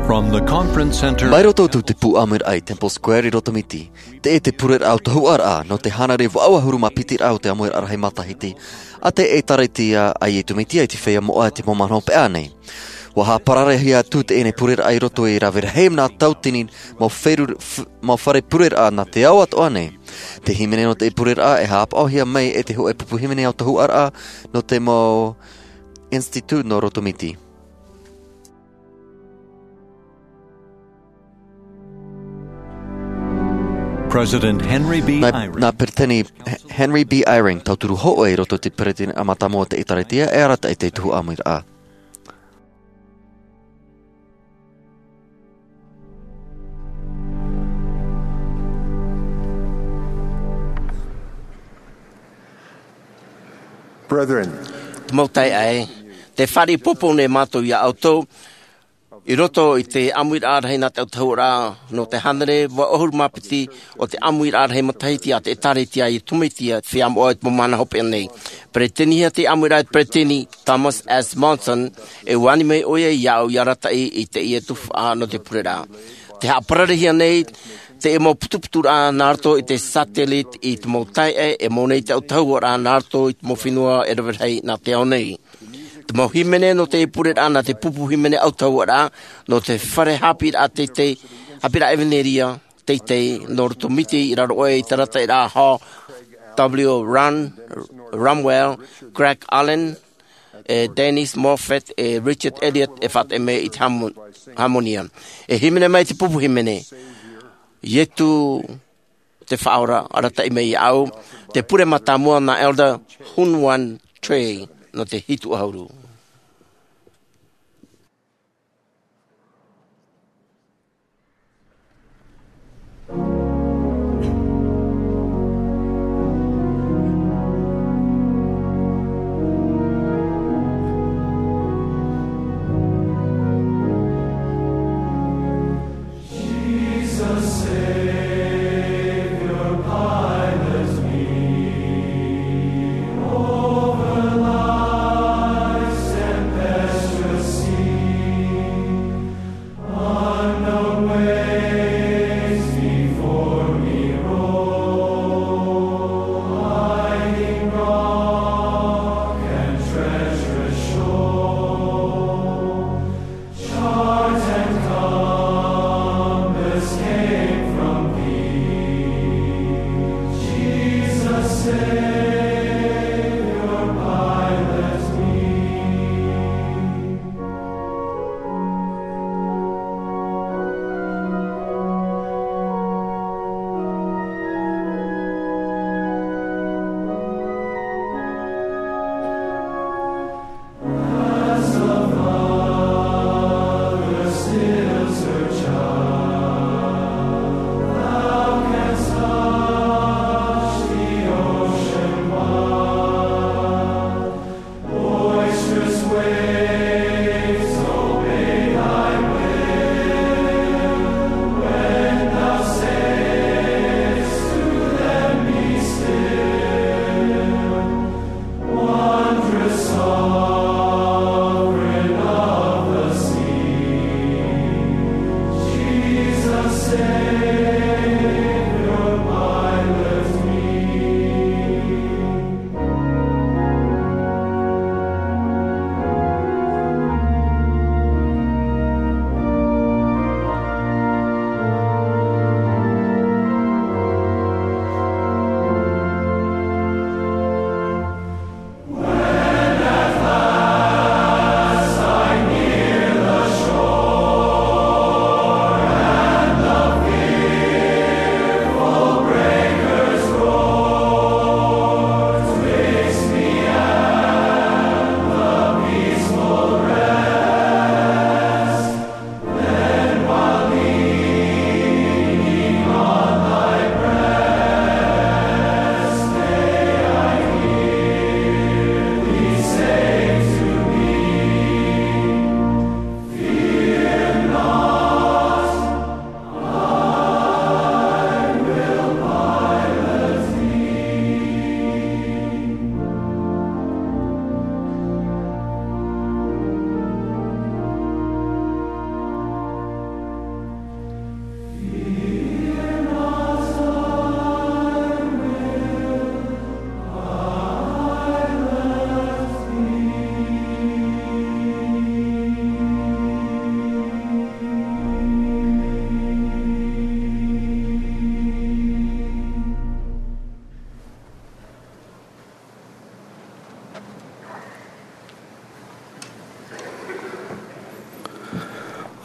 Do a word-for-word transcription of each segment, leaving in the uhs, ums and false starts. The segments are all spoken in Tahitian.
From the conference center. Mai roto atu te pū ʻāmuiraʻa i Temple Square i Rotomiti, teie te pureraʻa ʻautahuʻaraʻa nō te hānere vaʻu ʻahuru mā piti raʻa o te ʻāmuiraʻa rahi matahiti a te ʻĒkālesia a Iesu Mesia i te feiā moʻa i te mau mahana hopeʻa nei. ʻUa haʻapararehia atu teie pureraʻa i roto i te rave rahi nā tauatini mau fare, f-, mau fare pureraʻa nā te ao atoʻa nei. Te hīmene nō teie pureraʻa e haʻapaʻohia mai e te hōʻē pupu hīmene ʻautahuʻaraʻa nō te mau Institute nō Rotomiti. President Henry B. Nā, Eyring. Nā Peretiteni H-, Henry B. Eyring, tauturu hōʻē i roto i te Peretiteni mātāmua o te ʻĒkālesia, e arataʻi i te tuhaʻa ʻāmuiraʻa. Brethren. Te mau taeaʻe, tē fāriʻi poupou nei mātou ia ʻoutou, i roto i te ʻāmuiraʻa rahi nā te ʻautahuʻaraʻa nō te hānere vaʻu ʻahuru mā piti o te ʻāmuiraʻa rahi matahiti a te ʻĒkālesia a Iesu Mesia i te feiā moʻa i te mau mahana hopeʻa nei. Peretitenihia te ʻāmuiraʻa e te Peretiteni Thomas S. Monson, e ʻua ani mai ʻoia iāʻu ia arataʻi i teie tuhaʻa nō te pureraʻa. Tē haʻapararehia nei teie mau putuputuraʻa nā roto i te satellite i te mau taeaʻe e mau nei te ʻautahuʻaraʻa nā roto i te mau fenua e rave rahi nā te ao nei. Te mau hīmene nō te pureraʻa nā te pupu hīmene ʻautahuʻaraʻa nō te fare haʻapiʻiraʻa teitei, haʻapiʻiraʻa ʻEvanelia teitei nō Rotomiti i raro aʻe i te arataʻiraʻa Hall W. Ron, Ramwell, Greg Allen, e Dennis Moffat, e Richard Elliott e faʻateʻa mai i te hamo-, hamonia. E hīmene mai te pupu hīmene, Iesu te Faʻaora, arataʻi mai iāʻu, te pure mātāmua nā Elder Hyun Won Choi nō te hitu ʻahuru.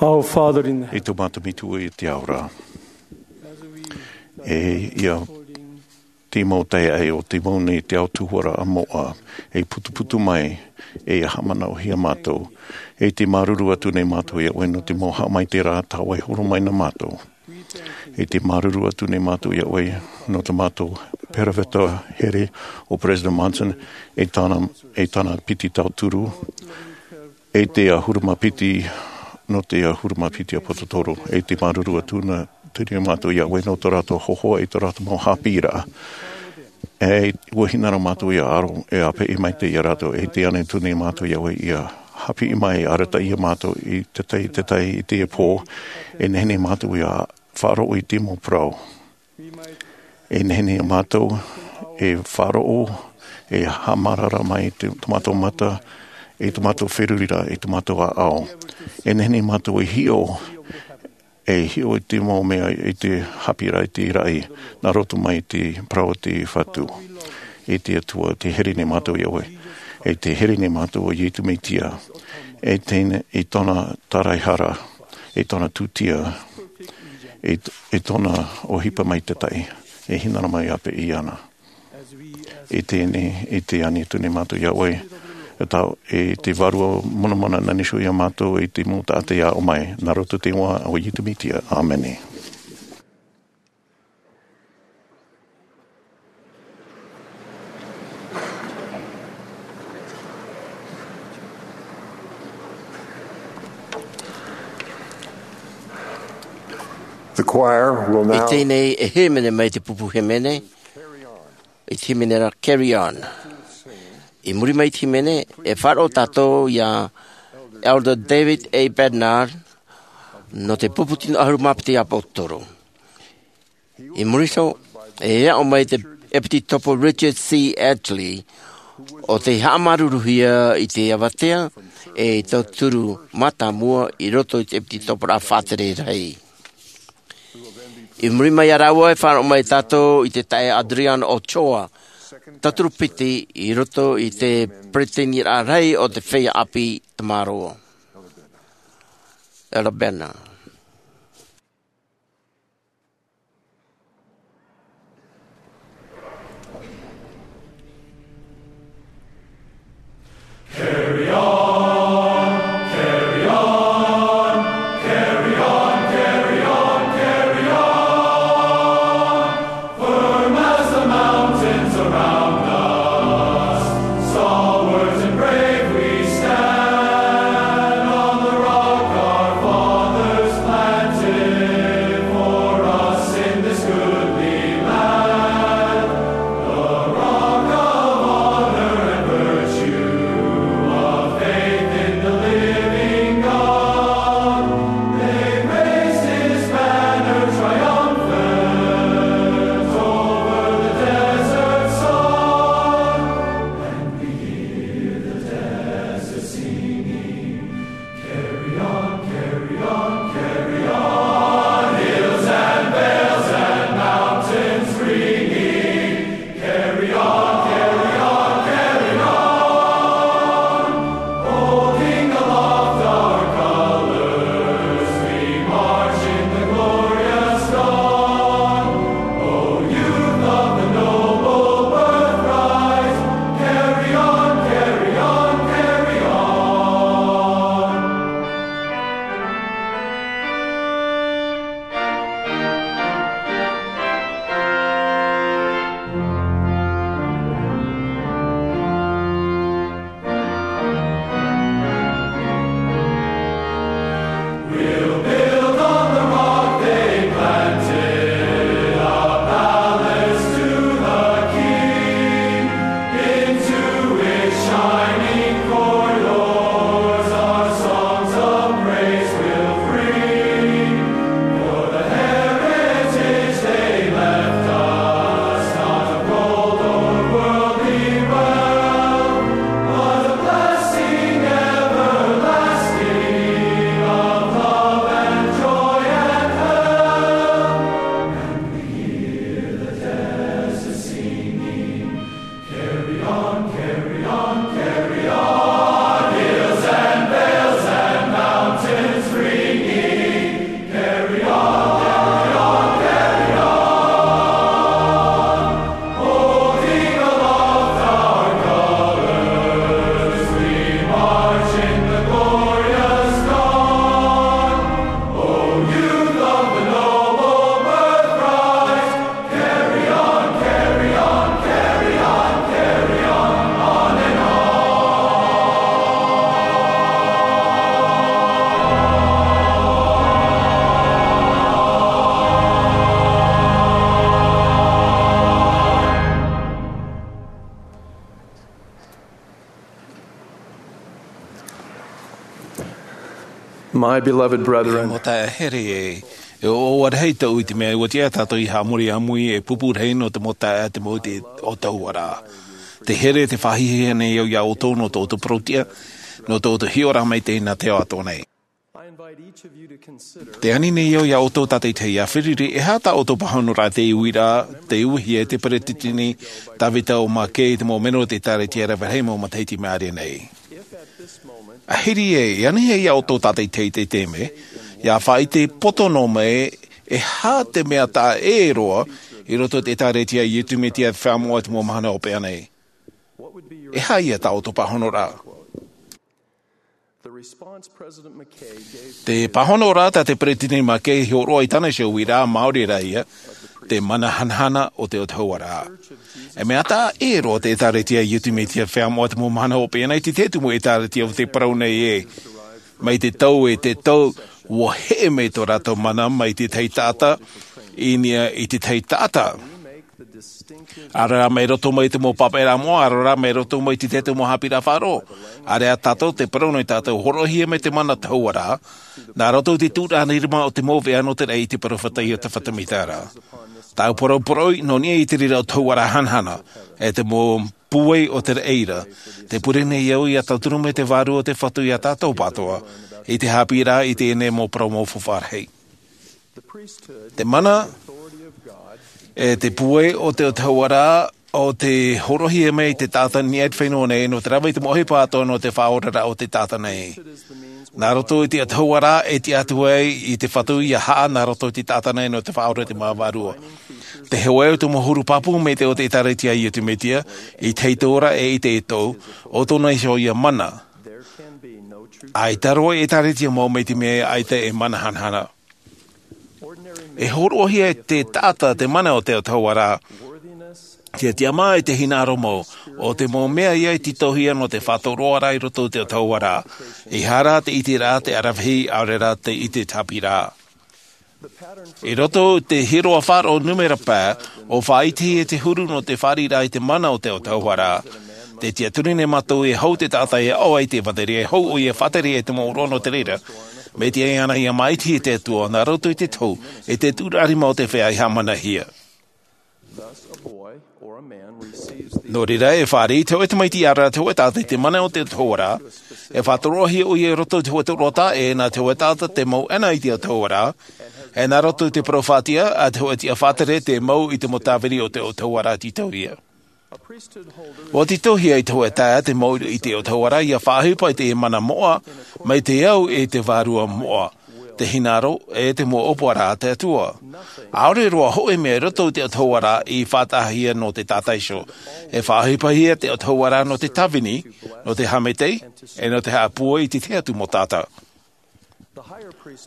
Our Father in heaven, i tō mātou Metua i te ao ra. E ia te mau taeaʻe o te mau nei te ao tuara a moʻa, e putuputu mai, e ia haʻamanaʻohia mātou. E te māuruuru atu nei mātou iā ʻoe nō te mau haʻamaitaʻiraʻa tā ʻoe e horo mai nā mātou. E te māuruuru atu nei mātou iā ʻoe nō te mātou peropheta here o President Monson, e tāna, e tāna piti tauturu, e te ʻahuru mā piti, nō te ʻahuru mā piti ʻāpōsetolo, e te māuruuru atu nei mātou iā ʻoe nō tō rātou hōhoʻa, e tō rātou mau haʻapiʻiraʻa. E ua hinaʻaro mātou ia aro, e ʻāpeʻe maitaʻi ia rātou, e te ani atu nei mātou iā ʻoe ia haʻapiʻi mai, arataʻi ia mātou i te tahi, te tahi, i te pō, e nehenehe mātou ia faʻaroʻo i te mau parau. E nehenehe mātou e faʻaroʻo, e haʻamārara mai te, tō mātou mata, e tō mātou feruriraʻa, e tō mātou ʻāʻau. E nehenehe mātou e hiʻo, e hiʻo i te mau mea, i te haʻapiʻiraʻa, i te raʻi, nā roto mai i te parau a te Fatu. E te Atua, tē here nei mātou iā ʻoe, e tē here nei mātou iā Iesu Mesia, e tēnei, i tōna tāraehara, e tōna tūtia, e, e tōna ʻohipa maitaʻi, e hinaʻaro mai ʻāpeʻe iāna. E tēnei, e te ani atu nei mātou iā ʻoe, e tau, e te Vārua Monamona nā niʻa iho iā mātou, e te mau taʻata ia ʻō mai, nā roto i te iʻoa o Iesu Mesia. ʻĀmene. The choir will now. I teie nei e hīmene mai te pupu hīmene, i te hīmene ra Carry On. I muri mai i te hīmene, e faʻaroʻo tātou iā Elder David A. Bednar nō te pupu tino ʻahuru mā piti ʻāpōsetolo. I muri iho, e aʻo mai te ʻEpitopo Richard C. Edgley, ʻo tē haʻamāuruuruhia i te avatea, e tauturu mātāmua i roto i te ʻEpitopo ra faʻatere rahi. I muri mai iā rāua e faʻaroʻo mai tātou i te taeaʻe Adrián Ochoa, tauturu piti i roto i te peretiteniraʻa rahi o te feiā ʻāpī Tamaroa. Elder Bednar. My beloved brethren, mau taeaʻe here, e ʻoaʻoa rahi tōʻu i te mea ua tiʻa tātou i haʻamori ʻāmui e pupu rahi nō te mau taeaʻe te mau i te ʻōtauaraʻa. Te here, te faʻahiahia nei au iā ʻoutou nō tō ʻoutou parauʻtiʻa, nō tō ʻoutou hiʻoraʻa maitaʻi nā te ao atoʻa nei. I invite each of you to consider. Te ani nei au iā ʻoutou tātaʻitahi ia fārerei, e aha tā ʻoutou pāhonoraʻa i te uiraʻa, te uihia e te peretiteni Tavita O. McKay i te mau melo o te ʻĒkālesia rave rahi mau matahiti i maʻiri nei. Ahiri ē, e ani hia iā ʻoutou tātaʻitahi i te taime, ia faʻaʻite poto noa mai, e aha te mea taʻa ʻē roa i roto i te ʻĒkālesia a Iesu Mesia Feiā Moʻa o te Mau Mahana Hopeʻa nei. E aha ia tā ʻoutou pāhonoraʻa? The response President McKay gave. Te pāhonoraʻa tā te peretiteni McKay i hōroʻa i tāna iho uiraʻa, māori rā ia, te mana hanahana o te ʻōtauaraʻa. E mea taʻa ʻē roa te ʻĒkālesia a Iesu Mesia Feiā Moʻa o te Mau Mahana Hopeʻa nei i te tahi atu mau ʻĒkālesia o te parau nei ē, mai te tau e te tau, ua heʻe mai tō rātou mana mai te tahi taʻata i niʻa i te tahi taʻata. ʻAore rā mai roto mai te mau pāpaʻiraʻa moʻa, ʻaore rā mai roto mai te tahi atu mau haʻapiʻiraʻa faʻaroʻo. ʻAore ā tātou te parau nei tātou, hōroʻahia mai te mana ʻōtauaraʻa, nā roto i te tūraʻa rima o te mau veʻa nō te raʻi i te peropheta Iosepha Semita ra. Tāʻu poroʻi, poroʻi, nō niʻa i te reira ʻōtauaraʻa hanahana, e te mau pūai o te raʻi ra, tē pure nei au ia tauturu mai te Vārua o te Fatu iā tātou pātoa, i te haʻapiʻiraʻa i teie nei mau parau mau faufaʻa rahi. Te mana, e te pūai o te ʻōtauaraʻa, ʻo tē hōroʻahia mai i te taʻata i niʻa i te fenua nei, nō te rave i te mau ʻohipa atoʻa nō te faʻaoraraʻa o te taʻata nei. Nā roto i te ʻōtauaraʻa e tiʻa atu ai i te Fatu ia haʻa nā roto i te taʻata nei nō te faʻaora i te mau vārua. Te hōʻē o te mau huru pāpū maitaʻi o te ʻĒkālesia a Iesu Mesia, i te ora e i te ʻītau, ʻo tōna iho ia mana. ʻAita roa e ʻĒkālesia mau mai te mea ʻaita e mana hanahana. E hōroʻahia e te taʻata te mana o te ʻōtauaraʻa, te tiʻamā e te hinaʻaro mau, ʻo te mau mea ia i tītauhia nō te faʻatoroaraʻa i roto i te ʻōtauaraʻa, ʻeiaha rā te ʻiteraʻa te aravihi, ʻaore rā te ʻite tāpīraʻa. I roto i te hīroʻa faʻaroʻo nūmera pae, ʻua faʻaʻitehia te huru nō te fāriʻiraʻa i te mana o te ʻōtauaraʻa. Tē tiʻaturi nei mātou e hau te taʻata e aʻo ai i te ʻevanelia, e hau ʻoia e faʻatere ai te mau ʻōroʻa nō te reira, mai te ʻaʻana ia māʻitihia e te Atua, nā roto i te tohu, e te tūraʻa rima o te feiā i haʻamanahia. Nō reira, e fāriʻi te hōʻē tamaiti, ʻaore rā te hōʻē taʻata i te mana o te ʻōtauaraʻa, e faʻatoroʻahia ʻoia i roto i te hōʻē toroʻa taʻa ʻē nā te hōʻē taʻata tē mau ʻena i te ʻōtauaraʻa, e nā roto i te parau faʻatiʻa a te hōʻē tiʻa faʻatere tē mau i te mau tāvini o te ʻōtauaraʻa tītauhia. ʻUa tītauhia i te hōʻē taeaʻe tē mau i te ʻōtauaraʻa ia faʻaʻohipa i te mana moʻa, mai te au e te vārua moʻa, te hinaʻaro, e te mau ʻōpuaraʻa a te Atua. ʻAore roa hōʻē mea i roto i te ʻōtauaraʻa i faʻataʻahia nō te taʻata iho. E faʻaʻohipahia te ʻōtauaraʻa nō te tāvini, nō te haʻamaitaʻi, e nō te haʻapūai i te tahi atu mau taʻata.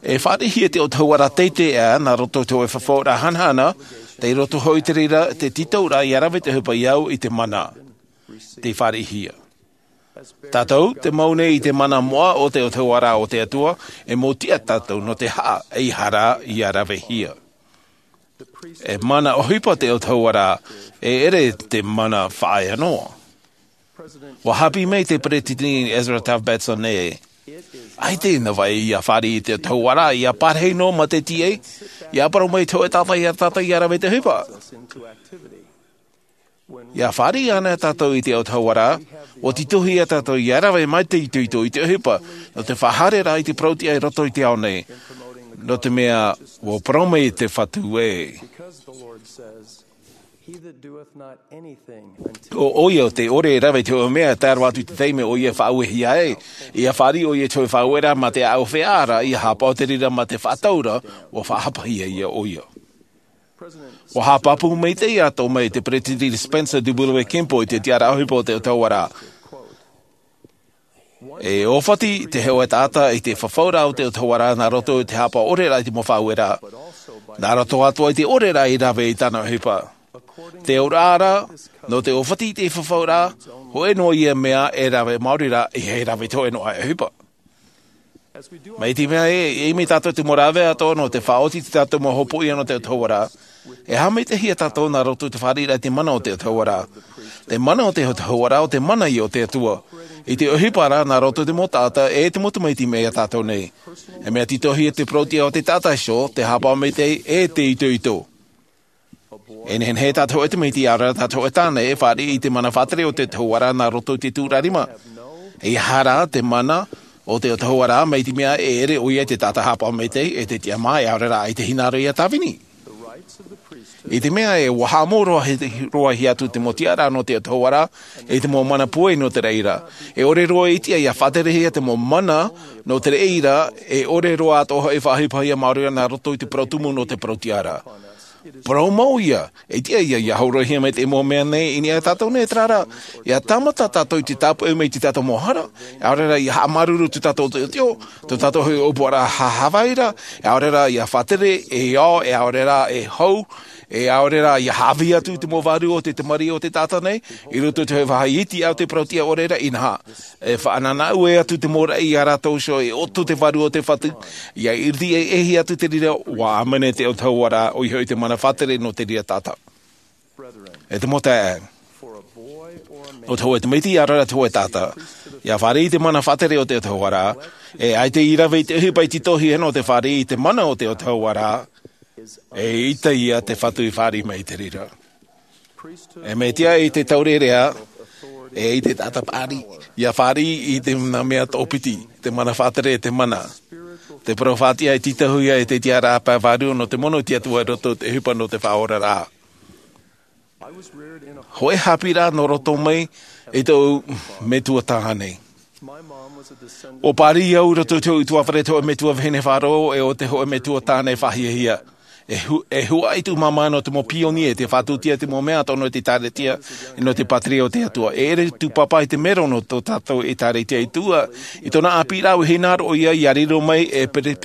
E fāriʻihia te ʻōtauaraʻa teitei aʻe nā roto i te hōʻē fafauraʻa hanahana, tei roto hoʻi i te reira te tītauraʻa ia rave te ʻohipa i au i te mana. Tei fāriʻihia. Tātou, tē mau nei i te mana moʻa o te ʻōtauaraʻa o te Atua, e mau tiʻa tātou nō te haʻa, ʻeiaha rā ia ravehia. E mana ʻohipa te ʻōtauaraʻa, e ʻere te mana faʻaea noa. ʻUa haʻapiʻi mai te peretiteni Ezra Taft Benson ē, ʻaita e navaʻi ia fāriʻi i te ʻōtauaraʻa, ia parahi noa ma te tīaʻi, ia parau mai te hōʻē taʻata ia tātou ia rave te ʻohipa. Ia fāriʻi anaʻe tātou i te ʻōtauaraʻa, ʻua tītauhia tātou ia rave mai te itoito i te ʻohipa, nō te faʻahaereraʻa i te parauʻtiʻa i roto i te ao nei, nō te mea, ʻua parau mai te Fatu ē. He that doeth not anything until ʻO ʻoia tē ʻore e rave i te hōʻē mea, tae roa atu i te taime ʻoia e faʻauehia ai, ia fāriʻi ʻoia i te hōʻē faʻaueraʻa ma te ʻāʻau feiā ra, ia haʻapaʻo i te reira ma te faʻataura, ʻua faʻahapahia ia ʻoia. ʻUa haʻapāpū maitaʻi atoʻa mai te peretiteni Spencer W. Kimball i te tiʻaraʻa ʻohipa o te ʻōtauaraʻa. E ʻōfati te hōʻē taʻata i te fafauraʻa o te ʻōtauaraʻa nā roto i te haʻapaʻo ʻoreraʻa i te mau faʻaueraʻa, nā roto atoʻa i te ʻoreraʻa i rave i tāna ʻohipa. Te auraʻa ra, nō te ʻōfati i te fafauraʻa, hōʻē noa ia mea e rave maori ra, ʻeiaha e rave i te hōʻē noa ʻohipa. Mai te mea ē, e ʻimi tātou i te mau rāveʻa atoʻa nō te faʻaoti i tā tātou mau hopoiʻa nō te ʻōtauaraʻa, E haʻamaitaʻihia tātou nā roto i te fāriʻiraʻa i te mana o te Atua ra. Te mana o te Atua ra, o te mana ia o te Atua. I te ʻohipa ra, nā roto i te mau taʻata, e te mau tamaiti mai iā tātou nei. E mea tītauhia te parau-tiʻa o te taʻata iho, te haʻapaʻo maitaʻi, e te itoito. E nehenehe tā te hōʻē tamaiti, ʻaore rā tā te hōʻē tāne, e fāriʻi i te mana faʻatere o te Atua ra nā roto i te tūrarima. E aha rā te mana o te Atua ra, mai te mea e ʻere ʻoia i te taʻata haʻapaʻo maitaʻi, e te tiʻamā, e ʻaore rā i te hinaʻaro ia tāvini. I te mea ē, ʻua haʻamau roa, roa hia atu te mau tiʻaraʻa nō te Atua ra, e te mau mana pūai nō te reira. E ʻore roa i tiʻa ia faʻaterehia te mau mana nō te reira, e ʻore roa atoʻa hoʻi e faʻaʻohipahia māuruuru nā roto i te parau tumu nō te parau-tiʻa ra. Parau mau ia, e tiʻa ia, ia horoʻahia mai te mau mea nei i niʻa iā tātou nei, terā rā, ia tāmata tātou i te tāpeʻa mai i tō tātou mau hara, e ʻaore rā ia haʻamāuruuru tō tātou teoteo, tō tātou hoʻi ʻōpuaraʻa haʻavāraʻa, e ʻaore rā ia faʻatere, e ao, e ʻaore rā e hou, e ʻaore rā ia haʻavī atu i te mau vārua o te tamariʻi o te taʻata nei, i roto i te hoʻē vāhi iti ʻau te parau-tiʻa ʻore ra, inaha. E faʻanahonaho atu te mau raʻi iā rātou iho, e ʻoto te vārua o te Fatu, ia ʻiriti e, e ʻēhia atu te reira, ʻua ʻāmene te Atua ra, ʻoia hoʻi te mana faʻatere nō te reira taʻata. E te mau taeaʻe, nō te hōʻē tamaiti ʻaore rā te hōʻē taʻata, ia fāriʻi i te mana faʻatere o te Atua ra, e ʻaita i rave i te ʻohipa i tītauhia nō te fāriʻi i te mana o te Atua ra, e ʻaita ia te Fatu i fāriʻi mai i te reira. E mea tiʻa i te taureʻareʻa, e i te taʻata paʻari, ia fāriʻi i te nā mea toʻopiti, te mana faʻatere, te mana. Te parau faʻatiʻa e tītauhia e te tiʻaraʻa pae vārua nō te mono o te Atua i roto i te ʻohipa nō te faʻaoraraʻa. Hōʻē haʻapiʻiraʻa nō roto mai i tōʻu metua tāne. ʻUa pāri au i roto i te hōʻē ʻutuāfare, te hōʻē metua vahine faʻaroʻo, e ʻo te hōʻē metua tāne faʻahiahia. E hu-, e huaʻai tōʻu māmā nō te mau pionie, te faʻatūtia i te mau mea atoʻa nō te ʻĒtārētia, e nō te pātireia o te Atua. E ʻere tūpapa i te mero nō tō tātou ʻĒtārētia i tuʻa, i tōna ʻāpīraʻa i hinaʻaro ʻoia ia riro mai e pere-,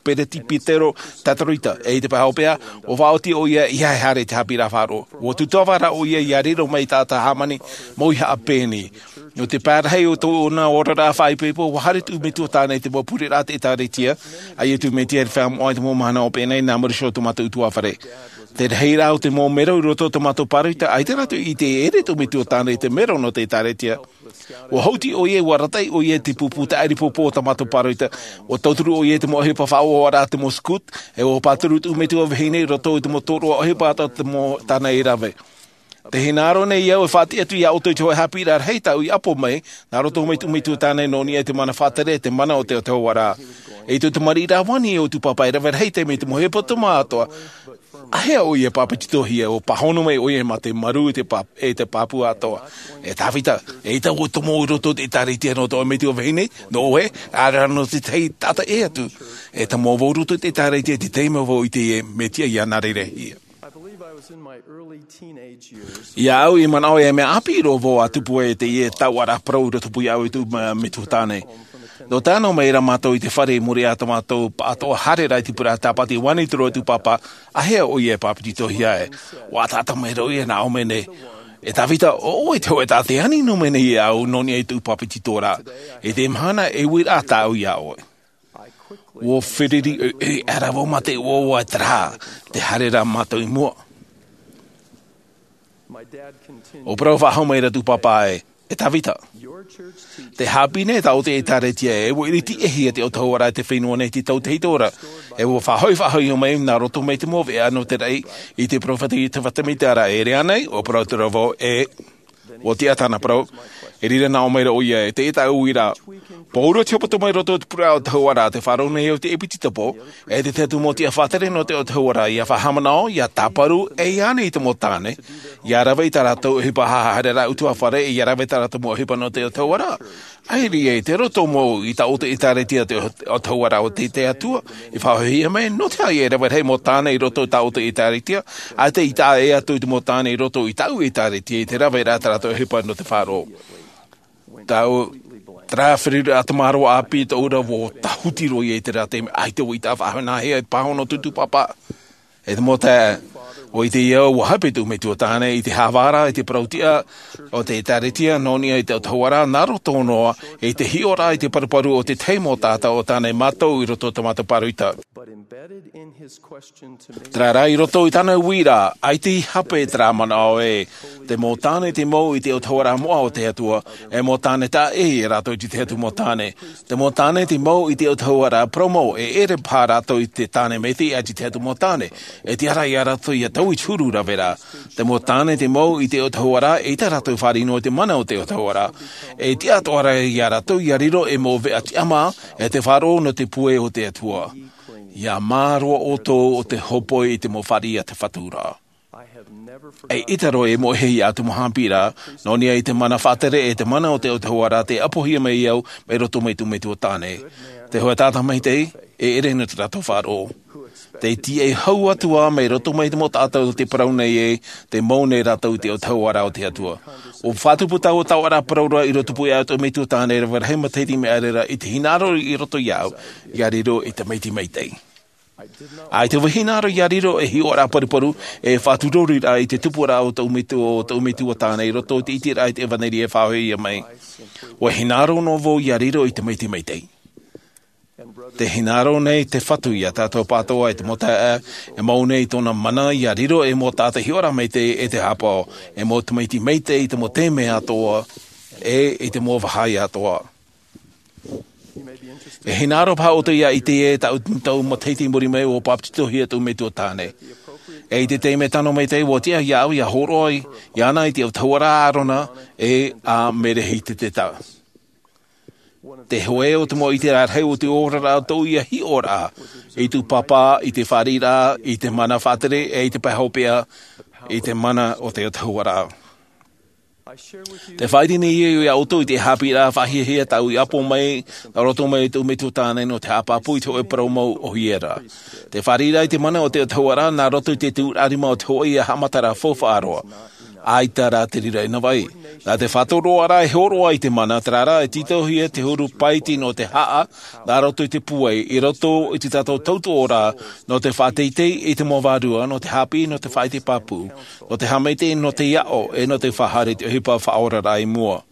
peretipitero Tatarita, e i te pae hopeʻa, ʻua faʻaoti ʻoia ʻeiaha e haere i te haʻapiʻiraʻa faʻaroʻo. ʻUa tūtava rā ʻoia ia riro mai i te taʻata hāmani, mau i haʻapeni. Nō te pae rahi o tōna oraraʻa faʻaipoipo, ʻua haere tōʻu metua tāne i te mau pureraʻa a te ʻĒtārētia, ʻaita tōʻu metua i te feiā moʻa i te mau mahana hopeʻa nei, nā muri iho o tō mātou ʻutuāfare. Te rahiraʻa o te mau mero i roto i tō mātou pāroita, ʻaita rātou i ʻite e ʻere tōʻu metua tāne i te mero nō te ʻĒtārētia. ʻUa hauti ʻoia, ʻua arataʻi ʻoia i te pupu tāʻiripōpō o tā mātou pāroita. ʻUa tauturu ʻoia i te mau ʻohipa faʻaʻohipa a te mau scout, e ʻua pāturu tōʻu metua vahine i roto i te mau tōroʻa ʻohipa atoʻa o te mau tāne i rave. Tē hinaʻaro nei au e faʻatiʻa atu iā ʻoutou i te hōʻē haʻapiʻiraʻa rahi tāʻu i ʻapo mai, nā roto mai tōʻu metua tāne nō niʻa i te mana faʻatere, te mana o te Atua ra. E i tōʻu tamariʻi rāveʻa nei, ʻo tū pāpā e rave rahi taime i te mau hepetoma atoʻa. ʻĀhea ʻoia e pāpetitohia, ʻua pāhono mai ʻoia mā te marū e te pā-, e te pāpū atoʻa. E Tāvita, eʻita ʻoe tomo i roto i te ʻĒtārētia nō tō metua vahine, nō ʻoe, ʻaore rā nō te tahi taʻata ʻē atu. E tomo vau i roto i te ʻĒtārētia i te taime vau i ʻite e mea tiʻa ia nā reira e hia. Iāʻu i manaʻo e mea ʻāpī roa vau ʻa tupu ai i teie tauʻaraʻa parau i roto pū iāʻu i tōʻu ma-, metua tāne. Nō te nā mai ra mātou i te fare i muri iā tō mātou pāʻatoʻa haereraʻa i te pureraʻa tāpati, ʻua ani atu ra tū pāpā, ʻĀhea ʻoia e pāpetitohia e? ʻUa taʻata mai ra ʻoia nā ʻō mai nei, E Tāvita, ʻo ʻoe te hōʻē taʻata e ani noa mai nei iāʻu nō niʻa i tōʻu pāpetitoraʻa. I te mahana e uiraʻa tāʻu iā ʻoe. ʻUa feruri ʻoiʻoi aʻera vau mā te ʻoaʻoa, terā, tē haere ra mātou i mua. ʻUa parau faʻahou mai ra tū pāpā ē, E Tāvita, tē haʻapiʻi nei tā ʻoutou ʻĒtārētia ē, ʻua ʻiriti ʻēhia te Atua ra i te fenua nei i te tau tahito ra. E ʻua faʻahoʻi, faʻahoʻi mai nā roto mai te mau veʻa nō te raʻi i te peropheta Iosefa Sāmita ra. E ʻere ānei? ʻUa parau atu ra vau, ʻĒ. ʻUa tiʻa tāna parau. I reira nā ʻō mai ra ʻoia, e teie tāʻu uiraʻa. Pauroa te hepetoma i roto i te pureraʻa o te Atua ra, tē faʻaroʻo nei au i te ʻepitopo, e te tahi atu mau tiʻa faʻatere nō te Atua ra, ʻia faʻahaʻamanaʻo, ʻia tāparu, e ʻia ani i te mau tāne, ʻia rave i tā rātou ʻohipa haereraʻa ʻutuāfare, ʻia rave i tā rātou mau ʻohipa nō te Atua ra. ʻAita e roto mau i tā ʻoutou ʻĒtārētia te Atua ra, ʻo te, te Atua i faʻahoʻihia mai, nō te aha ʻia rave rahi mau tāne i roto i tā ʻoutou ʻĒtārētia, ʻaita i taʻa ʻē atu i te mau tāne i roto i tāʻu ʻĒtārētia i te rave ra i tā rātou ʻohipa nō te faʻaroʻo. Tāʻu, terā feruriraʻa tamaroa ʻāpī tōʻu ra, ʻua tahuti roa ia i terā taime, ʻaita ʻua ʻite faʻahou nāhea e pāhono tū pāpā. E te mau taeaʻe, ʻO i te ia ua hape tū metua tāne i te hāvara i te parauʻtiʻa o te ʻēkālesia nō niʻa i te autahuʻaraʻa nā roto noa i te hiʻoraʻa i te paruparu o te tahi mau taʻata o tāne mātou i roto o te mātou pāroita. But embedded in his question to me, Terā rā i roto i tāna uiraʻa, ʻaita i hape terā manaʻo ē, te mau tāne te mau i te autahuʻaraʻa moʻa o te Atua, e mau tāne taʻa ʻē ia rātou i te Atua mau tāne. Te mau tāne te mau i te autahuʻaraʻa parau mau, e ʻere paha rātou i te tāne maitaʻi ʻaita i te Atua mau tāne. E tiʻa ra ia rātou ia taui te huru rave ra. Te mau tāne te mau i te autahuʻaraʻa, eʻita rātou fāriʻi noa i te mana o te autahuʻaraʻa. E tiʻa atoʻa ra ia rātou ia riro ei mau veʻa tiʻamā, e te faʻaroʻo nō te puai o te Atua. Ia mā roa ʻoutou o te hōpoi i te mau fāriʻi a te Fatu ra. E ʻita roa e moʻehia atu mau haʻapiʻiraʻa, nō niʻa i te mana faʻatere e te mana o te autahuʻaraʻa tei ʻapohia mai au mai roto mai tū metua tāne. Te hōʻē taʻata maitaʻi, e ʻere nō te rātou faʻaroʻo. Tei tiʻa hau atu ā mai roto mai te mau taʻata o te parau nei ē, te mau nei rātou i te autahuʻaraʻa o te Atua. ʻUa faʻatupu taua taoʻaraʻa parau ra i roto pū ia tō metua tāne rave rahi matahiti mai ʻaore ra i te hinaʻaro i roto ia au, ia riro ei tamaiti maitaʻi. ʻAita vau e hinaʻaro ia riro ei hiʻoraʻa paruparu, e faʻaturoriraʻa i te tupuraʻa o tō metua, o tō metua tāne i roto i te ʻiteraʻa i te ʻevanelia e faʻahoʻihia mai. ʻUa hinaʻaro noa vau ia riro ei tamaiti maitaʻi. Tē hinaʻaro nei te Fatu ia tātou pāʻatoʻa e te mau taeaʻe, e mau nei tōna mana ia riro ei mau taʻata hiʻoraʻa maitaʻi e te haʻapaʻo, ei mau tamaiti maitaʻi i te mau taime atoʻa, e i te mau vāhi atoʻa. E hinaʻaro paha ʻoutou ia ʻite ē, taʻu, taʻu matahiti i muri mai ʻua bāpetizohia tō metua tāne. E i te taime tano maitaʻi ʻua tiʻa ia au ia hōroʻa iāna i te autahuʻaraʻa a Arona, e a Merehiteta. Te hōʻē o te mau ʻiteraʻa rahi o te oraraʻa o tōʻu ia hiʻoraʻa i tū pāpā, i te fāriʻiraʻa, i te mana faʻatere, e i te pae hopeʻa, i te mana o te autahuʻaraʻa. Tē faʻaʻite nei au ia ʻoutou i te haʻapiʻiraʻa faʻahiahia tāʻu i ʻapo mai, nā roto mai tō metua tāne nō te haʻapāpū i te hōʻē parau mau ʻōhie ra. Te fāriʻiraʻa i te mana o te autahuʻaraʻa nā roto i te tuʻuraʻa rima o te hōʻē ia haʻamataraʻa faufaʻa roa. ʻAita rā te reira i nā vai. Nā te faʻatoroʻaraʻa e hōroʻa i te mana, terā rā e tītauhia te huru paiti nō te haʻa, nā roto i te puai, i roto i te tātou tautoʻoraʻa, nō te faʻateitei i te mau vārua, nō te haʻapiʻi, nō te faʻaʻite pāpū, nō te haʻamaitaʻi, nō te aʻo, e nō te faʻahaere i te ʻohipa faʻaoraraʻa i mua.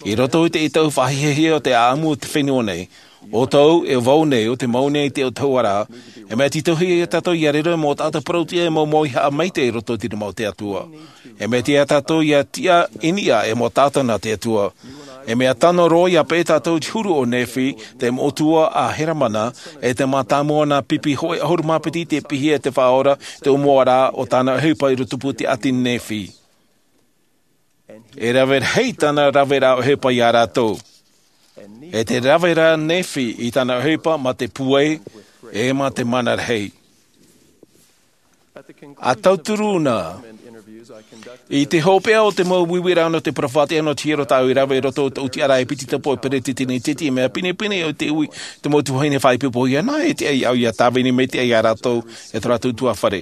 I roto i te tau faʻahiahia o te ʻāʻamu o te fenua nei, ʻoutou, e vau nei, ʻo te mau nei te autahuʻaraʻa, e mea tītauhia ia tātou ia riro ei mau taʻata parauʻtiʻa e mau mauihaʻa maitaʻi i roto i te rima o te Atua. E mea tiʻa ia tātou ia tiʻa i niʻa ei mau taʻata nā te Atua. E mea tano roa ia peʻe tātou i te huru o Nephi, te metua a Helamana, e te mātāmua nā pipi hōʻē ʻahuru mā piti tei piʻihia e te Faʻaora, te ʻōmuaraʻa o tāna ʻohipa i rotopū te ʻāti Nephi. E rave rahi tāna raveraʻa ʻohipa ia rātou. E tē rave ra Nephi i tāna ʻohipa mā te puai, e mā te mana rahi. ʻA tauturu na, i te hopeʻa o te mau uiuiraʻa nō te peropheta nō te hiero tāʻu i rave i roto i tōʻu tiʻaraʻa e piti tapu e peretiteni teti, e mea pinepine ʻo te ui, te mau tuahine faʻaipoipo ia nā, e tiʻa ia au ia tāvini maitaʻi ia rātou, e tō rātou ʻutuāfare.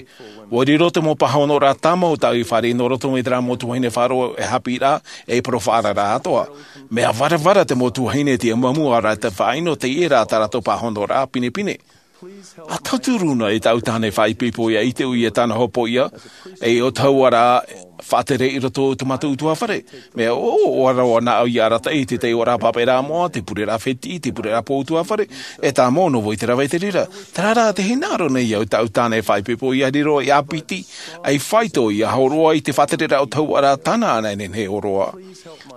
ʻUa riro te mau pāhonoraʻa tāmau tāʻu i fāriʻi nō roto mai terā mau tuahine faʻaroʻo e haʻapiʻiraʻa, e peropheta atoʻa. Mea varavara te mau tuahine te amuamu ʻaore rā te faʻaʻino, teie rā tā rātou pāhonoraʻa pinepine. ʻA tauturu na i tāʻu tāne faʻaipoipo ia ʻite ʻoia i tāna hopoiʻa, ei autahuʻaraʻa faʻatere i roto i tō mātou ʻutuāfare. Mea ʻoaʻoa roa nāʻu ia arataʻi i te taiʻoraʻa pāpaʻiraʻa moʻa, te pureraʻa fētiʻi, te pureraʻa pō ʻutuāfare, e tāmau noa vau i te rave i te reira. Terā rā tē hinaʻaro nei au i tāʻu tāne faʻaipoipo ia riro ei ʻāpiti, ei faito ia hōroʻa i te faʻatereraʻa autahuʻaraʻa tāna anaʻe nehenehe ʻōroʻa.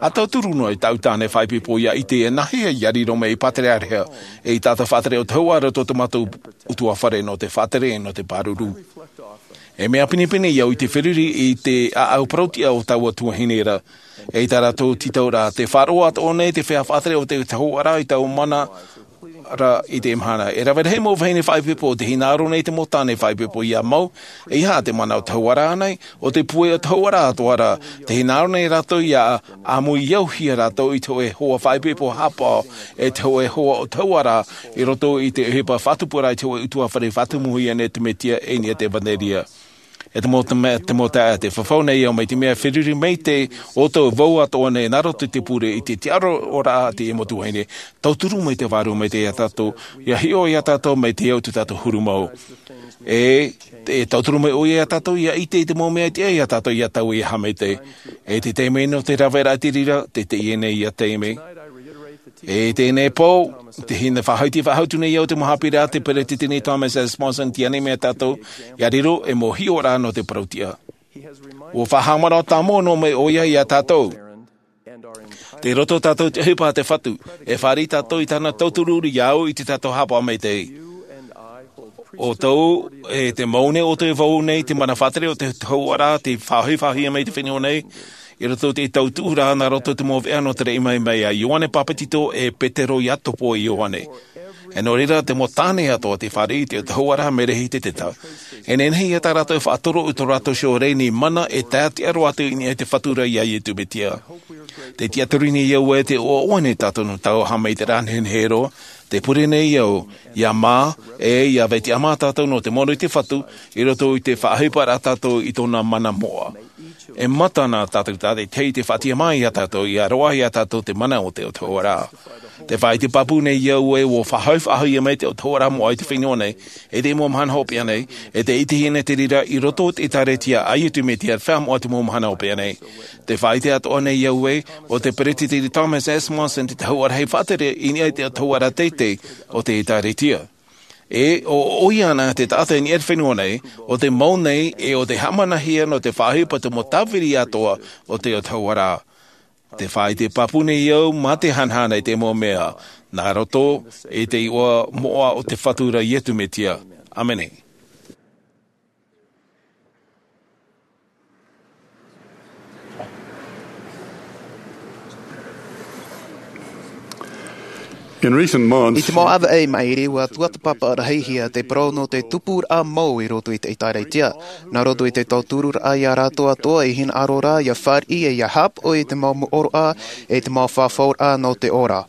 ʻA tauturu noa i tāʻu tāne faʻaipoipo ia ʻite e nāhea ia riro mai ei pātereʻareha, ei taʻata faʻatere autahuʻa i roto i tō mātou ʻutuāfare nō te faʻatere, nō te pāruru. E mea pinepine ia au i te feruri i te ʻāʻau parauʻtiʻa o taua tuahine ra, ei tā rātou tītauraʻa, tē faʻaroʻo atoʻa nei te feiā faʻatere o te autahuʻaraʻa i taua mana ra i teie mahana. E rave rahi mau vahine faʻaipoipo, tē hinaʻaro nei te mau tāne faʻaipoipo ia mau, e aha te mana autahuʻaraʻa nei, ʻo te puai autahuʻaraʻa atoʻa ra, tē hinaʻaro nei rātou ia ʻāmuiauhia rātou i te hōʻē hoa faʻaipoipo haʻapaʻo, e te hōʻē hoa autahuʻaraʻa, i roto i te ʻohipa faʻatupuraʻa i te hōʻē ʻutuāfare faʻatumuhia nei te Mesia e i niʻa i te ʻevanelia. E te mau, te mau taeaʻe, tē fafau nei au mai te mea feruri maitaʻi ʻoutou vau atoʻa nei nā roto i te pure i te tiʻaraʻa a te mau tuahine. Tauturu mai te Vārua Maitaʻi ia tātou, ia hiʻo ia tātou mai te au i tō tātou huru mau. E, e tauturu mai ʻoia iā tātou ia ʻite i te mau mea tiʻa iā tātou ia taui e haʻamaitaʻi. E te taime nō te raveraʻa i te reira, te teie nei ia taime. E teie nei pō, te hina faʻahiti faʻahou nei au te mau haʻapiʻiraʻa a te peresideni Thomas S. Monson, tiʻa nei mai iā tātou, ia riro ei mau hiʻoraʻa nō te parau tiʻa. ʻUa faʻahaʻamanaʻo tāmau noa mai ʻoia iā tātou. Tei roto tātou i te ʻohipa a te Fatu, e fāriʻi tātou i tāna tauturu ia au i tā tātou haʻapaʻo maitaʻi. ʻOutou, e te mau nei, ʻoutou e vau nei, te mana faʻatere o te hauʻaraʻa, tei faʻahoʻi-faʻahoʻihia mai i te fenua nei, i roto i te tautuʻuraʻa nā roto i te mau veʻa nō te raʻi mai mai iā Ioane Papetito e Petero ia topo e Ioane. E nō reira, te mau tāne atoʻa tei fāriʻi i te hauʻaraʻa mai reira i te teta. E nehenehe ia tā rātou e faʻatoro i tō rātou iho reni mana e tae atu roa atu i niʻa i te Fatu ra iā Iesu Mesia. Tē tiʻaturi nei au ē tē ʻoaʻoa nei tātou nō taua haʻamaitaʻiraʻa nehenehe roa, tē pure nei au, ia mā, e ia vai tiʻamā tātou nō te mono i te Fatu, i roto i te faʻaʻohiparaʻa tātou i tōna mana moʻa. E mata na tātou tātaʻitahi i te faʻatiʻamā iā tātou, ia roaʻa iā tātou te mana o te autahuʻaraʻa. Tē faʻaʻite pāpū nei au ē ʻua faʻahoʻi-faʻahoʻihia mai te autahuʻaraʻa moʻa i te fenua nei, e te mau mahana hopeʻa nei, e tē ʻitehia nei te reira i roto i te ʻĒkālesia a Iesu Mesia Feiā Moʻa i te mau mahana hopeʻa nei. Tē faʻaʻite atoʻa nei au ē, ʻo te peresideni Thomas S. Monson te tahuʻa rahi faʻatere i niʻa i te autahuʻaraʻa teitei o te ʻĒkālesia. E, ʻo, ʻoia ana te taʻata i niʻa i te fenua nei, ʻo tē mau nei, e ʻo tē haʻamanahia nō te faʻaʻohipa i te mau tāviri atoʻa o te autahuʻaraʻa. Tē faʻaʻite pāpū nei au, mā te hanahana i te mau mea, nā roto i te iʻoa moʻa o te Fatu ra Iesu Mesia. ʻĀmene. In recent months, I te mau ʻāvaʻe i maʻiri, ʻua tuatāpapa rahi hia te parau nō te tupuraʻa mau i roto i te ʻĒkālesia. Nā roto i te tauturuʻraʻa iā rātou atoʻa i hinaʻaro ra, ia fāriʻi e ia haʻapaʻo i te mau mōʻoroʻa, e te mau fafauraʻa nō te ora.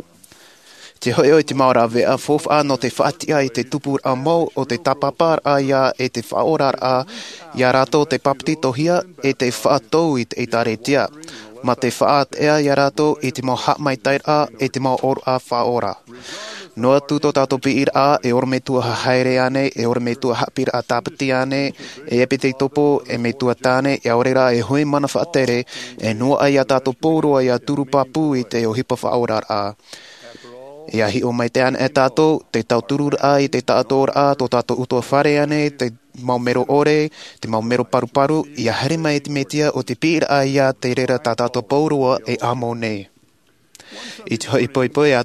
Te hoʻi ʻoe i te mau rāveʻa faufaʻa nō te faʻatiʻa i te tupuraʻa mau o te tāpaparaʻa ia e te faʻaoraraʻa, iā rātou tei papetitohia e tei faʻatou i te ʻĒkālesia. Mā te faʻaʻiteʻa iā rātou i te mau haʻamaitaʻiraʻa e te mau ʻōroʻa faʻaora. Noa atu tō tātou piʻiraʻa, e ʻorometua haere ānei, e ʻorometua haʻapiʻiraʻa tāpati ānei, e ʻepitekopo, e metua tāne, e ʻaore rā e hōʻē mana faʻatere, e noaʻa iā tātou pauroa ia turu pāpū i te ʻohipa faʻaoraraʻa. Ia hiʻo maitaʻi ana e tātou, te tautururaʻa i te taʻatoʻaraʻa, tō tātou ʻutuāfare ānei, te mau mero ʻore, te mau mero paruparu, ia haere mai te Mesia ʻo te piʻiraʻa ia te reira tā tātou pauroa e amo nei. I te hoʻi poipoi a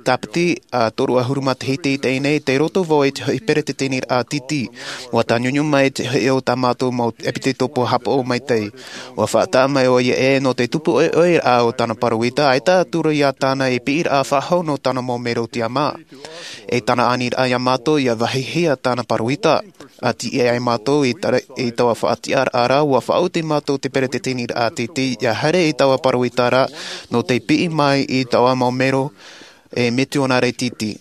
Tāpiti, ā, toru ʻahuru matahiti i teie nei, tei roto vau i te hoʻi peretiteniraʻa tītī. ʻUa tāniuniu mai te hoʻi o tā mātou mau ʻepitekopo haʻapaʻo maitaʻi. ʻUa faʻataʻa mai ʻoia ē nō te tupu ʻoiʻoi raʻa o tāna parau ʻita, ʻaita atu ra ia tāna e piʻiraʻa faʻahou nō tāna mau mero tiʻamā. E tāna aniraʻa iā mātou ia vāhihia tāna parau ʻita. ʻA tiʻa ai mātou i tara-, i taua faʻatiʻaraʻa ra, ʻua faʻaoti mātou te peretiteniraʻa tītī, ia haere i taua parau ʻita ra, nō te piʻi mai i taua mau mero e mitionare tītī.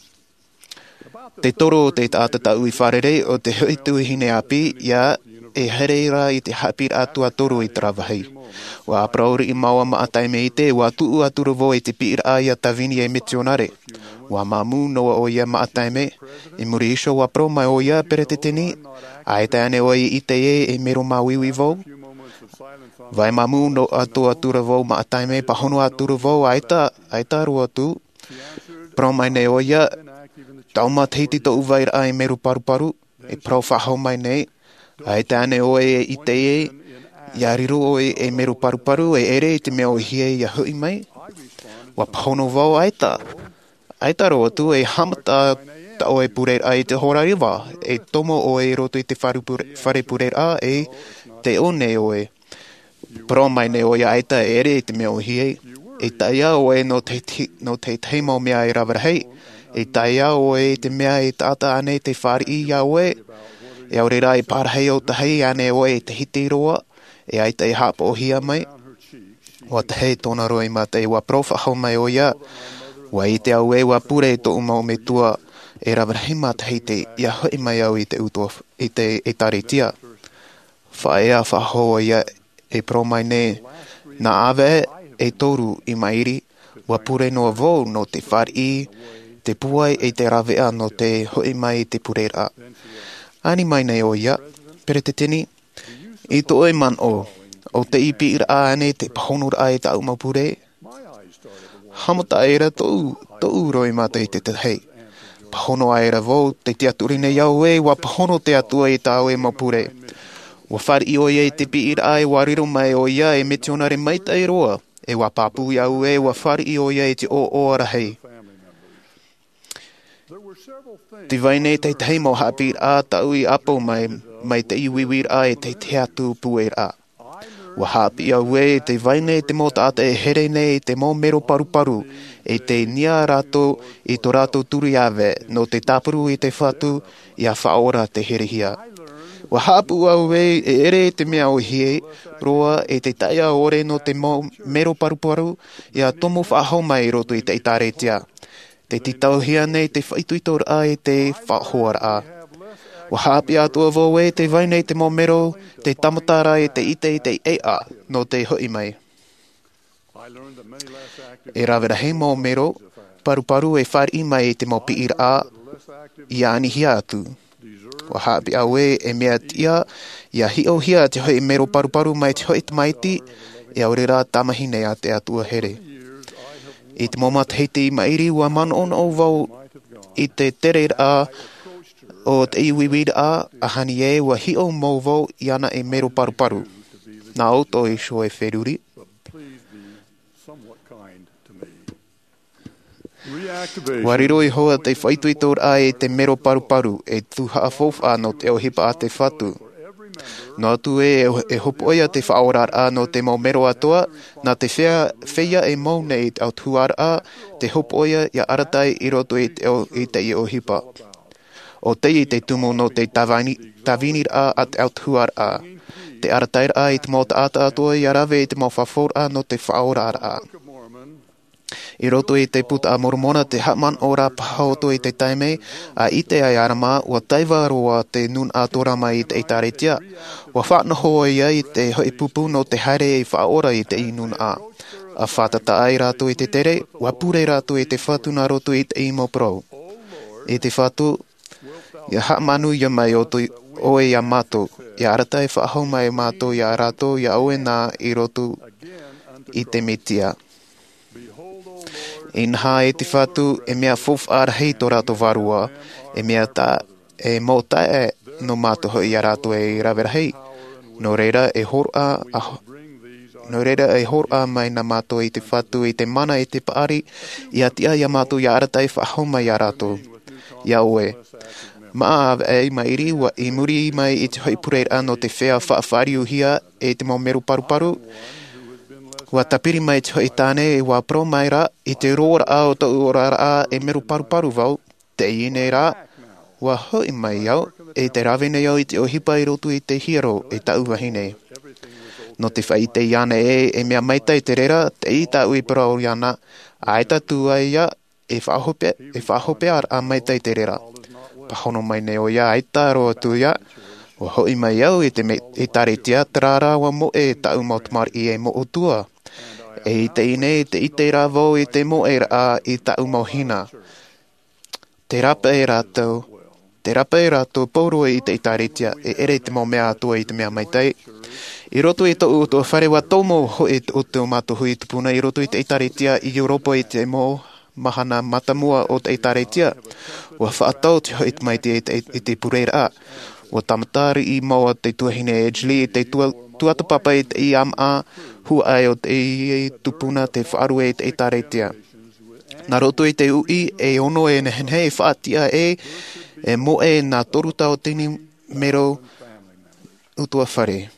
Te toru o te taʻata tāʻu i fārerei, ʻo te hoʻi tuahine ʻāpī, ia e haere ra i te haʻapiʻiraʻa tuatoru i terā vāhi. ʻUa parau riʻi māua maʻa taime ʻite, ʻua tuʻu atu ra vau i te piʻiraʻa ia Tavini e mitionare. ʻUa māmū noa ʻoia maʻa taime, i muri iho ʻua parau mai ʻoia, Peretiteni, ʻaita ānei ʻoe i ʻite ē e mero māuiui vau? Vai māmū noa atu, atu ra vau maʻa taime, pāhono atu ra vau, ʻaita, ʻaita roa atu. Parau mai nei ʻoia, taʻu matahiti tōʻu vairaʻa e mero paruparu, e parau faʻahou mai nei, ʻaita ānei ʻoe e ʻite ē, ia riro ʻoe e mero paruparu, e ʻere i te mea ʻōhie ia hoʻi mai? ʻUa pāhono vau, ʻaita. ʻAita roa atu, e haʻamata tā ʻoe pureraʻa i te hora iva, e tomo ʻoe i roto i te fare pure-, fare pureraʻa, e tē ʻō nei ʻoe. Parau mai nei ʻoia, ʻaita, e ʻere i te mea ʻōhie. E taea ʻoe nō te, te, nō te tahi mau mea e rave rahi. E taea ʻoe i te mea e taʻata ānei tei fāriʻi iā ʻoe. E ʻaore rā e pārahi ʻōtahi ānei ʻoe e tahiti roa, e ʻaita e haʻapaʻohia mai. ʻUa tahe tōna roa i maitaʻi, ʻua parau faʻahou mai ʻoia. ʻUa ʻite au ē ʻua pure tōʻu mau metua e rave rahi matahiti ia hoʻi mai au i te ʻutuāf-, i te ʻĒtārētia. Faʻaea faʻahou ʻoia e parau mai nei, nā ʻāvaʻe e toru i maʻiri, ʻua pure noa vau nō te fāriʻi, te pūai e te rāveʻa nō te hoʻi mai i te pureraʻa. Ani mai nei ʻoia, Peretiteni, i tō ʻoe manaʻo, ʻo tei piʻiraʻa ānei te pāhonoraʻa i tāʻu mau pure? Haʻamata aʻera tōʻu, tōʻu roimata i te tahi. Pāhono aʻera vau, tē tiʻaturi nei au ē, ʻua pāhono te Atua i tā ʻoe mau pure. ʻUa fāriʻi ʻoia i te piʻiraʻa ē ʻua riro mai ʻoia ei mitionare maitaʻi roa, ē ʻua pāpū iāʻu ē ʻua fāriʻi ʻoia i te ʻoaʻoa rahi. Tē vai nei te tahi mau haʻapiʻiraʻa tāʻu i ʻāpau mai, mai te uiuiraʻa i te tahi atu pūairaʻa. ʻUa haʻapiʻi au ē, tē vai nei te mau taʻata e here nei i te mau mero paruparu, e tē niʻa rātou i tō rātou turiāve, nō te tāparu i te Fatu, ʻia faʻaora te herehia. ʻUa haʻapuʻu au ē, e ʻere i te mea ʻōhie roa, e te taʻiʻa ʻore nō te mau mero paruparu, ʻia tomo faʻahou mai i roto i te ʻĒtārētia. Tē tītauhia nei te faʻaitoitoraʻa i te faʻahoaraʻa. ʻUa haʻapiʻi atoʻa vau ē, tē vai nei te mau mero, tē tāmata ra i te ʻite i te ʻēʻa, nō te hoʻi mai. E rave rahi mau mero paruparu e fāriʻi mai i te mau piʻiraʻa, ʻia anihia atu. ʻUa haʻapiʻi au ē, e mea tiʻa, ʻia hiʻohia te hoʻi mero paruparu mai te hoʻi tamaiti, e ʻaore rā tamahine a te Atua here. I te mau matahiti i maʻiri, ʻua manaʻonaʻo vau i te tereraʻa o te uiuiraʻa, ʻaita e ʻua hiʻo mau vau iāna ei mero paruparu. Nā ʻoutou iho e feruri. ʻUa riro iho ā te faʻaitoitoraʻa i te mero paruparu, e tuhaʻa faufaʻa nō te ʻohipa a te Fatu. Noa atu ē, e hopoiʻa te faʻaoraraʻa nō te mau mero atoʻa, nā te fea-, feiā e mau nei i te autahuʻaraʻa, te hopoiʻa ʻia arataʻi i roto i te ʻo-, i teie ʻohipa. ʻO teie te tumu nō te tāvini-, tāviniraʻa a te autahuʻaraʻa. Te arataʻiraʻa i te mau taʻata atoʻa ʻia rave i te mau fafauraʻa nō te faʻaoraraʻa. I roto i te Buka a Moromona te haʻamanaʻo rā paha ʻoutou i te taime, ʻa ʻite ai ʻo ʻĀrama, ʻua taiva roa te nūnaʻa tōrā mai i te ʻĒtārētia. ʻUa faʻanaho ʻoia i te hoʻi pupu nō te haere i faʻaora i te nūnaʻa. ʻA fātata ai rātou i te tere, ʻua pure rātou i te Fatu nā roto i te mau parau. E te Fatu, ʻia haʻamanuia mai ʻo tō-, ʻoe iā mātou, ʻia arataʻi faʻahou mai mātou iā rātou iā ʻoe nā i roto i te Mesia. Inaha e te Fatu, e mea faufaʻa rahi tō rātou vārua, e mea tā, e mau taeaʻe nō mātou hoʻi iā rātou e rave rahi. Nō reira e hōroʻa, a, nō reira e hōroʻa mai nā mātou i te Fatu i te mana i te paʻari, ʻia tiʻa iā mātou ʻia arataʻi faʻahou mai iā rātou. Iā ʻoe. Māʻa ʻāvaʻe i maʻiri, ʻua i muri mai i te hoʻi pureraʻa nō te fea faʻafāriuhia e te mau mero paruparu. ʻUa tāpiri mai te hoʻi tāne, ʻua parau mai ra, i te roaraʻa o tōʻu oraraʻa e mero paruparu vau, teie nei rā, ʻua hoʻi mai au, e tē rave nei au i te ʻohipa i roto i te hiero e tāʻu vahine. Nō te faʻaʻite iāna ē, e mea maitaʻi te reira, teie tāʻu i parau iāna, ʻaita atu ai ia, e faʻahope-, e faʻahopearaʻa maitaʻi te reira. Pāhono mai nei ʻoia, ʻaita roa atu ia, ʻua hoʻi mai au i te me-, ʻĒtārētia, terā rā ʻua moʻe tāʻu mau tamariʻi e moʻotua. E i teie nei, tē ʻite ra vau i te moʻeraʻa i tāʻu mau hina. Tē rāpae rātou, tē rāpae rātou pauroa i te ʻĒtārētia, e ʻere te mau mea atoʻa i te mea maitaʻi. I roto i tōʻu ʻutuāfare ʻua tomo hoʻi tō, tō mātou hui tupuna i roto i te ʻĒtārētia i Europa i te mau mahana mātāmua o te ʻĒtārētia. ʻUa faʻatau te hoʻi tamaiti i te, i te pureraʻa. ʻUa tāmata riʻi mau ā te tuahine Edgley i te tua-, tuatāpapa i te ʻāmaʻa huaʻai o te tupuna te faʻarue i te ʻĒtārētia. Nā roto i te uʻi e ono e nehenehe e faʻatiʻa ē, e moʻe nā toru tauatini mero ʻutuāfare.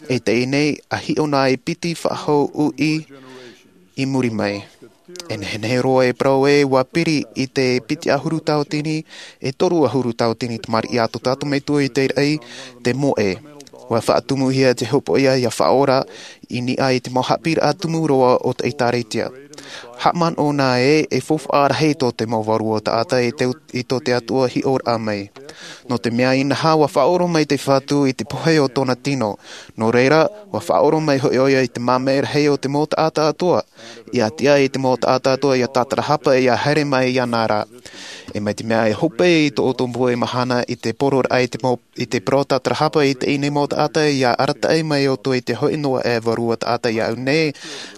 I teie nei, ʻa hiʻo na e piti faʻahou uʻi i muri mai. E nehenehe roa e parau ē, ʻua piri i te piti ʻahuru tauatini, e toru ʻahuru tauatini tamariʻi a tō tātou Metua i te raʻi, te moʻe. ʻUa faʻatumuhia te hopoiʻa ʻia faʻaora, i niʻa i te mau haʻapiʻiraʻa tumu roa o te ʻĒtārētia. Haʻamanaʻo na ē e faufaʻa rahi tō te mau vārua taʻata i te, i tō te Atua hiʻoraʻa mai. Nō te mea inaha ua faʻaʻoro mai te Fatu i te pohe o tōna tino. Nō reira, ua faʻaʻoro mai hoʻi ʻoia i te māmē rahi o te mau taʻata atoʻa. ʻIa tiʻa i te mau taʻata atoʻa ʻia tātarahapa ʻia haere mai iāna ra. E mai te mea e hope i tō ʻoutou moʻe mahana i te poroʻraʻa i te mau, i te parau tātarahapa i teie nei mau taʻata ʻia arataʻi mai ʻoutou i te hoʻi noa e vārua taʻata iāʻu nei,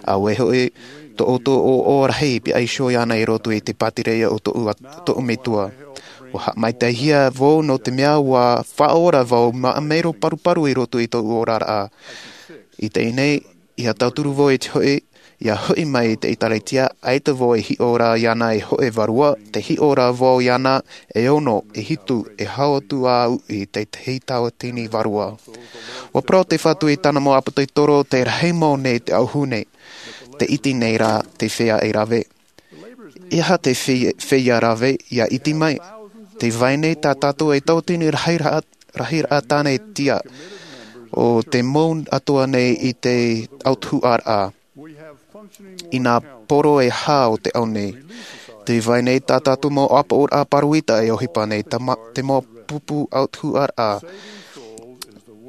auē hoʻi tō ʻoutou ʻoaʻoa rahi i pihaʻi iho iāna i roto i te pātireia o tōʻu at-, tōʻu metua. Ua haʻamaitaʻihia vau nō te mea ua faʻaora vau mā mero paruparu i roto i tōʻu oraraʻa. I teie nei, ʻia tauturu vau i te hoʻi, ʻia hoʻi mai i te ʻĒtārētia, ʻaita vau e hiʻo ra iāna e hōʻē vārua, tē hiʻo ra vau iāna e ono, e hitu, e hau atu ā uʻi, tētahi tauatini vārua. Ua parau te Fatu i tāna mau ʻāpōsetolo, te rahi mau nei te auahi nei, te iti nei rā, te feiā e rave. E aha te fei-, feiā rave ʻia iti mai? Tē vai nei tā tātou e tauatini rahiraʻa, rahiraʻa tāne tiʻa, ʻo te mau atoʻa nei i te autahuʻaraʻa. I nā poro e hā o te ao nei. Tē vai nei tā tātou mau ʻāpoʻoraʻa pāroita e ʻohipa nei, tā ma-, te mau pupu autahuʻaraʻa.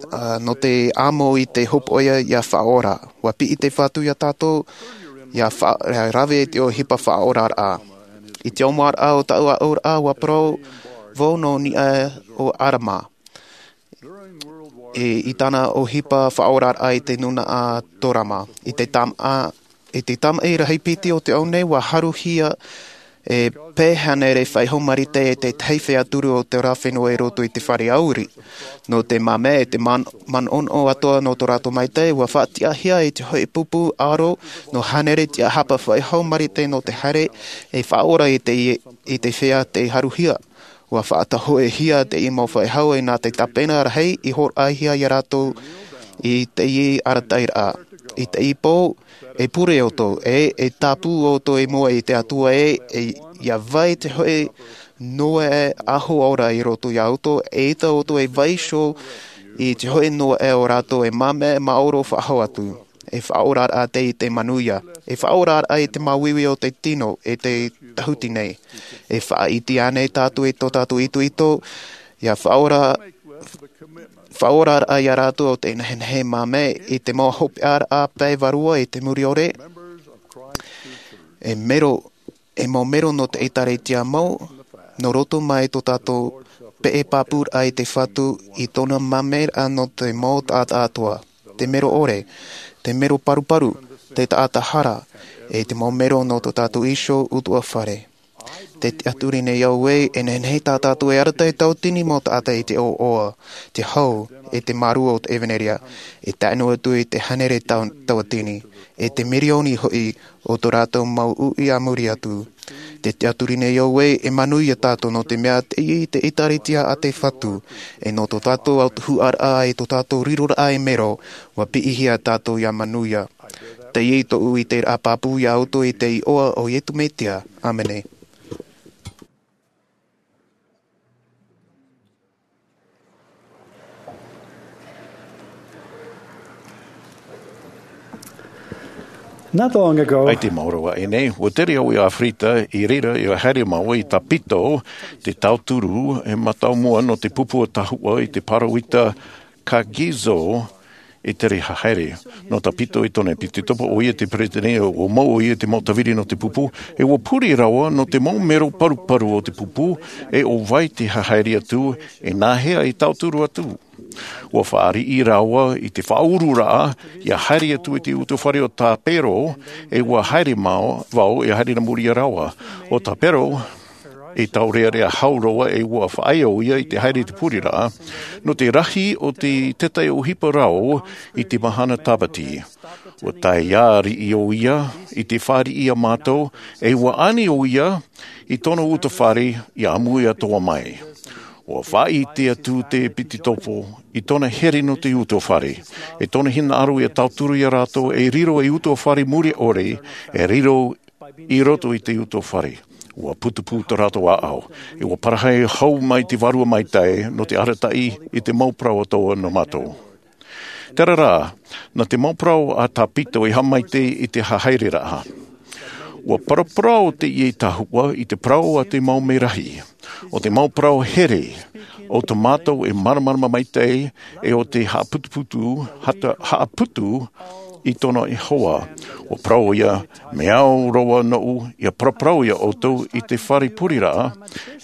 Ā, nō te amo i te hopoiʻa ʻia faʻaora. Ua piʻi te Fatu iā tātou, ʻia fa-, ʻia rave i te ʻohipa faʻaoraraʻa. I te ʻōmuaraʻa o tāʻu aʻoraʻa, ua parau vau nō niʻa o ʻArama. E, i tāna ʻohipa faʻaoraraʻa i te nūnaʻa Torama. I te tamaʻa, i te tamaʻi rahi piti o te ao nei, ua haruhia e pae hānere faʻahou marite e te tahi feiā turu o te ora fenua i roto i te fare ʻāuri. Nō te māmē e te man-, manaʻonaʻo atoʻa nō tō rātou maitaʻi, ua faʻatiʻahia i te hoʻi pupu ʻaro nō hānere tiʻahapa faʻahou marite nō te haere e faʻaora i te, i te feiā tei haruhia. Ua faʻatahoehia teie mau faʻahou e nā te tāpena rahi i hōroʻahia iā rātou i teie arataʻiraʻa. I teie pō, e pure ʻoutou, e, e tāpū ʻoutou i mua i te Atua e, e, ʻia vai te hoʻi noa e ʻaho ora i roto iā ʻoutou, eʻita ʻoutou e vai iho i te hoʻi noa e ō rātou e māmē maoro faʻahou atu. E faʻaoraraʻa teie i te manuia. E faʻaoraraʻa i te māuiui o te tino, e te tahuti nei. E faʻaʻite ānei tātou i tō tātou itoito, ʻia faʻaora, faʻaoraraʻa iā rātou ʻo tē nehenehe māmē i te mau hopeʻaraʻa pae vārua i te muriʻore? E mero, e mau mero nō te ʻĒtārētia mau, nō roto mai tō tātou peʻe pāpūraʻa i te Fatu i tōna māmēraʻa nō te mau taʻata atoʻa. Te mero ʻore, te mero paruparu, te taʻata hara, e te mau mero nō tō tātou iho ʻutuāfare. Tē tiʻaturi nei au ē, e nehenehe tā tātou e arataʻi tauatini mau taʻata i te ʻoaʻoa, te hau, e te mārū o te ʻevanelia, e tae noa atu i te hānere tau-, tauatini, e te mirioni hoʻi o tō rātou mau uʻi a muri atu. Tē tiʻaturi nei au ē, e manuia tātou nō te mea teie te ʻĒtārētia a te Fatu, e nō tō tātou autahuʻaraʻa, e tō tātou riroraʻa e mero, ua piʻihia tātou ʻia manuia. Teie tōʻu ʻiteraʻa pāpū iā ʻoutou i te iʻoa o Iesu Mesia. ʻĀmene. Not long ago, ʻAita i maoro aʻe nei, ua tere au i ʻĀfirita, i reira ʻia haere māua i Tāpito, te tauturu e mātāmua nō te pupu o Tahuʻa i te pāroita Kagizo e tere haere. Nō Tāpito i tōna ʻepitopo, ʻoia te peretiteni, ʻua mau ʻoia i te mau tāviri nō te pupu, e ʻua pure rāua nō te mau mero paruparu o te pupu, e ʻo vai te haere atu, e nāhea e tauturu atu. ʻUa fāriʻi rāua i te faʻaururaʻa, ʻia haere atu i te utuāfare o Tāpero, e ʻua haere mau, vau, ʻia haere nā muri iā rāua. ʻO Tāpero, e taurearea hau roa e ʻua faʻaea ʻoia i te haere i te pureraʻa, nō te rahi o te taiʻo ʻohipa rau i te mahana Tāpati. ʻUa tae ā riʻi ʻoia i te fāriʻi iā mātou, e ʻua ani ʻoia i tōna utuāfare ʻia ʻāmui atoʻa mai. ʻUa faʻaʻite atu te ʻepitopo i tōna here nō te utuāfare, e tōna hinaʻaro ʻia tauturu iā rātou e riro ei utuāfare mure ʻore, e riro i roto i te utuāfare. ʻUa putupū tō rātou ʻāʻau, e ʻua parahi hau mai te Vārua Maitaʻi nō te arataʻi i te mau parau atoʻa nō mātou. Terā rā, nā te mau parau a Tāpito i haʻamaitaʻi i te haereraʻa. Ua paraparau teie tahua i te parau a te mau merahi, o te mau parau here, o tō mātou e māramarama maitaʻi, e o te haʻaputuputu, hata-, haʻaputu i tōna Iehova. Ua parau ia, mea au roa noʻu, ia paraparau ia ʻoutou i te fare pureraʻa,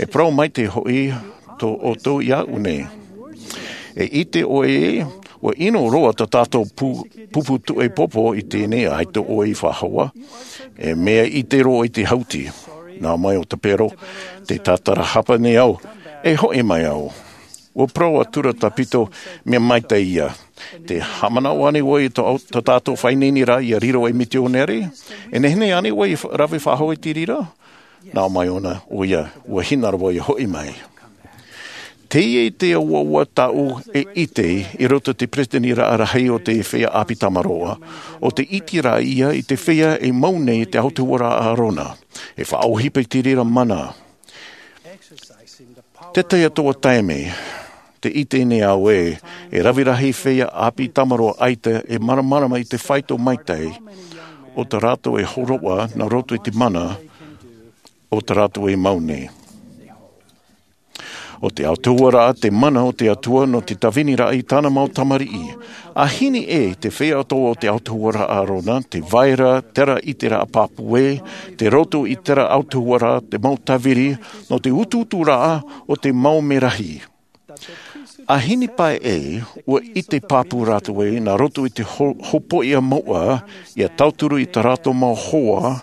e parau maitaʻi hoʻi tō ʻoutou iāʻu nei. E ʻite ʻoe, ua ʻino roa tā tātou pu-, pupu tuʻepopo i teie nei, ʻaita ʻoe i faʻahou. E mea ʻite roa i te hauti. Nā mai ʻo Tapero, tē tātarahapa nei au, e hoʻi mai au. Ua parau atura tā Pito, mea maitaʻi ia. Tē haʻamanaʻo ānei ʻoe i tō, tā tātou faʻaineineraʻa ia riro ei mitionare? E nehenehe ānei ʻoe i fa-, rave faʻahou i te reira? Nā mai ʻōna, ʻoia, ua hinaʻaro vau ia hoʻi mai. Teie te ʻuaʻua tāʻu e ʻite i roto i te peretiteniraʻa rahi o te feiā ʻāpī Tamaroa, ʻo te ʻiteraʻa ia i te feiā e mau nei te autahuʻaraʻa a ʻĀrona. E faʻaʻohipa i te reira mana. Te tahi atoʻa taime, tē ʻite nei au ē, e rave rahi feiā ʻāpī Tamaroa ʻaita e māramarama i te faito maitaʻi o tā rātou e hōroʻa nā roto i te mana o tā rātou e mau nei. ʻO te autahuʻaraʻa te mana o te Atua nō te tāviniraʻa i tāna mau tamariʻi. ʻA hini ʻē te feiā atoʻa o te autahuʻaraʻa a ʻĀrona, tē vai ra terā ʻiteraʻa pāpū ē, tei roto i terā autahuʻaraʻa te mau tāviri nō te utuuturaʻa o te mau merahi. ʻA hini paʻi ē, ua ʻite pāpū rātou ē, nā roto i te ho-, hopoiʻa moʻa, ia tauturu i tā rātou mau hoa,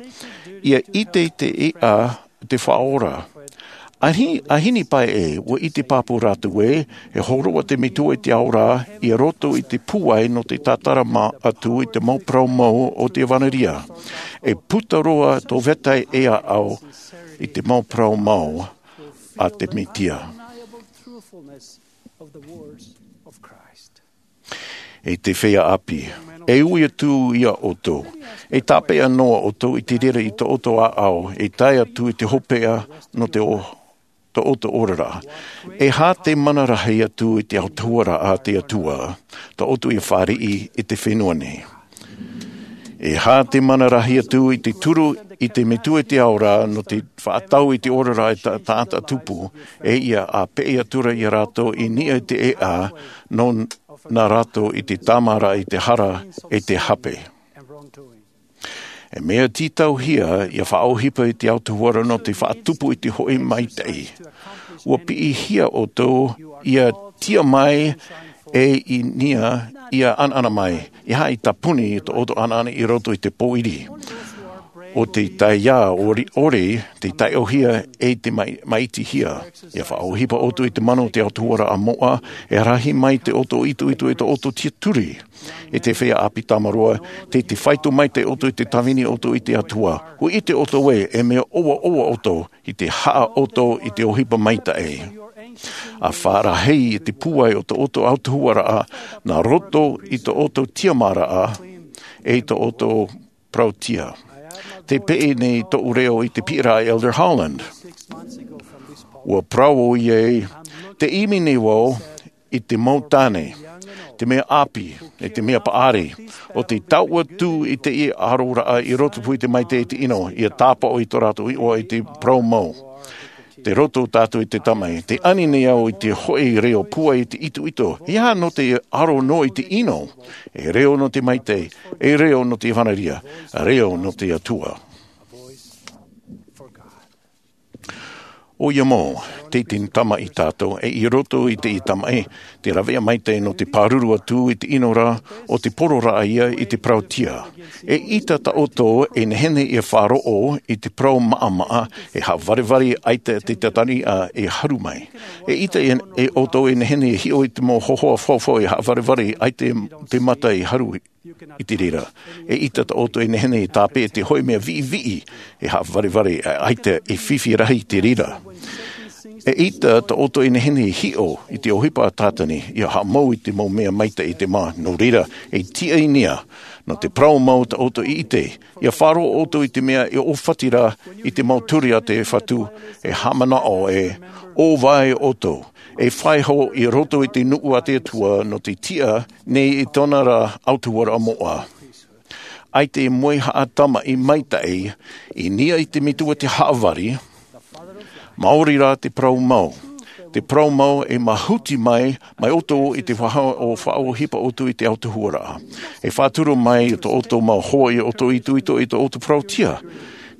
ia ʻite i te ʻēʻa, te Faʻaora. ʻA hi-, ʻa hini paʻi ē, ua ʻite pāpū rātou ē, e hōroʻa te Metua i te Ao ra, i roto i te pūai nō te tātarahapa atu i te mau parau mau o te ʻEvanelia. E puta roa tō vetahi e aʻo i te mau parau mau a te Mesia. E te feiā ʻāpī, e ui atu ia ʻoutou, e tāpeʻa noa ʻoutou i te reira i tō ʻoutou ʻāʻau, e tae atu i te hopeʻa nō te o-, tō ʻoutou oraraʻa. E aha te mana rahi atu i te autahuʻaraʻa a te Atua, tā ʻoutou ia fāriʻi i te fenua nei? E aha te mana rahi atu i te turu i te Metua i te Ao ra nō te faʻatau i te oraraʻa e ta-, taʻata tupu, e ia ʻa peʻe atura ia rātou i niʻa i te ʻēʻa, nō nā rātou i te tāmāraʻa i te hara e te hape. E mea tītauhia ia faʻaʻohipa i te autahuʻaraʻa nō te faʻatupu i te hoʻi maitaʻi. Ua piʻihia ʻoutou ia tiʻa mai e i niʻa ia ʻanaʻana mai. E aha i tāpuni i tō ʻoutou ʻanaʻana i roto i te pōiri? ʻO te taiā ʻori-, ʻore, te taiʻohia e te mai-, maitihia. Ia faʻaʻohipa ʻoutou i te mana o te autahuʻaraʻa moʻa, e rahi mai te ʻoutou itoito e tō ʻoutou tiaturi. E te feiā ʻāpī Tamaroa, tē, tē faito maitaʻi ʻoutou i te tāvini ʻoutou i te Atua. ʻUa ʻite ʻoutou ē, e mea ʻoaʻoa ʻoutou i te haʻa ʻoutou i te ʻohipa maitaʻi. ʻA fārahei i te pūai o tō ʻoutou autahuʻaraʻa, nā roto i tō ʻoutou tiʻamāraʻa, e i tō ʻoutou parautia. Tē peʻe nei tōʻu reo i te piʻiraʻa a Elder Holland. ʻUa parau ʻoia ē, tē ʻimi nei vau i te mau tāne, te mea ʻāpī, e te mea paʻari, ʻo te taʻu atu i teie ʻaroraʻa i rotopū i te maitaʻi e te ʻino, ia tāpaʻo i tō rātou iʻoa i te parau mau. Tei roto tātou i te Tamaʻi, tē ani nei au i te hoʻi reo pūai i te itoito, e aha nō te aro noa i te ʻino, e reo nō te maitaʻi, e reo nō te ʻEvanelia, reo nō te Atua. ʻOia mau, tei te Tamaʻi tātou, e i roto i te Tamaʻi, te rāveʻa maitaʻi nō te pāruru atu i te ʻino ra, ʻo te pororaʻa ia i te parautia. E ʻita tā ʻoutou e nehenehe ia faʻaroʻo i te parau maʻamaʻa, e haʻavarevare ʻaita te tātani ʻa e haru mai. E ʻita e, e ʻoutou e nehenehe e hiʻo i te mau hōhoʻa faufaʻa e haʻavarevare ʻaita te mata e haru i te reira. E ʻita tā ʻoutou e nehenehe e tāpeʻa i te hoʻi mea viʻiviʻi, e haʻavarevare ʻaita e fifi rahi i te reira. E ʻita tā ʻoutou e nehenehe e hiʻo i te ʻohipa a Tātani, ia haʻamau i te mau mea maitaʻi i te mā. Nō reira, e tiʻa i niʻa, nō te parau mau tā ʻoutou i ʻite, ia faʻaroʻo ʻoutou i te mea e ʻōfati ra i te mau ture a te Fatu, e haʻamanaʻo ē, ʻo vai ʻoutou, e faʻahoʻi i roto i te nuʻu a te Atua nō te tiʻa nei i tōna ra autahuʻaraʻa moʻa. ʻAita e moe haʻatamaʻi maitaʻi, i niʻa i te metua te haʻavari, maori rā te parau mau. Te parau mau e mahuti mai, mai ʻoutou i te faʻahipa ʻoutou i te autahuʻaraʻa. E faʻaturu mai tō ʻoutou mau hoa i ʻoutou itoito i tō ʻoutou parauʻtiʻa.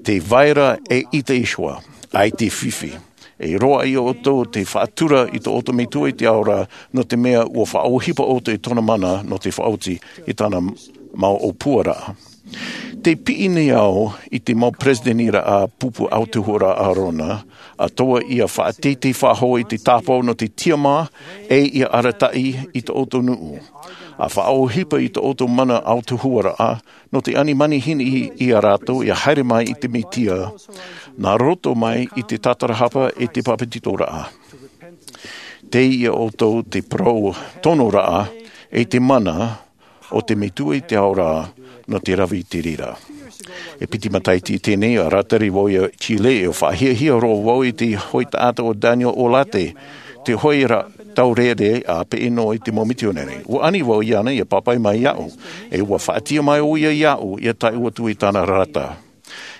Te vai ra e ʻite Iehova, ʻaita e fifi. E roaʻa ia ʻoutou te faʻatura i tō ʻoutou metua i te ao ra, nō te mea ʻua faʻahipa ʻoutou i tōna mana nō te faʻaoti i tāna mau ʻōpuaraʻa. Te piʻi nei au i te mau peresideni ra a pupu autahuʻaraʻa Arona, ʻa toa ia faʻateitei faʻahou i te tāpaʻo nō te tiamā, e ia arataʻi i tō ʻoutou nuʻu. ʻA faʻahipa i tō ʻoutou mana autahuʻaraʻa, nō te ani manihini ia rātou ia haere mai i te Mesia, nā roto mai i te tātarahapa e te papetitoraʻa. Tei ia ʻoutou te parau tonoraʻa, e te mana o te metua i te ao ra, nō te rave i te reira. E piti matahiti teie nei, ʻa rātari vau i Chile, e faʻahiahia roa vau i te hoʻi taʻata o Daniel Olarte, te hoʻi ra taureʻareʻa peʻe noa i te mau mitionare. ʻUa ani vau iāna ia pāpaʻi mai iāʻu, e ʻua faʻatiʻa mai ʻoia iāʻu ia tae atu i tāna rata.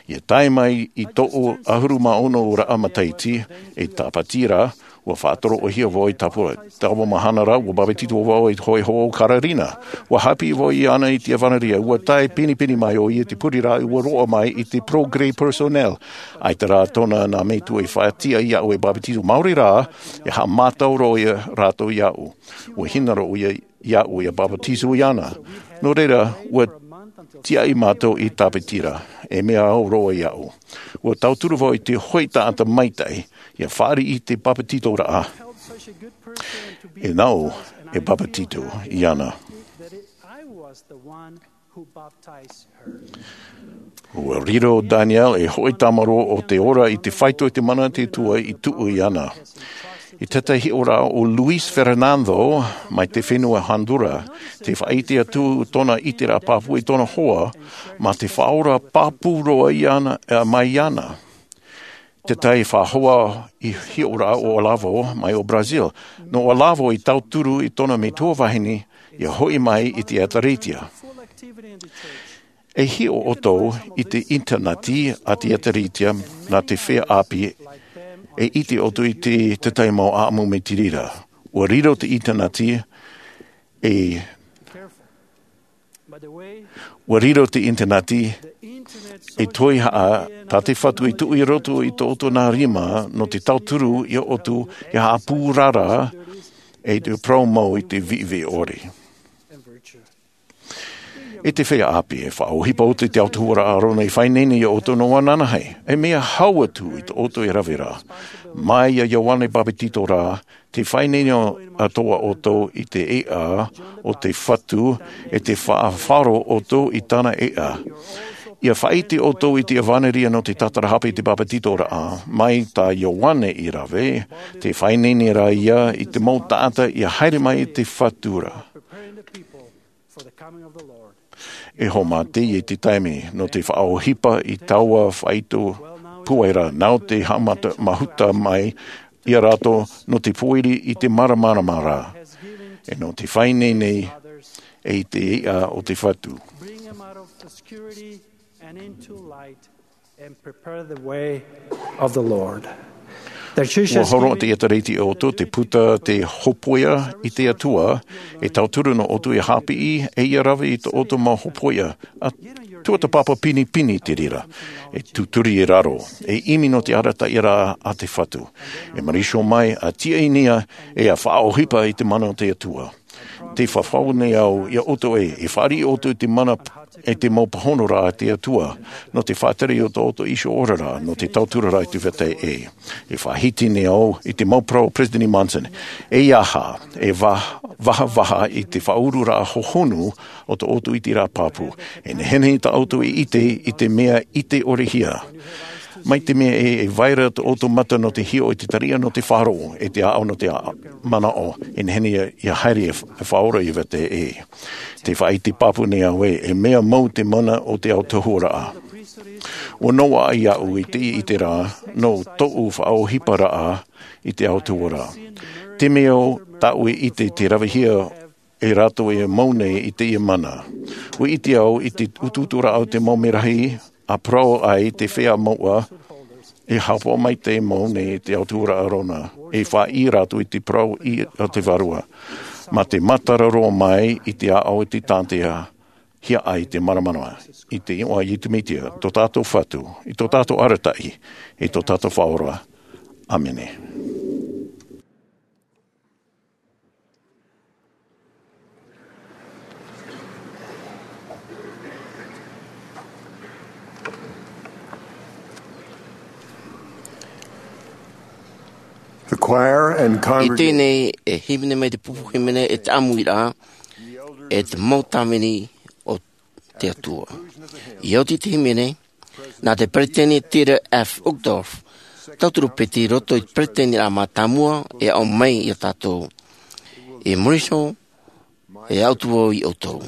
Ia tae mai i tōʻu ʻahuru mā ono raʻa matahiti, e tāpati ra, ʻua faʻatoroʻahia vau i tāpura. Taua mahana ra, ʻua papetito vau i te hoʻi hoa o Carolina. ʻUa haʻapiʻi vau iāna i te ʻevanelia, ʻua tae pinepine mai ʻoia i te pureraʻa, ʻua roaʻa mai i te Progrès Personnel. ʻAita rā tōna nā metua i faʻatiʻa iāʻu e papetito, maori rā, e haʻamātau roa ia rātou iāʻu. ʻUa hinaʻaro ʻoia iāʻu ia papetito iāna. Nō reira, ʻua tiaʻi mātou i tāpati ra, e mea au roa iāʻu. ʻUa tauturu vau i te hoʻi taʻata maitaʻi, ia fāriʻi i te papetitoraʻa. E nāʻu e papetito iāna. ʻUa riro Daniel e hoʻi tāmarū o te ora i te faito i te mana o te Atua i tuʻu iāna. I te tahi hiʻoraʻa o Luis Fernando mai te fenua Honduras, tē faʻaʻite atu tōna ʻiteraʻa pāpū i tōna hoa, mā te Faʻaora pāpū roa iāna, ā, mai iāna. Te tahi faʻahoa hiʻoraʻa o Olavo mai o Brazil. Nō Olavo i tauturu i tōna metua vahine, ia hoʻi mai i te ʻĒtārētia. E hiʻo ʻoutou i te ʻinitaneti a te ʻĒtārētia nā te feiā ʻāpī, e ʻite ʻoutou i te, te tahi mau ʻāʻamu mai te reira. ʻUa riro te ʻinitaneti, e, ʻua riro te ʻinitaneti, e toihaʻa tā te Fatu i tuʻu i roto i tō ʻoutou nā rima nō te tauturu ia ʻoutou ia haʻapūrara, e te parau mau i te viʻiviʻi ʻore. E te feiā ʻāpī, e faʻaʻohipa ʻoutou i te autahuʻaraʻa Arona i faʻaineine ia ʻoutou nō ananahi. E mea hau atu i tō ʻoutou e rave ra. Mai iā Ioane Papetito rā, tē faʻaineine atoʻa ʻoutou i te ʻēʻa o te Fatu, e tē faʻafaro ʻoutou i tāna ʻēʻa. Ia faʻaʻite ʻoutou i te ʻevanelia nō te tātarahapa i te papetitoraʻa. Mai tā Ioane i rave, tē faʻaineine ra ia i te mau taʻata ia haere mai i te Fatu ra. E haʻamata i te taime nō te faʻaʻohipa i taua faito pūai ra, nāʻu te haʻamata, mahuta mai ia rātou nō te pōiri i te māramarama ra. E nō te faʻaineine e i te ʻēʻa o te Fatu. Bring them out of obscurity and into light and prepare the way of the Lord. Ua horo te ʻĒtārētia iā ʻoutou, te puta te hōpoiʻa i te Atua, e tauturu nō ʻoutou ia haʻapiʻi, e ia rave i tō ʻoutou mau hōpoiʻa. ʻA tuatāpapa pinepine i te reira, e tūturi i raro, e ʻimi nō te arataʻiraʻa a te Fatu. E marū mai, ʻa tiaʻi nei, e ʻa faʻaʻohipa i te mana o te Atua. Tē fafau nei au iā ʻoutou ē, e fāriʻi ʻoutou i te mana, e te mau pāhonoraʻa a te Atua, nō te faʻatere i tō ʻoutou iho oraraʻa, nō te tauturu ra i te vetahi ʻē. E faʻahiti nei au i te mau parau a Peresideni Monson, ʻeiaha e va-, vahavaha i te faʻaururaʻa hohonu o tō ʻoutou ʻiteraʻa pāpū. E nehenehe tā ʻoutou e ʻite i te mea ʻite-ʻore-hia. Mai te mea ē, e vai ra tō ʻoutou mata nō te hiʻo i te tariʻa nō te faʻaroʻo, e te ʻāʻau nō te a-, manaʻo, e nehenehe ia, ia haere e f-, e faʻaora i vetahi ʻē. Tē faʻaʻite pāpū nei au ē, e mea mau te mana o te autahuʻaraʻa. ʻUa noaʻa iāʻu i te ʻite ra, nō tōʻu faʻaʻohiparaʻa i te autahuʻaraʻa. Te mea ʻo tāʻu e ʻite tē ravehia e rātou e mau nei i teie mana. ʻUa ʻite au i te utuuturaʻa o te mau merahi, ʻa parau ai te feiā mouʻa, e haʻapaʻo maitaʻi mau nei te autahuʻaraʻa Arona, e faʻaʻī rātou i te parau i a te Vārua. Mā te mātāraʻa mai i te ʻāʻau i te tātaʻihia ai te māramarama. I te iʻoa o Iesu Mesia, tō tātou Fatu, i tō tātou arataʻi, i tō tātou Faʻaora. ʻĀmene. The choir and I congregation. Teie nei e hīmene mai te pupu hīmene e te ʻāmuiraʻa, e te mau tāvini o te Atua. I oti te hīmene, nā te peresideni Dieter F. Uchtdorf, tauturu piti i roto i te peresideniraʻa mātāmua e aʻo mai ia tātou. E Morrison, e aʻo atu vau ia ʻoutou.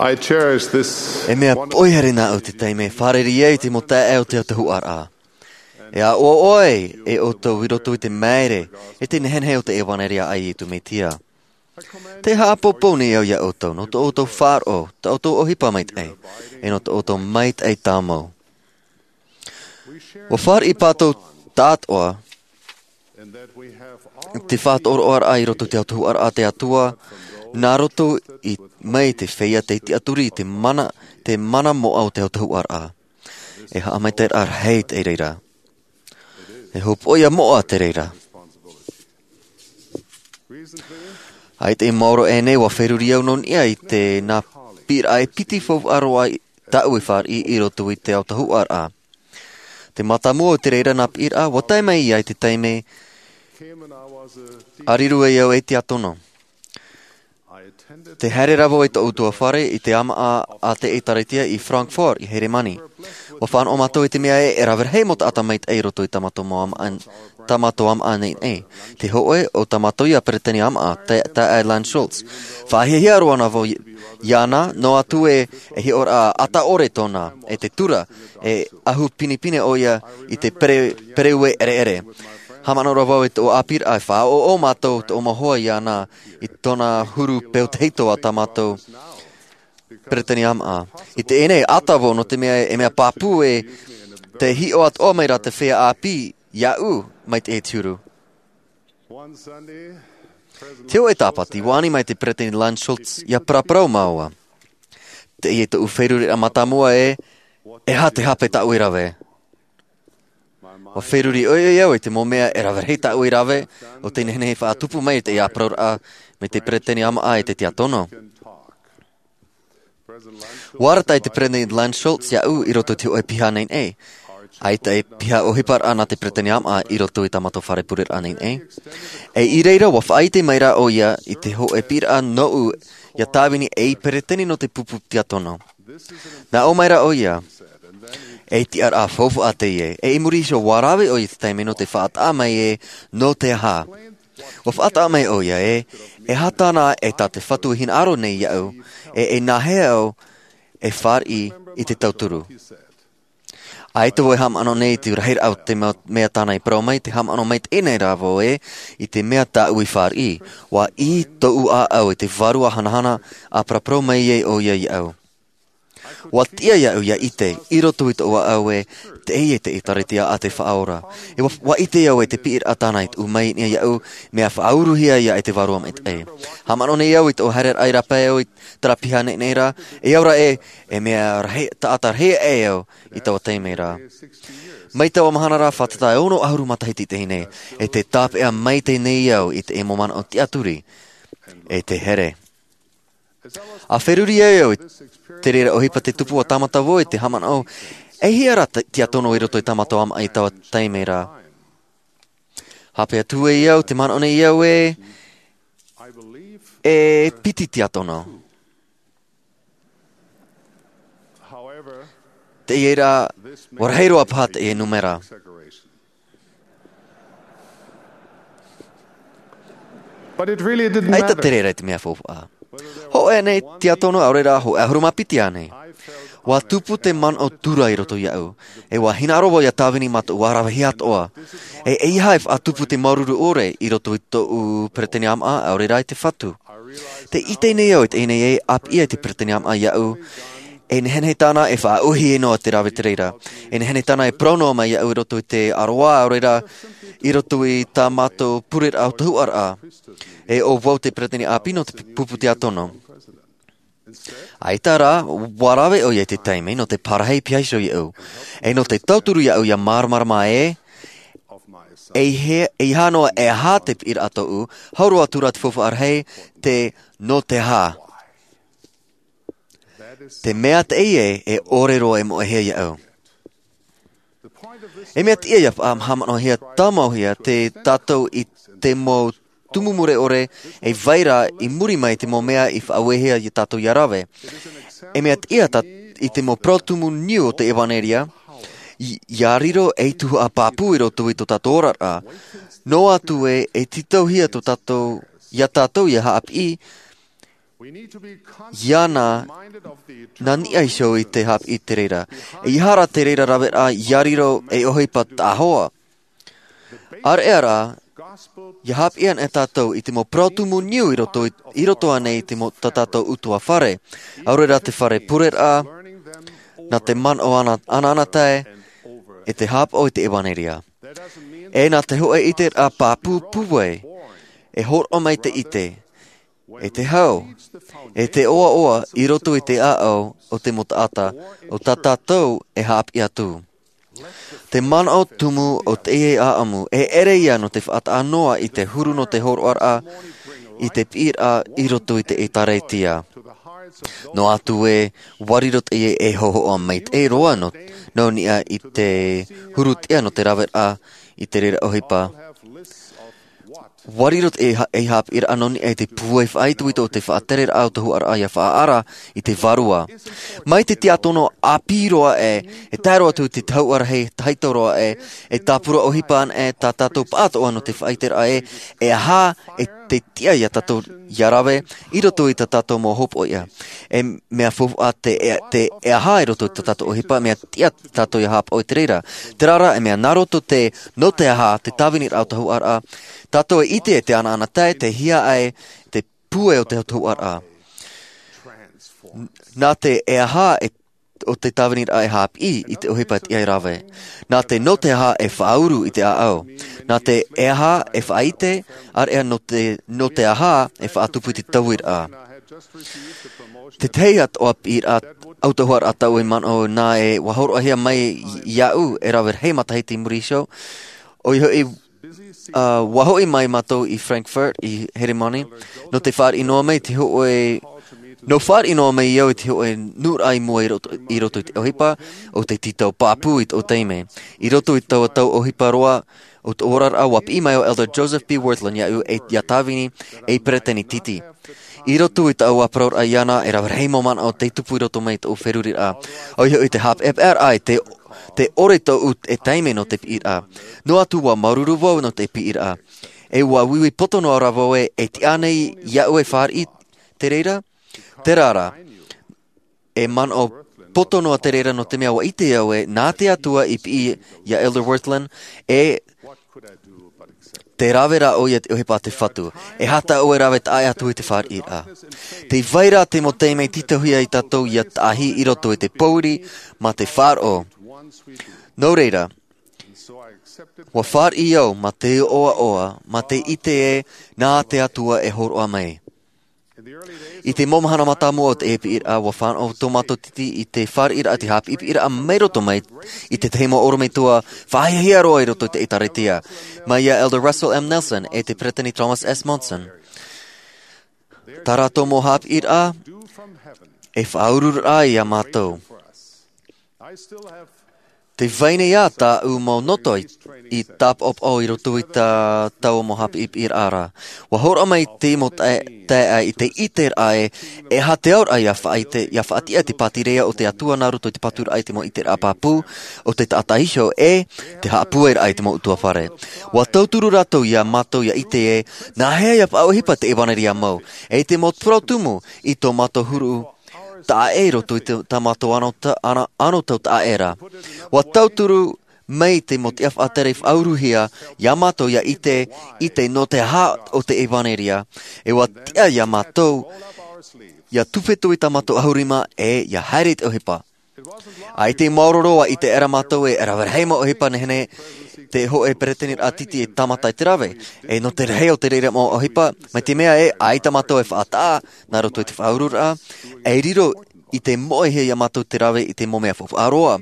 I cherish this E mea wonderful poʻihā nā ʻu te taime e fārerei ai i te mau taeaʻe o te autahuʻaraʻa. E aʻo ʻoe e ʻoutou i roto i te māere, e te nehenehe o te ʻevanelia a Iesu Mesia. Tē haʻapāpū nei au ia ʻoutou, nō tō ʻoutou faʻaroʻo, tā ʻoutou ʻohipa maitaʻi, e nō tō ʻoutou maitaʻi tāmau. ʻUa fāriʻi pātou tāʻatoʻa, te faʻatoroʻaraʻa i roto i te autahuʻaraʻa a te Atua, nā roto i, mai te feiā tei tiʻaturi i te mana, te mana moʻa o te autahuʻaraʻa. E haʻamaitaʻiraʻa rahi te reira. E hopoiʻa moʻa te reira. ʻAita i maoro aʻe nei, ua feruri au nō niʻa i te nā piʻiraʻa e piti faufaʻa roa tāʻu i fāriʻi i roto i te autahuʻaraʻa. Te mātāmua o te reira nā piʻiraʻa, ua tae mai ia i te taime a riro ai au e tiakono. Te haere rā vau i tōʻu utuafare i te ʻāmaʻa a te ʻēkālesia i Frankfurt i Heremani. Ua fānaʻo mātou i te mea ē, e rave rahi mau taʻata maitaʻi i roto i tā mātou mau ʻāmaʻa, tā mātou ʻāmaʻa nei, nei. Te hōʻē o tā mātou ia peresideni ʻāmaʻa, te, taeaʻe Lance Schulz. Faʻahiahia roa na vau i, iāna, noa atu ē, e hiʻoraʻa ʻata ʻore tōna, e te tura, e ʻahu pinepine ʻoia i te pere-, pereue ʻereʻere. Haʻamanaʻo ra vau i tōʻu ʻāpīraʻa, e faʻaʻoʻo mātou tōʻu mau hoa iāna i tōna huru peu tahito a tā mātou peresideni ʻāmaʻa. I teie nei, ʻata vau nō te mea e mea pāpū ē, tē hiʻo atoʻa mai ra te feiā ʻāpī iāʻu mai te huru. Te hōʻē Tāpati, ua ani mai te peresideni Lance Schulz ia paraparau māua. Teie tōʻu feruriraʻa mātāmua ē, e aha te hape tāʻu i rave? Ua feruri ʻoiʻoi au i te mau mea e rave rahi tāʻu i rave, ʻo tē nehenehe e faʻatupu mai i teie parauraʻa mai te peresideni ʻāmaʻa e te tiakono. Ua arataʻi te peresideni Lance Schulz iāʻu i roto i te hōʻē piha nei nei. ʻAita e piha ʻohiparaʻa nā te peresideni ʻāmaʻa i roto i tā mātou fare pureraʻa nei nei. E i reira, ua faʻaʻite mai ra ʻoia i te hōʻē piʻiraʻa nōʻu ia tāvini ei peresideni nō te pupu tiakono. Nā ʻō mai ra ʻoia, e tiʻaraʻa faufaʻa teie, e i muri iho ua rave ʻoia i te taime nō te faʻataʻa mai ē, nō te aha. Ua faʻataʻa mai ʻoia ē, e aha tāna e tā te Fatu i hinaʻaro nei iāʻu, e, e nāhea au e fāriʻi i te tauturu. ʻAita vau e haʻamanaʻo nei i te rahiraʻa o te mea, mea tāna i parau mai, tē haʻamanaʻo maitaʻi nei rā vau ē, i te mea tāʻu i fāriʻi, ua ʻī tōʻu ʻāʻau i te vārua hanahana, a paraparau mai ai ʻoia iāʻu. Ua tiʻa iāʻu ia ʻite, i roto i tōʻu ʻāʻau ē, teie te ʻēkālesia a te Faʻaora. E ua, ua ʻite au ē te piʻiraʻa tāna i tuʻu mai nei iāʻu, mea faʻauruhia ia e te Vārua Maitaʻi. Haʻamanaʻo nei au i tōʻu haereraʻa i rāpae au i terā piha nei nei ra, e au ra ē, e mea rahi, taʻata rahi aʻe au i taua taime ra. Mai taua mahana ra, fātata e ono ʻahuru matahiti teie nei, e tē tāpeʻa maitaʻi nei au i te mau manaʻo tiʻaturi, e te here. A feruri ai au i te reira ʻohipa tē tupu, ua tāmata vau i te haʻamanaʻo, e aha ra te tiakono i roto i tā mātou ʻāmaʻa i taua taime ra. Haʻapae atu ai au, tē manaʻo nei au ē, e piti tiakono. Teie rā, ua rahi roa paha teie nūmera. ʻAita te reira i te mea faufaʻa. Hōʻē ānei tiakono, ʻaore rā hōʻē ʻahuru mā piti ānei. Ua tupu te manaʻo tura i roto iāʻu. E ua hinaʻaro vau ia tāvini mātou ua ravehia atoʻa. E, e aha e faʻatupu te māuruuru ʻore i roto i tōʻu peresideni ʻāmaʻa, ʻaore rā i te Fatu. Tē ʻite nei au i teie nei ē, ʻāpī ʻē te peresideni ʻāmaʻa iāʻu, e nehenehe tāna e faʻaʻōhie noa te rave te reira. E nehenehe tāna e parau noa mai iāʻu i roto i te ʻaroā, ʻaore rā, i roto i tā mātou pureraʻa autahuʻaraʻa. E ʻo vau te peresideni ʻāpī nō te pupu tiakono. ʻAita rā, ua rave ʻoia i te taime nō te parahi piha iho iāʻu. E nō te tauturu iāʻu ia māramarama ē, e he, e aha noa, e aha te piʻiraʻa tōʻu, hau roa atu rā te faufaʻa rahi, te nō te aha. Te mea teie e ʻore roa e moʻehia iāʻu. E mea tiʻa ia faʻahaʻamanaʻohia tāmauhia te tātou i te mau tumu mure ʻore, e vai ra i muri mai te mau mea i faʻauehia ia tātou ia rave. E mea tiʻa tā, i te mau parau tumu niu o te ʻevanelia, i, ia riro ei tuhaʻa pāpū i roto i tō tātou oraraʻa. Noa atu ē, e tītauhia tō tātou, ia tātou ia haʻapiʻi, iāna, nā niʻa iho i te haʻapiʻi te reira. E aha rā te reira raveraʻa ia riro ei ʻohipa taʻahoa. ʻAreʻa rā, ia haʻapiʻi ana e tātou i te mau parau tumu niu i roto i, i roto ānei i te mau tā tātou utuafare. ʻAore rā te fare pureraʻa, nā te manaʻo ana, anaanatae, e te haʻapaʻo i te ʻevanelia. E nā te hōʻē ʻiteraʻa pāpū pūai, e hōroʻa mai te ʻite, e te hau, e te ʻoaʻoa i roto i te ʻāʻau o te mau taʻata, ʻo tā tātou e haʻapiʻi atu. Te manaʻo tumu o teie ʻāʻamu, e ʻere ia nō te faʻataʻa noa i te huru nō te hōroʻaraʻa, i te piʻiraʻa i roto i te ʻēkālesia. Noa atu ē, ʻua riro teie ei hōhoʻa maitaʻi roa nō, nō niʻa i te huru tiʻa nō te raveraʻa i te reira ʻohipa. ʻUa riro teie ha-, ei haʻapiʻiraʻa nō niʻa i te pūai faʻaitoito o te faʻatereraʻa o te hōhoʻaraʻa ʻia faʻaara i te vārua. Mai te tiakono ʻāpī roa ē, e tae roa atu i te hauʻa rahi tahito roa ē, e tāpura ʻohipa ana ē tā tātou pāʻātoʻa nō te faʻaiteraʻa ē, e aha e te tiʻa ia tātou ʻia rave i roto i tā tātou mau hopoiʻa. E mea faufaʻa te, e, te, e aha i roto i tā tātou ʻohipa, mea tiʻa tātou ʻia haʻapaʻo i te reira. Terā rā, e mea nā roto te, nō te aha, te tāviniraʻa o te hōhoʻaraʻa, tātou e ʻite e te anaanatae, te hiaʻai, te pūai o te hōhoʻaraʻa. N-, nā te e aha e, o te tāviniraʻa e haʻapiʻi i te ʻohipa tiʻa e rave. Nā te nō te aha e faʻauru i te ʻāʻau. Nā te e aha e faʻaite, ʻāreʻa nō te, nō te aha e faʻatupu i te tauiraʻa. Te tahi atoʻa piʻiraʻa autahuʻaraʻa tāʻu e manaʻo nā ē ʻua hōroʻahia mai iāʻu e rave rahi matahiti i muri iho. ʻOia hoʻi, ā, ʻua hoʻi mai mātou i Frankfurt, i Heremani, nō te fāriʻi noa mai te hōʻē, nō fāriʻi noa mai au i te hōʻē nūnaʻa i mua i roto, i roto i te ʻohipa, ʻo te tītau pāpū i tō taime. I roto i taua tau ʻohipa roa, o tō oraraʻa ʻua piʻi mai ʻo Elder Joseph B. Wirthlin iāʻu e ʻia tāvini ei peresideni titi. I roto i tāʻu ʻāparauraʻa iāna, e rave rahi mau manaʻo tei tupu i roto mai i tōʻu feruriraʻa. ʻOia hoʻi te haʻapeʻapeʻaraʻa i te, te ʻore tōʻu e taime nō te piʻiraʻa. Noa atu ʻua māuruuru vau nō te piʻiraʻa. E ʻua uiui poto noa rā vau ē, e tiʻa ānei iāʻu e fāriʻi te reira? Terā rā, e manaʻo poto noa te reira nō te mea ʻua ʻite au ē, nā te Atua i piʻi iā Elder Wirthlin, e tē rave ra ʻoia i te ʻohipa a te Fatu. E aha tāʻu e rave taʻa ʻē atu i te fāriʻiraʻa? Tē vai ra te mau taime e tītauhia ia tātou ʻia taʻahi i roto i te pōuri mā te faʻaroʻo. Nō reira, ʻua fāriʻi au mā te ʻoaʻoa, mā te ʻite ē, nā te Atua e hōroʻa mai. I te mau mahana mātāmua o te piʻiraʻa, ʻua fānaʻo tō mātou titi i te fāriʻiraʻa, te haʻapiʻiraʻa mai roto mai i te tahi mau ʻorometua faʻahiahia roa i roto i te ʻĒtārētia, mai iā Elder Russell M. Nelson e te Peresideni Thomas S. Monson. Tā rātou mau haʻapiʻiraʻa e faʻaururaʻa iā mātou. Tē vai nei ā tāʻu mau noto i, i tāpaʻopaʻo i roto i tā, taua mau haʻapiʻiraʻa ra. ʻUa hōroʻa mai te mau tae-, taeaʻe i te ʻiteraʻa ē, e aha te auraʻa ʻia faʻaite, ʻia faʻatiʻa te pātireia o te Atua nā roto i te paturaʻa i te mau ʻiteraʻa pāpū o te taʻata iho ʻe te haʻapūairaʻa i te mau ʻutuāfare. ʻUa tauturu rātou iā mātou ʻia ʻite ē, nāhea ʻia faʻaʻohipa te ʻevanelia mau, e te mau parau tumu i tō mātou huru taʻa ʻē i roto i te, tā mātou anō ta-, ana-, anō tau taʻa ʻē ra. ʻUa tauturu mai te mau tiʻa faʻatere faʻauruhia iā mātou ʻia ʻite, ʻite nō te aha o te ʻevanelia. E ʻua tiʻa iā mātou, ʻia tuwhetui tā mātou ʻahuru rima ʻe ʻia haere i te ʻohipa. ʻAita i maoro roa i te ʻere mātou e rave rahi mau ʻohipa nehenehe te hōʻē peresideni titi e tāmata i te rave. E nō te rahi o te reira mau ʻohipa, mai te mea ē, ʻaita mātou e faʻataʻa, nā roto i te faʻaururaʻa, e riro i te moʻehia iā mātou te rave i te mau mea faufaʻa roa.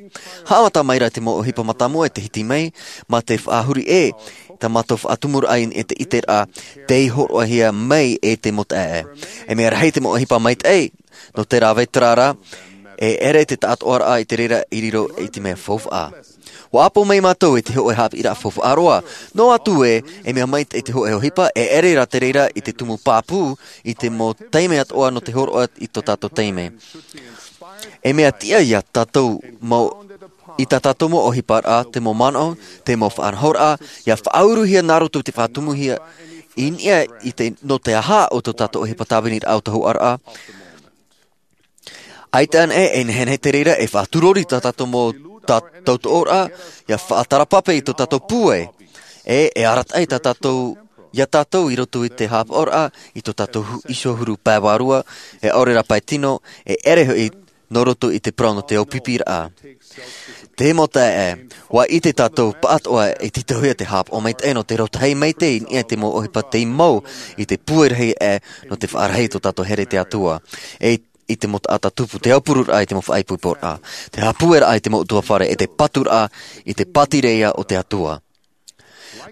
Haʻamata mai ra te mau ʻohipa mātāmua e te hiti mai, mā te faʻahuri ē, tā mātou faʻatumuraʻa i, i te ʻiteraʻa, tei hōroʻahia mai e te mau taeaʻe. E mea rahi te mau ʻohipa maitaʻi, nō te rave terā rā, e ʻere te taʻatoʻaraʻa i te reira i riro i te mea faufaʻa. ʻUa ʻapo mai mātou i te hōʻē haʻapiʻiraʻa faufaʻa roa, noa atu ē, e mea maitaʻi te hōʻē ʻohipa, e ʻere rā te reira i te tumu pāpū, i te mau taime atoʻa nō te hōroʻa i tō tātou taime. E mea tiʻa iā tātou mau, i tā tātou mau ʻohiparaʻa, te mau manaʻo, te mau faʻanahoraʻa, ʻia faʻauruhia nā roto i te faʻatumuhia, i niʻa i te, nō te aha o tō tātou ʻohipa tāviniraʻa o te hōhoʻaraʻa. ʻAita anaʻe e nehenehe te reira e faʻaturori tā tātou mau ta-, tautoʻoraʻa, ʻia faʻatarapape i tō tātou pūai. E, e arataʻi tā tātou, iā tātou i roto i te haʻapaʻoraʻa, i tō tātou hu-, iho huru pae vārua, e ʻaore rā pae tino, e ʻere hoʻi nō roto i te parau nō te aupipiraʻa. Te mau taeaʻe, ʻua ʻite tātou pāʻatoʻa e tītauhia te haʻapaʻo maitaʻi nō te rautahi maitaʻi i niʻa i te mau ʻohipa tei mau i te pūai rahi aʻe nō te faʻarahi i tō tātou here i te Atua. E i te mau taʻata tupu, te aupururaʻa i te mau faʻaipoiporaʻa, te haʻapūairaʻa i te mau ʻutuāfare, e te paturaʻa i te pātireia o te Atua.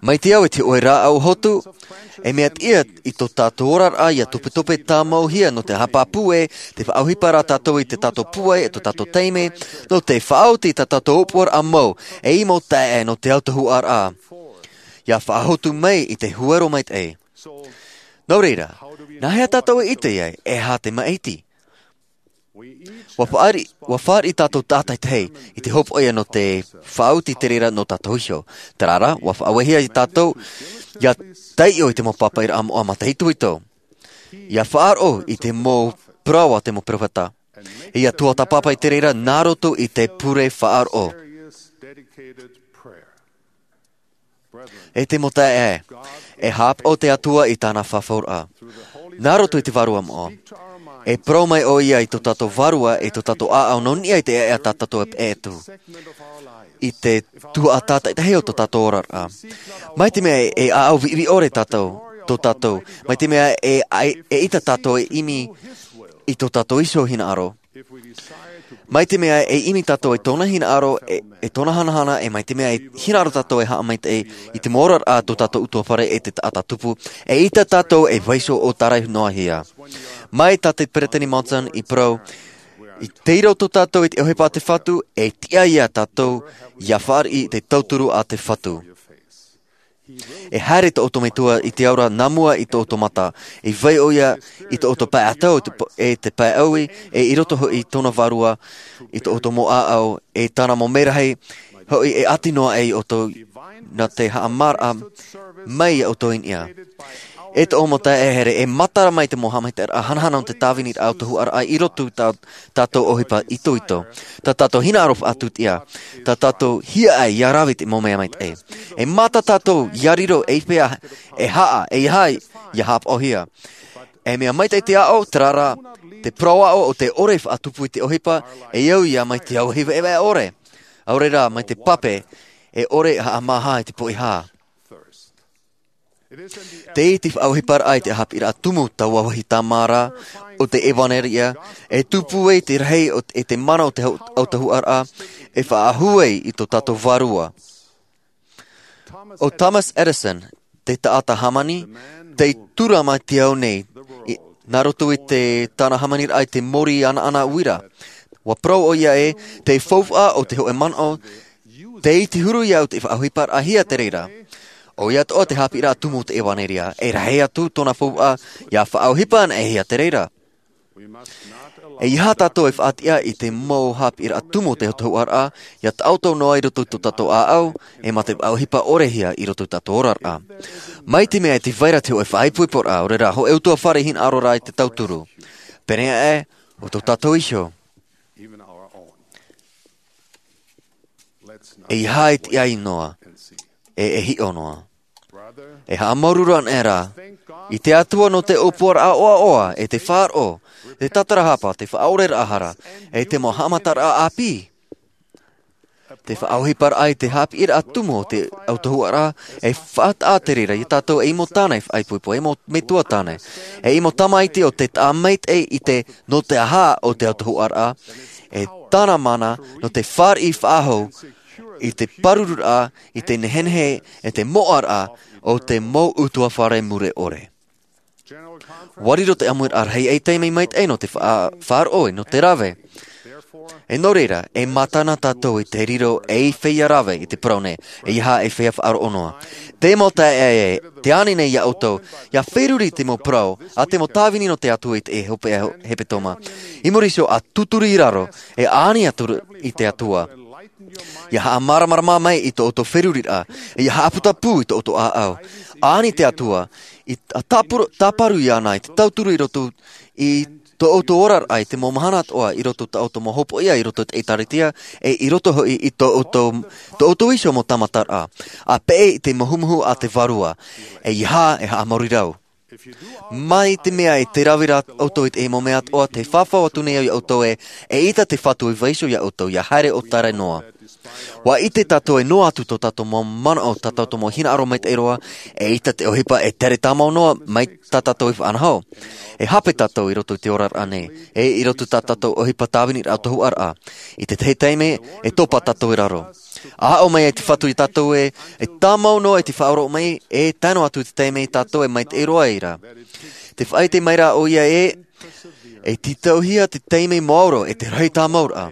Mai te au e te hoʻe rāʻau hotu, e mea tiʻa i tō tātou oraraʻa ia topetope tāmauhia nō te haʻapāpū ē, te faʻaʻohipa rā tātou i tō tātou pūai, e tō tātou taime, nō te faʻaoti i tā tātou ʻōpuaraʻa mau, e ʻimo taeaʻe nō te autahuʻaraʻa. Ia faʻahotu mai i te huero maitaʻi. Nō reira, nā hea tātou e ʻite ai, e aha te maʻiti? Ua fāriʻi, ua fāriʻi tātou tātaitahi i te hopoiʻa nō te faʻaoti te reira nō tātou iho. Terā rā, ua faʻaauehia ia tātou, ia taiʻo i te mau pāpaʻiraʻa moʻa mataʻitoito. Ia faʻaroʻo i te mau parau a te mau peropheta. Ia tuatāpapa i te reira nā roto i te pure faʻaroʻo. E te mau taeaʻe, e haʻapaʻo te Atua i tāna fafauraʻa. Nā roto i te vārua moʻa, e parau mai ʻoia i tō tātou vārua, i tō tātou ʻāʻau nō niʻa i te ʻēʻa tā tātou e peʻe atu. I te tuhaʻa tātaitahi o tō tātou oraraʻa. Mai te mea e ʻāʻau viʻiviʻi ʻore tātou, tō tātou. Mai te mea e, e, e ʻita tātou e ʻimi i tō tātou iho hinaʻaro. Mai te mea e ʻimi tātou e tōna hinaʻaro, e, e tōna hanahana, e mai te mea e hinaʻaro tātou e haʻamaitaʻi i te mau oraraʻa a tō tātou ʻutuāfare e te taʻata tupu, e ʻita tātou e vaiiho ʻo tāraihia. Mai tā te Peresideni Monson i parau, i te reira tō tātou i te ʻohipa a te Fatu, e tiʻa ia tātou, ia fāriʻi i te tauturu a te Fatu. E haere tō ʻoutou Metua i te ao ra nā mua i tō ʻoutou mata, e vai ʻoia i tō ʻoutou pae ʻātau, e te p-, e te pae ʻaui, e i roto hoʻi i tōna vārua, i tō ʻoutou mau ʻāʻau, e tāna mau merahi, hoʻi e ʻati noa ai ʻoutou, nā te haʻamāraʻa mai ia ʻoutou i niʻa. E tō ʻoutou mau taeaʻe e haere, e matara mai te mau haʻamaitaʻiraʻa hanahana o te tāviniraʻa autahuʻaraʻa i roto tā tātou ʻohipa itoito, tā tātou hinaʻaro faʻatūtia, tā tātou hiaʻai ia rave i te mau mea maitaʻi. E mata tātou ia riro ei feiā e haʻa, e aha ia haʻapaʻohia. E mea maitaʻi te aʻo, terā rā, te parau aʻo o te ʻore faʻatupu i te ʻohipa, e au ia mai te au hiva e ʻore. ʻAore rā, mai te pape, e ʻore haʻamāha i te poʻihā. Tei te faʻaʻohiparaʻa i te haʻapiʻiraʻa tumu taua vāhi tāmā ra o te ʻevanelia, e tupu ai te rahi o te, e te mana o te hau-, autahuʻaraʻa, e faʻahou ai i tō tātou vārua. ʻO Thomas Edison, te taʻata hāmani, tei tura mai te ao nei, i, nā roto i te, tāna hāmaniraʻa i te mōrī ʻanaʻana uira. Ua parau ʻoia ē, te faufaʻa o te hōʻē manaʻo, tei te huru iāʻu te faʻaʻohiparaʻahia te reira. ʻOia atoʻa te haʻapiʻiraʻa tumu o te ʻevanelia, e rahi atu tōna faufaʻa, ia faʻaʻohipa anaʻe hia te reira. E ʻeiaha tātou e faʻatiʻa i te mau haʻapiʻiraʻa tumu o te autahuʻaraʻa, ia taʻoto noa i roto i tō tātou ʻāʻau, e mā te faʻaʻohipa ʻorehia i roto i tō tātou oraraʻa. Mai te mea e te vai ra te hōʻē faʻaipoiporaʻa, ʻaore rā, hōʻē ʻutuāfare hinaʻaro rā i te tauturu. Pēneiaʻe, ʻo tō tātou iho. ʻEiaha e tiʻa noa, e, e hiʻo noa. E haʻamāuruuru anaʻe rā, i te Atua nō te ʻōpuaraʻa ʻoaʻoa, e te faʻaroʻo, te tatarahapa, te faʻaoreraʻa hara, e te mau haʻamataraʻa ʻāpī. Te faʻaʻohiparaʻa i te haʻapiʻiraʻa tumu o te autahuʻaraʻa, e faʻataʻa te reira ia tātou ei mau tāne faʻaipoipo, ei mau metua tāne, ei mau tamaiti o te taʻa maitaʻi i te nō te aha o te autahuʻaraʻa, e tāna mana nō te fāriʻi faʻahou i te pārururaʻa, i te nehenehe, e te moʻaraʻa o te mau ʻutuāfare mure ʻore. Ua riro te ʻāmuiraʻa rahi ei taime maitaʻi nō te fa-, faʻaroʻo e nō te rave. E nō reira, e mātana tātou i te riro ei feiā rave i te parau nei, ʻeiaha ei feiā faʻaroʻo noa. Te mau taeaʻe, tē ani nei ia ʻoutou, ia feruri te mau parau, a te mau tāvini nō te Atua i te hopeʻa hepetoma. I muri iho ʻa tūturu i raro, e ani atu i te Atua. Ia haʻamāramarama mai i tō ʻoutou feruriraʻa, ia haʻaputapū i tō ʻoutou ʻāʻau. Ani te Atua, i t-, tāpuru-, tāparu iāna i te tauturu i roto i tō ʻoutou oraraʻa i te mau mahana atoʻa, i roto i tā ʻoutou mau hopoiʻa, i roto i te ʻĒkālesia, e i roto hoʻi i tō ʻoutou, tō ʻoutou iho mau tāmataraʻa. ʻA peʻe i te muhumuhu a te Vārua, ʻeiaha e haʻamāuruuru. Mai te mea e te rave ra ʻoutou i te mau mea atoʻa, tē fafau atu nei au ia ʻoutou ē, eʻita te Fatu e vaiiho ia ʻoutou, ia haere ʻo tae ra noa. ʻUa ʻite tātou e noa atu tō tātou mau manaʻo, tā tātou mau hinaʻaro maitaʻi roa, eʻita te ʻohipa e tere tāmau noa mai tā tātou i faʻanaho. E hape tātou i roto i te oraraʻa nei, e i roto tā tātou ʻohipa tāviniraʻa o te huaraʻa. I te tahi taime, e topa tātou i raro. A aʻo mai ai te Fatu iā tātou ē, e tāmau noa i te faʻaroʻo mai, e tae noa atu i te taime tātou e maitaʻi roa ai ra. Tē faʻaʻite mai ra ʻoia ē, e tītauhia te taime maoro e te rahi tāmauraʻa.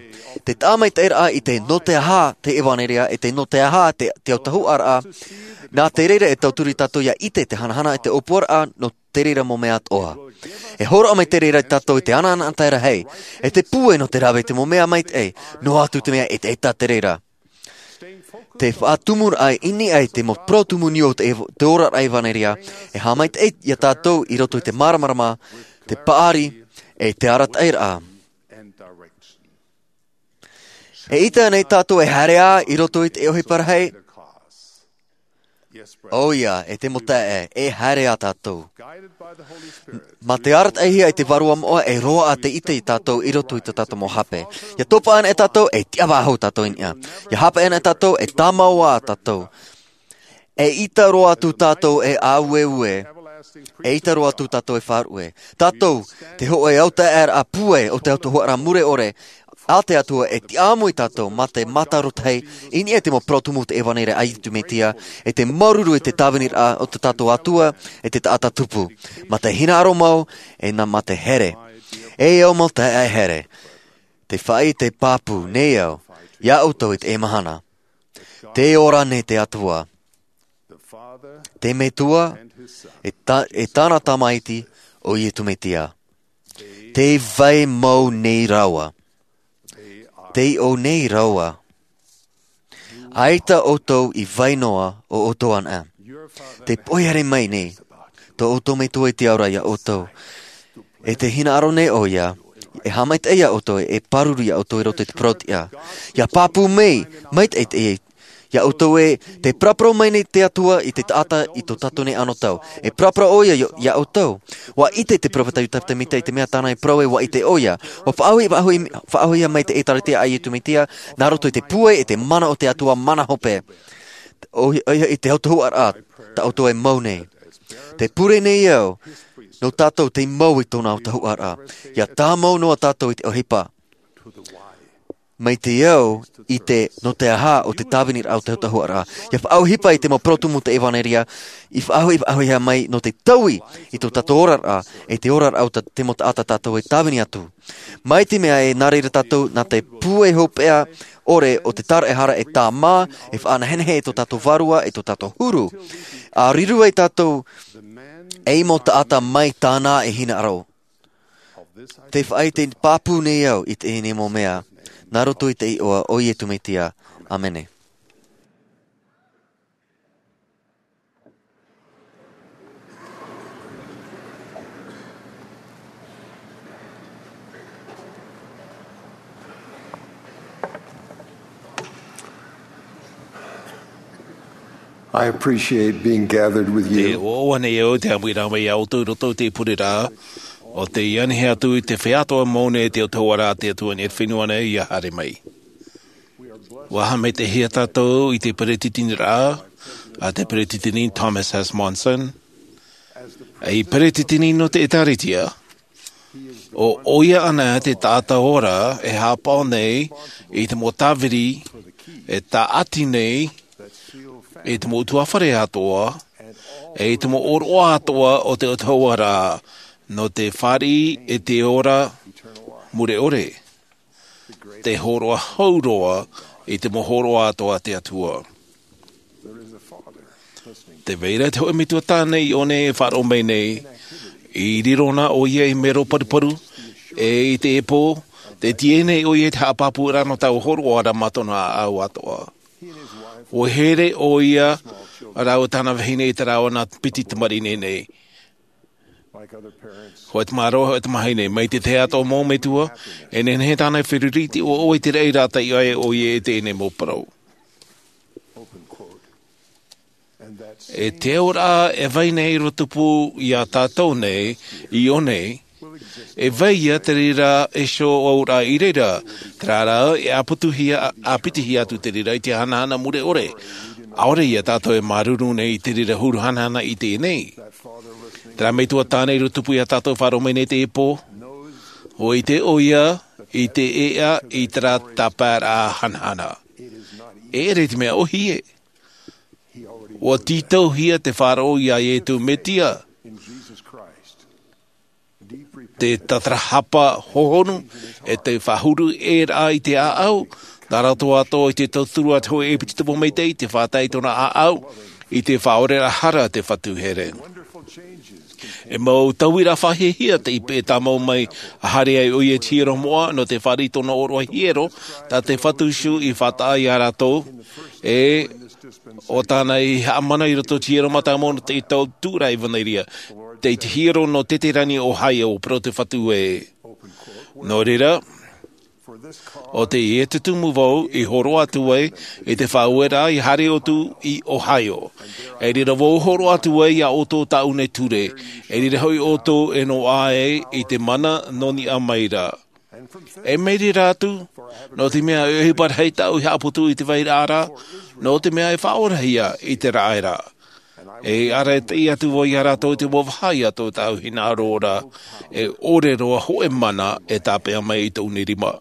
Te taʻa maitaʻiraʻa i te nō te aha te ʻevanelia, e te nō te aha te, te autahuʻaraʻa, nā te reira e tauturu iā tātou ʻia ʻite te hanahana e te ʻōpuaraʻa nō te reira mau mea atoʻa. E hōroʻa mai te reira iā tātou i te anaanatae rahi, e te pūai nō te rave i te mau mea maitaʻi, noa atu te mea e te, e tā te reira. Te faʻatumuraʻa i niʻa i te mau parau tumu nui o te, te oraraʻa ʻevanelia, e haʻamaitaʻi iā tātou i roto i te māramarama, te paʻari, e te arataʻiraʻa. E ʻita nei tātou e haere ā i roto i te ʻohipa rahi? ʻOia, e te mau taeaʻe, e haere ā tātou. Mā te arataʻihia e te Vārua Moʻa e roaʻa te ʻite iā tātou i roto i tō tātou mau hape. ʻIa topa ana e tātou, e tiʻavā hou tātou i niʻa. ʻIa hape ana e tātou, e tāmau ā tātou. E ʻita roa atu tātou e ʻāueue, e ʻita roa atu tātou e faʻaruʻe. Tātou, te hōʻē autaeaʻeraʻa pūai o te autahuʻaraʻa mure ʻore a te Atua, e tiʻamui tātou mā te mātarotahi i niʻa i te mau parau tumu o te ʻevanelia a Iesu Mesia, e te māuruuru i te tāviniraʻa o tō tātou Atua, e te taʻata tupu. Mā te hinaʻaro mau, e nā mā te here. E au mau taeaʻe here. Tē faʻaʻite pāpū nei au, iā ʻoutou i teie mahana. Tē ora nei te Atua. Te Metua, e tā, e tāna Tamaiti, ʻo Iesu Mesia. Tē vai mau nei rāua. Tē ʻō nei rāua. ʻAita ʻoutou i vai noa ʻo ʻoutou anaʻe. Tē poihere mai nei tō ʻoutou Metua i te ao ra iā ʻoutou. E tē hinaʻaro nei ʻoia, e haʻamaitaʻi iā ʻoutou, e pāruru iā ʻoutou i roto i te parau-tiʻa. ʻIa pāpū mai, maitaʻi teie, iā ʻoutou ē, tē paraparau mai nei te Atua i te taʻata i tō tātou nei anotau. E paraparau ʻoia iā, iā ʻoutou. ʻUa ʻite te peropheta Iosefa Sāmita i te mea tāna i parau ē ʻua ʻite ʻoia. ʻUa faʻaʻohi, faʻaʻohi, faʻaʻohia mai te ʻēkālesia a Iesu Mesia, nā roto i te pūai e te mana o te Atua mana hope. ʻOia, ʻoia i te autahuʻaraʻa, tā ʻoutou e mau nei. Tē pure nei au, nō tātou tei mau i tōna autahuʻaraʻa. ʻIa tāmau noa tātou i te ʻohipa. Mai te au i te nō te aha o te tāviniraʻa o te autahuʻaraʻa. ʻIa faʻaʻohipa i te mau parau tumu o te ʻevanelia, i faʻaʻohi, faʻaʻohihia mai nō te taui i tō tātou oraraʻa, e te oraraʻa o te mau taʻata tātou e tāvini atu. Mai te mea ē, nā reira tātou, nā te pūai hopeʻa ʻore o te tāraʻehara e tāmā, e faʻanehenehe i tō tātou vārua, i tō tātou huru. ʻA riro ai tātou, ei mau taʻata mai tāna e hinaʻaro. Tē faʻaʻite pāpū nei au i teie nei mau mea, nā roto i te iʻoa o Iesu Mesia. ʻĀmene. I appreciate being gathered with you. Te ʻoaʻoa nei au te ʻāmuiraʻa mai iā ʻoutou i roto i te pure ra, ʻo tei anihia atu i te feiā atoʻa mau nei te autahuʻaraʻa a te Atua i te fenua nei ʻia haere mai. ʻUa haʻamaitaʻihia tātou i te peretiteniraʻa a te Peretiteni Thomas S. Monson, ei Peretiteni nō te ʻĒtārētia. ʻO ʻoia anaʻe te taʻata ora e haʻapaʻo nei i te mau tāviri e tāʻati nei i te mau ʻutuāfare atoʻa, e i te mau ʻōroʻa atoʻa o te autahuʻaraʻa nō te fāriʻi e te ora mure ʻore. Te hōroʻa hau roa i te mau hōroʻa atoʻa a te Atua. Tē vai ra te hōʻē metua tāne i ʻō nei e faʻaroʻo mai nei, i riro na ʻoia i te mero paruparu, e i te ʻēpō, tē tīaʻi nei ʻoia i te haʻapāpūraʻa nō taua hōroʻa ra mā tōna ʻāʻau atoʻa. ʻUa haere ʻoia rāua tāna vahine i te rāveʻa piti tamariʻi nei. Hōʻē tamaroa, hōʻē tamahine, mai te tahi atoʻa mau metua, e nehenehe tāna e feruri i te ʻoaʻoa i te raʻi rātou i ʻō ʻoia i teie nei mau parau. E te auraʻa e vai nei i roto pū iā tātou nei, i ʻō nei, E vai ia te reira e sō aura i reira, terā rā e āpitihia atu te reira i te hanahana mure ʻore. ʻAore ia tātou e māuruuru nei i te reira huru hanahana i teie nei. Terā metua tāne i roto pū ia tātou faʻaroʻo mai nei te pō. ʻUa ʻite ʻoia i te ʻeʻa i terā tāpaeraʻa hanahana. E ʻere te mea ʻohie. ʻUa tītauhia te faʻaroʻo ia iesu mesia. Te tatarahapa hohonu e te faʻahuru ʻē rā i te ʻāʻau. Nā roto atoʻa i te tauturu a te hoʻe ʻepitopo maitaʻi i te faʻatae i tōna ʻāʻau i te faʻaoreraʻa hara te fatu here. E mau tauiraʻa faʻahiahia te ipe e tāmau mai a haere ai ʻoia i te hiero moʻa nō te fāriʻi tōna ʻōroʻa hiero tā te fatu isu i faʻataʻa i a rātou. E ʻo tāna i haʻamana i roto i te hiero mātāmua nō te tau tūraʻa evanelia tei te hiero nō teterani o ohio o poro te fatu e. Nō reira, ʻo teie te tumu vau i hōroʻa atu ai i te faʻaueraʻa i haere atu i ohio. E reira vau hōroʻa atu ai i a ʻoutou tāʻu nei ture. E reira hoʻi ʻoutou e noaʻa ai i te mana nō niʻa mai ra. E mai reira atu, nō te mea e ʻohipa rahi tāʻu i haʻaputu i te vairaʻa ra, nō te mea e faʻaorahia i te raʻa ra. E ara e teie atu vau i a rātou i te mau vaha i a tō tāʻu hinaʻaro ra. E ʻore roa hoʻe mana e tāpeʻa mai i tōʻu nei rima.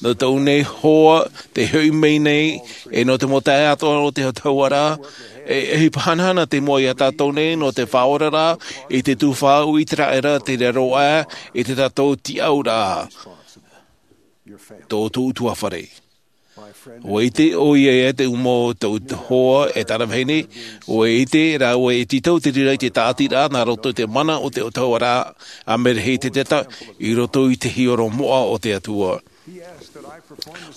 Nō tōʻu nei hoa te hoʻi mai nei e nō te mau taeaʻe atoʻa o te autahuʻaraʻa. E ʻohipa hanahana te mua i a tātou nei nō te faʻaoraraʻa i te tuhaʻa ʻu i te raʻa ra te rero ʻā i te tātou tiʻauraʻa. Tō tōʻu tuafare. ʻUa ʻite ʻoia ia te uma o tōʻu hoa e tāna vahine. ʻUa ʻite rāua e tītau te reira i te tāʻatiraʻa nā roto i te mana o te autahuʻaraʻa a mereheteteta i roto i te hiero moʻa o te atua.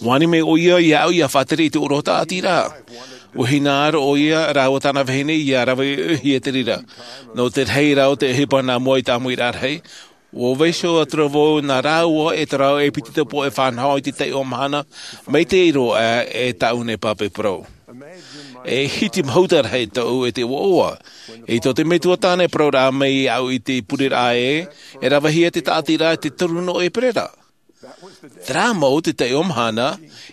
ʻUa ani mai ʻoia iāʻu ia faʻatere i te ʻōroʻa tāʻatiraʻa. ʻUa hinaʻaro ʻoia rāua tāna vahine ia rave ʻohie te reira. Nō te rahi rā o te ʻohipa nā mua i te ʻāmuiraʻa rahi, ʻua vaiiho atu ra vau nā rāua e te rau ʻepitopo e fānaho i te taiʻo mahana mai te ʻiro ʻā e tāʻu nei pāpē parau. E hiti mahuta rahi tōʻu e te ʻoaʻoa i tō te metua tāne parau rā mai iāʻu i te pureraʻa ē e ravehia te tāʻatiraʻa i te toru nō ʻēperēra. Terā mau te taiʻo mahana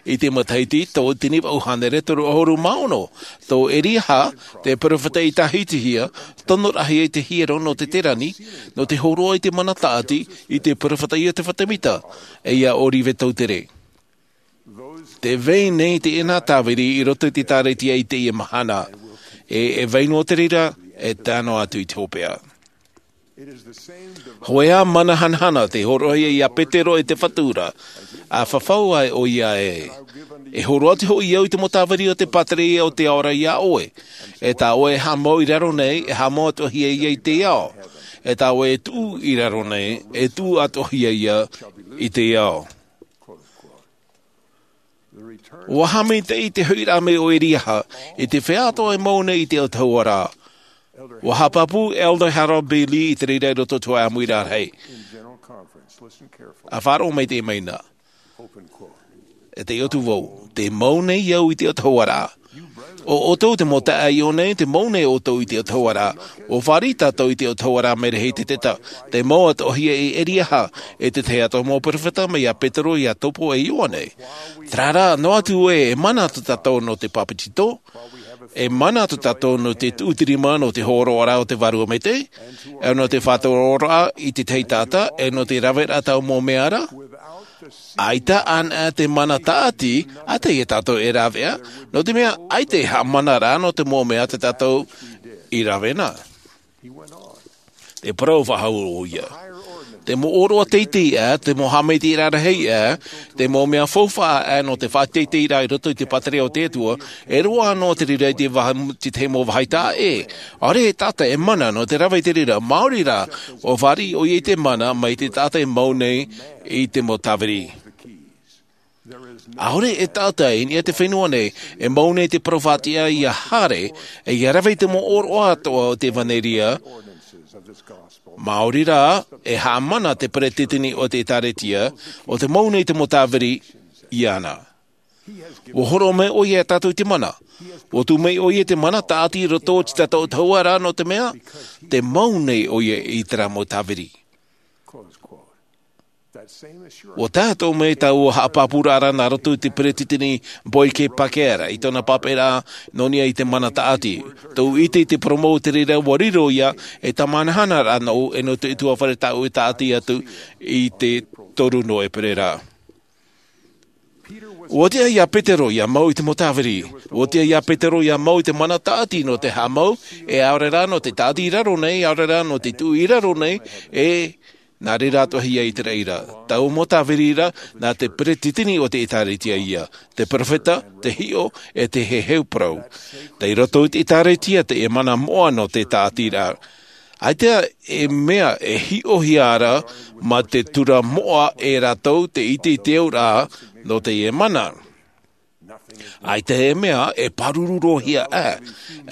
i te matahiti tō te nima ʻu hānere toru ʻahuru mā ono, tō ʻeriaha te peropheta i tāhitihia tonoraʻahia i te hiero nō teterani nō te hōroʻa i te mana tāʻati i te peropheta iosepha semita, e ia ʻōrive tautere. Te vai nei teie tāviri i roto i te ʻēkālesia i teie mahana. E e vai noa te reira e tae noa atu i te hopeʻa. Hoʻi ā mana hanahana te hōroʻahia i a petero e te fatu ra. A fafau ai ʻoia ē, e hōroʻa atu hoʻi au i te mau tāviri o te pātireia o te ao ra iā ʻoe. E tā ʻoe e haʻamau i raro nei e haʻamau atoʻahia ia i te ao. E tā ʻoe e tuʻu i raro nei e tuʻu atoʻahia ia i te ao. Ua haʻamaitaʻi te hoʻiraʻa mai o ʻeriaha i te feiā atoʻa e mau nei i te autahuʻaraʻa. Ua haʻapāpū elder harold b lee i te reira i roto i te hoʻe ʻāmuiraʻa rahi. A faʻaroʻo mai te maina. E te ʻotu vau te mau nei au i te autahuʻaraʻa. ʻO ʻoutou te mau taʻa iʻo nei te mau nei ʻoutou i te autahuʻaraʻa. Ua fāriʻi tātou i te autahuʻaraʻa mereheteteta te mau atoʻahia i ʻeriaha, e te tahi atoʻa mau peropheta mai iā petero iā iakobo e ioane. Terā rā noa atu ē e mana tō tātou nō te pāpetito, e mana tō tātou nō te tuʻu te rima nō te hōroʻaraʻa o te vārua maitaʻi, e nō te faʻatoroʻaraʻa i te tahi taʻata e nō te raveraʻa tau mau mea ra. ʻAita anaʻe te mana tāʻati a teie tātou e raveʻa, nō te mea ʻaita e haʻamana rā nō te mau mea tā tātou i rave na. E parau faʻahou ʻoia. Te mau ʻōroʻa teitei ʻā, te mau haʻamaitaʻiraʻa rahi ʻā, te mau mea faufaʻa ʻā nō te faʻateiteiraʻa i roto i te pātireia o te atua, e roaʻa noa te reira i te vaha te tahi mau vahaʻa ʻē. ʻAore e taʻata e mana nō te rave i te reira, maori rā ua fāriʻi ʻoia i te mana mai te taʻata e mau nei i te mau tāviri. ʻAore e taʻata i niʻa i te fenua nei e mau nei te parau faʻatiʻa ia haere e ia rave i te mau ʻōroʻa atoʻa o te ʻevanelia. Maori rā e haʻamana te peresideni o te ʻēkālesia o te mau nei te mau tāviri iāna. Ua hōroʻa mai ʻoia iā tātou i te mana. Ua tuʻu mai ʻoia i te mana tāʻati i roto i te taʻata ʻautahuʻa ra, nō te mea te mau nei ʻoia i terā mau tāviri. Ua tae atoʻa mai taua haʻapāpūraʻa ra nā roto i te peretiteni Boyd K. Packer i tōna pāpaʻiraʻa nō niʻa i te mana tāʻati. Tōʻu ʻite i te porōmu o te reira, ua riro ia e tāmāhanahana ra nōʻu e nō te ʻutuāfare tāʻu e tāʻati atu i te toru nō ʻēperēra. Ua tiʻa iā Petero ia mau i te mau tāviri. Ua tiʻa iā Petero ia mau i te mana tāʻati nō te haʻamau, e ʻaore rā nō te tāʻati i raro nei, ʻaore rā nō te tuʻu i raro nei, e nā reira atoʻa ia i te reira. Taua mau tāviri ra, nā te peretiteni o te ʻĒtārētia ia, te perofeta, te hiʻo, e te heheu parau. Tei roto i te ʻĒtārētia teie mana moʻa nō te tāʻatiraʻa. ʻAita e mea e hiʻohia ra mā te tura moʻa e rātou te ʻite i te auraʻa nō teie mana. ʻAita e mea e pāruru roa hia ʻā.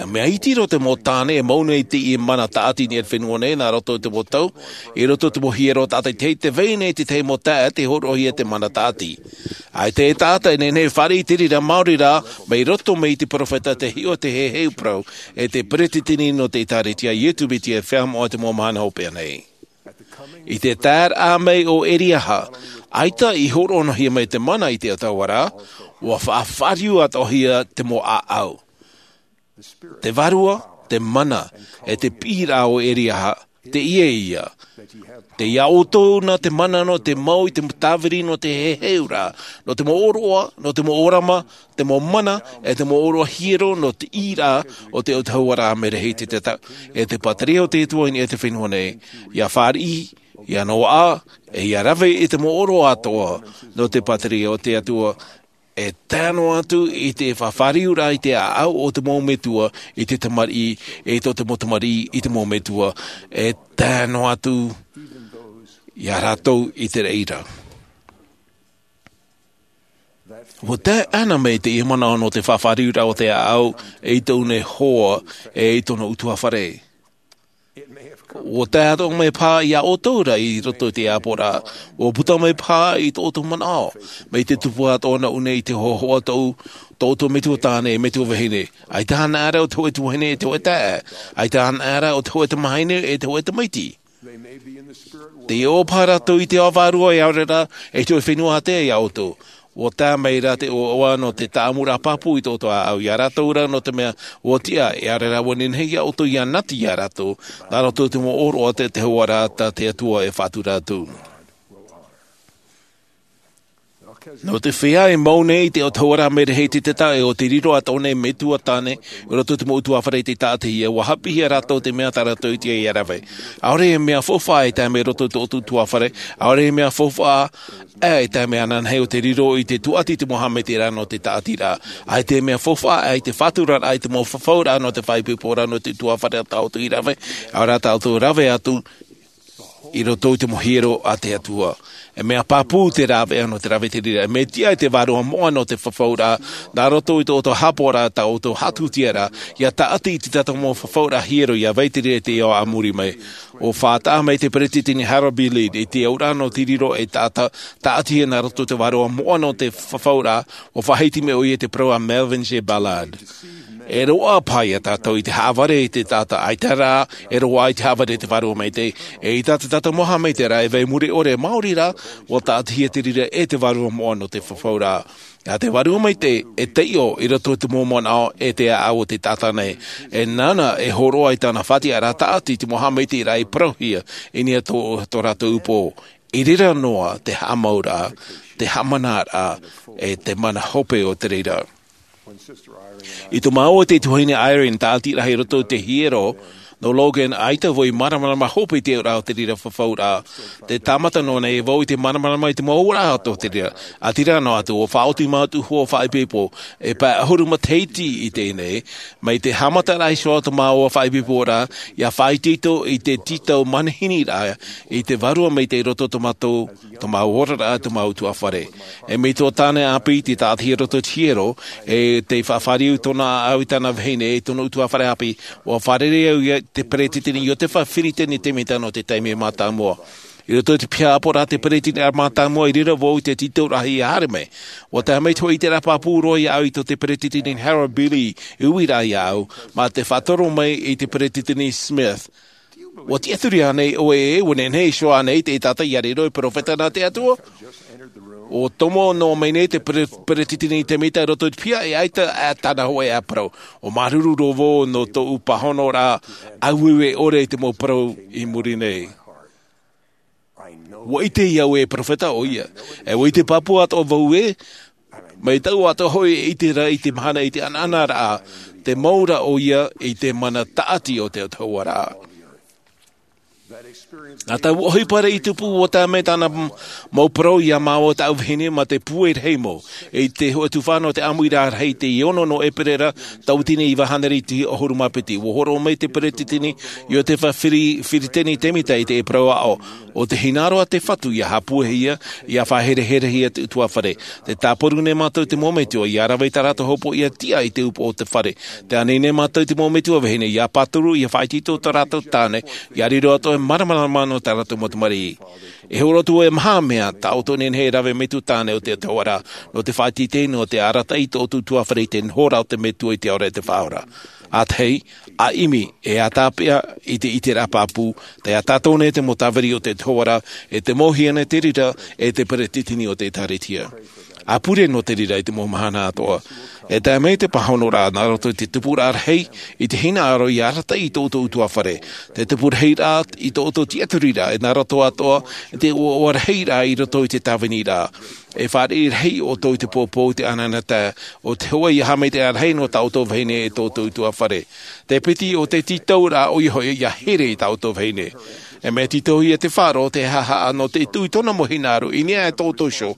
E mea iti roa te mau tāne e mau nei i teie mana tāʻati i niʻa i te fenua nei, nā roto i te mau tau, i roto i te mau hiero tātaʻitahi, tē vai nei te tahi mau taeaʻe tei hōroʻahia te mana tāʻati. ʻAita e taʻata e nehenehe e fāriʻi i te reira, maori rā, mai roto mai i te perofeta, te hiʻo, te heheu parau, e te peretiteni nō te ʻĒtārētia, Iesu Mesia, e feiā moʻa i te mau mahana hopeʻa nei. I te taeraʻa mai o Eliaha, ʻaita i hōroʻahia mai te mana i te ʻautahuʻa ra, ua faʻafāriu atoʻahia te mau ʻāʻau. Te vārua, te mana, e te piʻiraʻa o Eliaha, teie ia. Tei iā ʻoutou na te mana nō te mau i te tāviri nō te heheuraʻa, nō te mau ʻōroʻa, nō te mau ʻōrama, te mau mana, e te mau ʻōroʻa hiero nō te ʻīraʻa o te ʻautahuʻaraʻa Merehiteseteta, e te pātireia o te Atua i niʻa i te fenua nei, ia fāriʻi, ia noaʻa, e ia rave i te mau ʻōroʻa atoʻa nō te pātireia o te Atua, e tae noa atu i te faʻafāriuraʻa i te ʻāʻau o te mau metua i te tamariʻi, e tō te mau tamariʻi i te mau metua, e tae noa atu iā rātou i te reira. Ua tae ʻana mai teie manaʻo nō te faʻafāriuraʻa o te ʻāʻau i tōʻu nei hoa e i tōna ʻutuāfare. Ua tae atoʻa mai paha iā ʻoutou ra i roto i te ʻāpoʻoraʻa, ua puta mai paha i tō ʻoutou manaʻo, mai te tupu atoʻa nōʻu nei i te hōhoʻa tōʻu, tō ʻoutou metua tāne, metua vahine. ʻAita anaʻe ra ʻo te hōʻē tuahine e te hōʻē taeaʻe. ʻAita anaʻe ra ʻo te hōʻē tamahine e te hōʻē tamaiti. Te ʻoaʻoa paha rātou i te ao vārua, e ʻaore rā, e te hōʻē fenua ātea iā ʻoutou. Ua tae mai ra te ʻoaʻoa nō te tāʻamuraʻa pāpū i tō ʻoutou ʻāʻau iā rātou ra, nō te mea ua tiʻa, e ʻaore rā ua nehenehe iā ʻoutou ia nati iā rātou, nā roto i te mau ʻōroʻa o te ʻautahuʻaraʻa tā te Atua e faʻatura atu. Nō te feiā e mau nei i te ʻautahuʻaraʻa Merehiteseteta, e ʻo te riro atoʻa nei metua tāne i roto i te mau ʻutuāfare i te taʻatihia, ua haʻapiʻihia rātou te mea tā rātou i tiʻa ia rave. ʻAore e mea faufaʻa e tae mai roto i tō ʻoutou ʻutuāfare, ʻaore e mea faufaʻa ʻā e tae mai ananahi ʻo te riro i te tūʻati i te mau haʻamaitaʻiraʻa nō te taʻatiraʻa. ʻAita e mea faufaʻa ʻā i te faʻaturaraʻa i te mau fafauraʻa nō te faʻaipoiporaʻa nō te ʻutuāfare tā ʻoutou i rave, ʻaore rā tā ʻoutou rave atu i roto i te mau hiero a te Atua. E mea pāpū te rāveʻa nō te rave i te reira. E mea tiʻa i te vārua moʻa nō te fafauraʻa, nā roto i tō ʻoutou haʻapaʻoraʻa, tā ʻoutou haʻatūtiaraʻa, ia taʻati i te tahi mau fafauraʻa hiero, ia vai i te reira i te ao a muri mai. ʻUa faʻataʻa mai te peretiteni Harold B. Lee i te auraʻa nō te riro ei taʻata taʻatihia nā roto i te vārua moʻa nō te fafauraʻa, ʻua faʻahiti mai ʻoia i te parau a Melvin J. Ballard. E roaʻa paha iā tātou i te haʻavare i te taʻata, ʻaita rā, e roaʻa i te haʻavare i te Vārua Maitaʻi, e ʻaita te tahi mau haʻamaitaʻiraʻa e vai muri ʻore, maori rā, ʻua taʻatihia te reira e te vārua moʻa nō te fafauraʻa. Nā te Vārua Maitaʻi e taiʻo i roto i te mau manaʻo e te ʻāʻau o te taʻata nei. E nāna e hōroʻa i tāna faʻatiʻaraʻa taʻati i te mau haʻamaitaʻiraʻa i parauhia i niʻa i tō, tō rātou upoʻo. I reira noa te haʻamauraʻa, te haʻamanaraʻa, e te mana hope o te reira. I tō māua e te tuahine Eyring taʻati rahi i roto i te hiero nō Logan, ʻaita vau i māramarama hope i te auraʻa o te reira fafauraʻa. Tē tāmata noa nei vau i te māramarama i te mau auraʻa o te reira. ʻĀtīrā noa atu, ʻua faʻaoti mātou hua faʻaipoipo, e pae ʻahuru matahiti i teie nei, mai te haʻamataraʻa iho o tō māua faʻaipoiporaʻa, ʻia faʻaitoito i te tītau manehiniraʻa i te Vārua Maitaʻi i roto i tō mātou, tō māua oraraʻa, tō māua ʻutuāfare. E mea tō tāne ʻāpī tei taʻatihia i roto i te hiero, e tei faʻafāriu i tōna ʻāʻau, i tāna vahine, e tōna ʻutuāfare ʻāpī, ʻua fārerei au ia te peretiteni Iosepha Filipe Netemita nō te taime mātāmua. I roto i te piha ʻāpoʻoraʻa a te peresideni mātāmua i reira vau i te tītauraʻa ia haere mai. ʻUa tae mai te hōʻē ʻiteraʻa pāpū roa iāʻu i tō te peresideni Harold B. Lee i uiraʻa iāʻu, mā te faʻatoro mai i te peresideni Smith. ʻUa tiʻaturi ānei ʻoe ē, ʻua nehenehe iho ānei te taʻata ia riro ei peropheta nā te Atua? ʻUa tomo noa mai nei te pere-, peresideni Temita i roto i te piha, e ʻaita ā tāna hōʻē ā parau. ʻUa māuruuru roa vau nō tōʻu pāhonoraʻa ʻāueue ʻore i te mau parau i muri nei. ʻUa ʻite iāʻu e peropheta ʻoia. E ʻua ʻite pāpū atoʻa vau ē, mai tāʻu atoʻa hoʻi e ʻite ra i te mahana i te ʻanaʻanaraʻa, te mau ra ʻoia i te mana tāʻati o te Atua ra. Nā tāʻu ʻohipa i tupu, ʻua tae mai tāna m-, mau parau iā māua tāʻu vahine mā te pūai rahi mau. I te hōʻē tuhaʻa nō te ʻāmuiraʻa rahi, te ono nō ʻēperēra, tauatini iva hānere e ʻahuru mā piti, ʻua hōroʻa mai te peresideni Iotefa Firi-, Firiteni Temita i te parau aʻo. ʻO te hinaʻaro a te Fatu ia haʻapuehia, ia faʻahereherehia te ʻutuāfare. Tē tāparu nei mātou i te mau metua ia rave i tā rātou hopoiʻa tiʻa i te upoʻo o te fare. Tē ani nei mātou i te mau metua vahine ia pāturu, ia faʻaitoito i tō rātou tāne, ia riro atoʻa e māramarama nō tā rātou mau tamariʻi. E hōroʻa atu e maha mea, tā ʻoutou e nehenehe e rave mai te tāne o te Atua ra, nō te faʻaʻiteʻite nō te arataʻi i tō ʻoutou ʻutuāfare i te noho ra o te Metua i te Ao ra e te Faʻaora. ʻA tahi, ʻa ʻimi, e ʻa tāpeʻa i te ʻiteraʻa pāpū, tē ʻatā atoʻa nei te mau tāviri o te Atua ra, e te mau hiʻo nei te reira, e te peresideni o te ʻĒtārētia. ʻA pure nō te reira i te mau mahana atoʻa. E tae mai te pāhonoraʻa nā roto i te tupuraʻa rahi, i te hinaʻaro ia arataʻi i tō ʻoutou ʻutuāfare. Te tupu rahi ra i tō ʻoutou tiʻaturiraʻa, e nā roto atoʻa i te ʻoaʻoa rahi ra i roto i te tāviniraʻa. E fāriʻi rahi ʻoutou i te pōpou i te ʻanaʻanatae, ʻo te hōʻē ia haʻamaitaʻiraʻa rahi nō tā ʻoutou vahine e tō ʻoutou ʻutuāfare. Te piti o te tītauraʻa ʻoia hoʻi ia here i tā ʻoutou vahine. E mea tītauhia te faʻaroʻo, te haʻahaʻa nō te tuʻu i tōna mau hinaʻaro i niʻa i tō ʻoutou iho.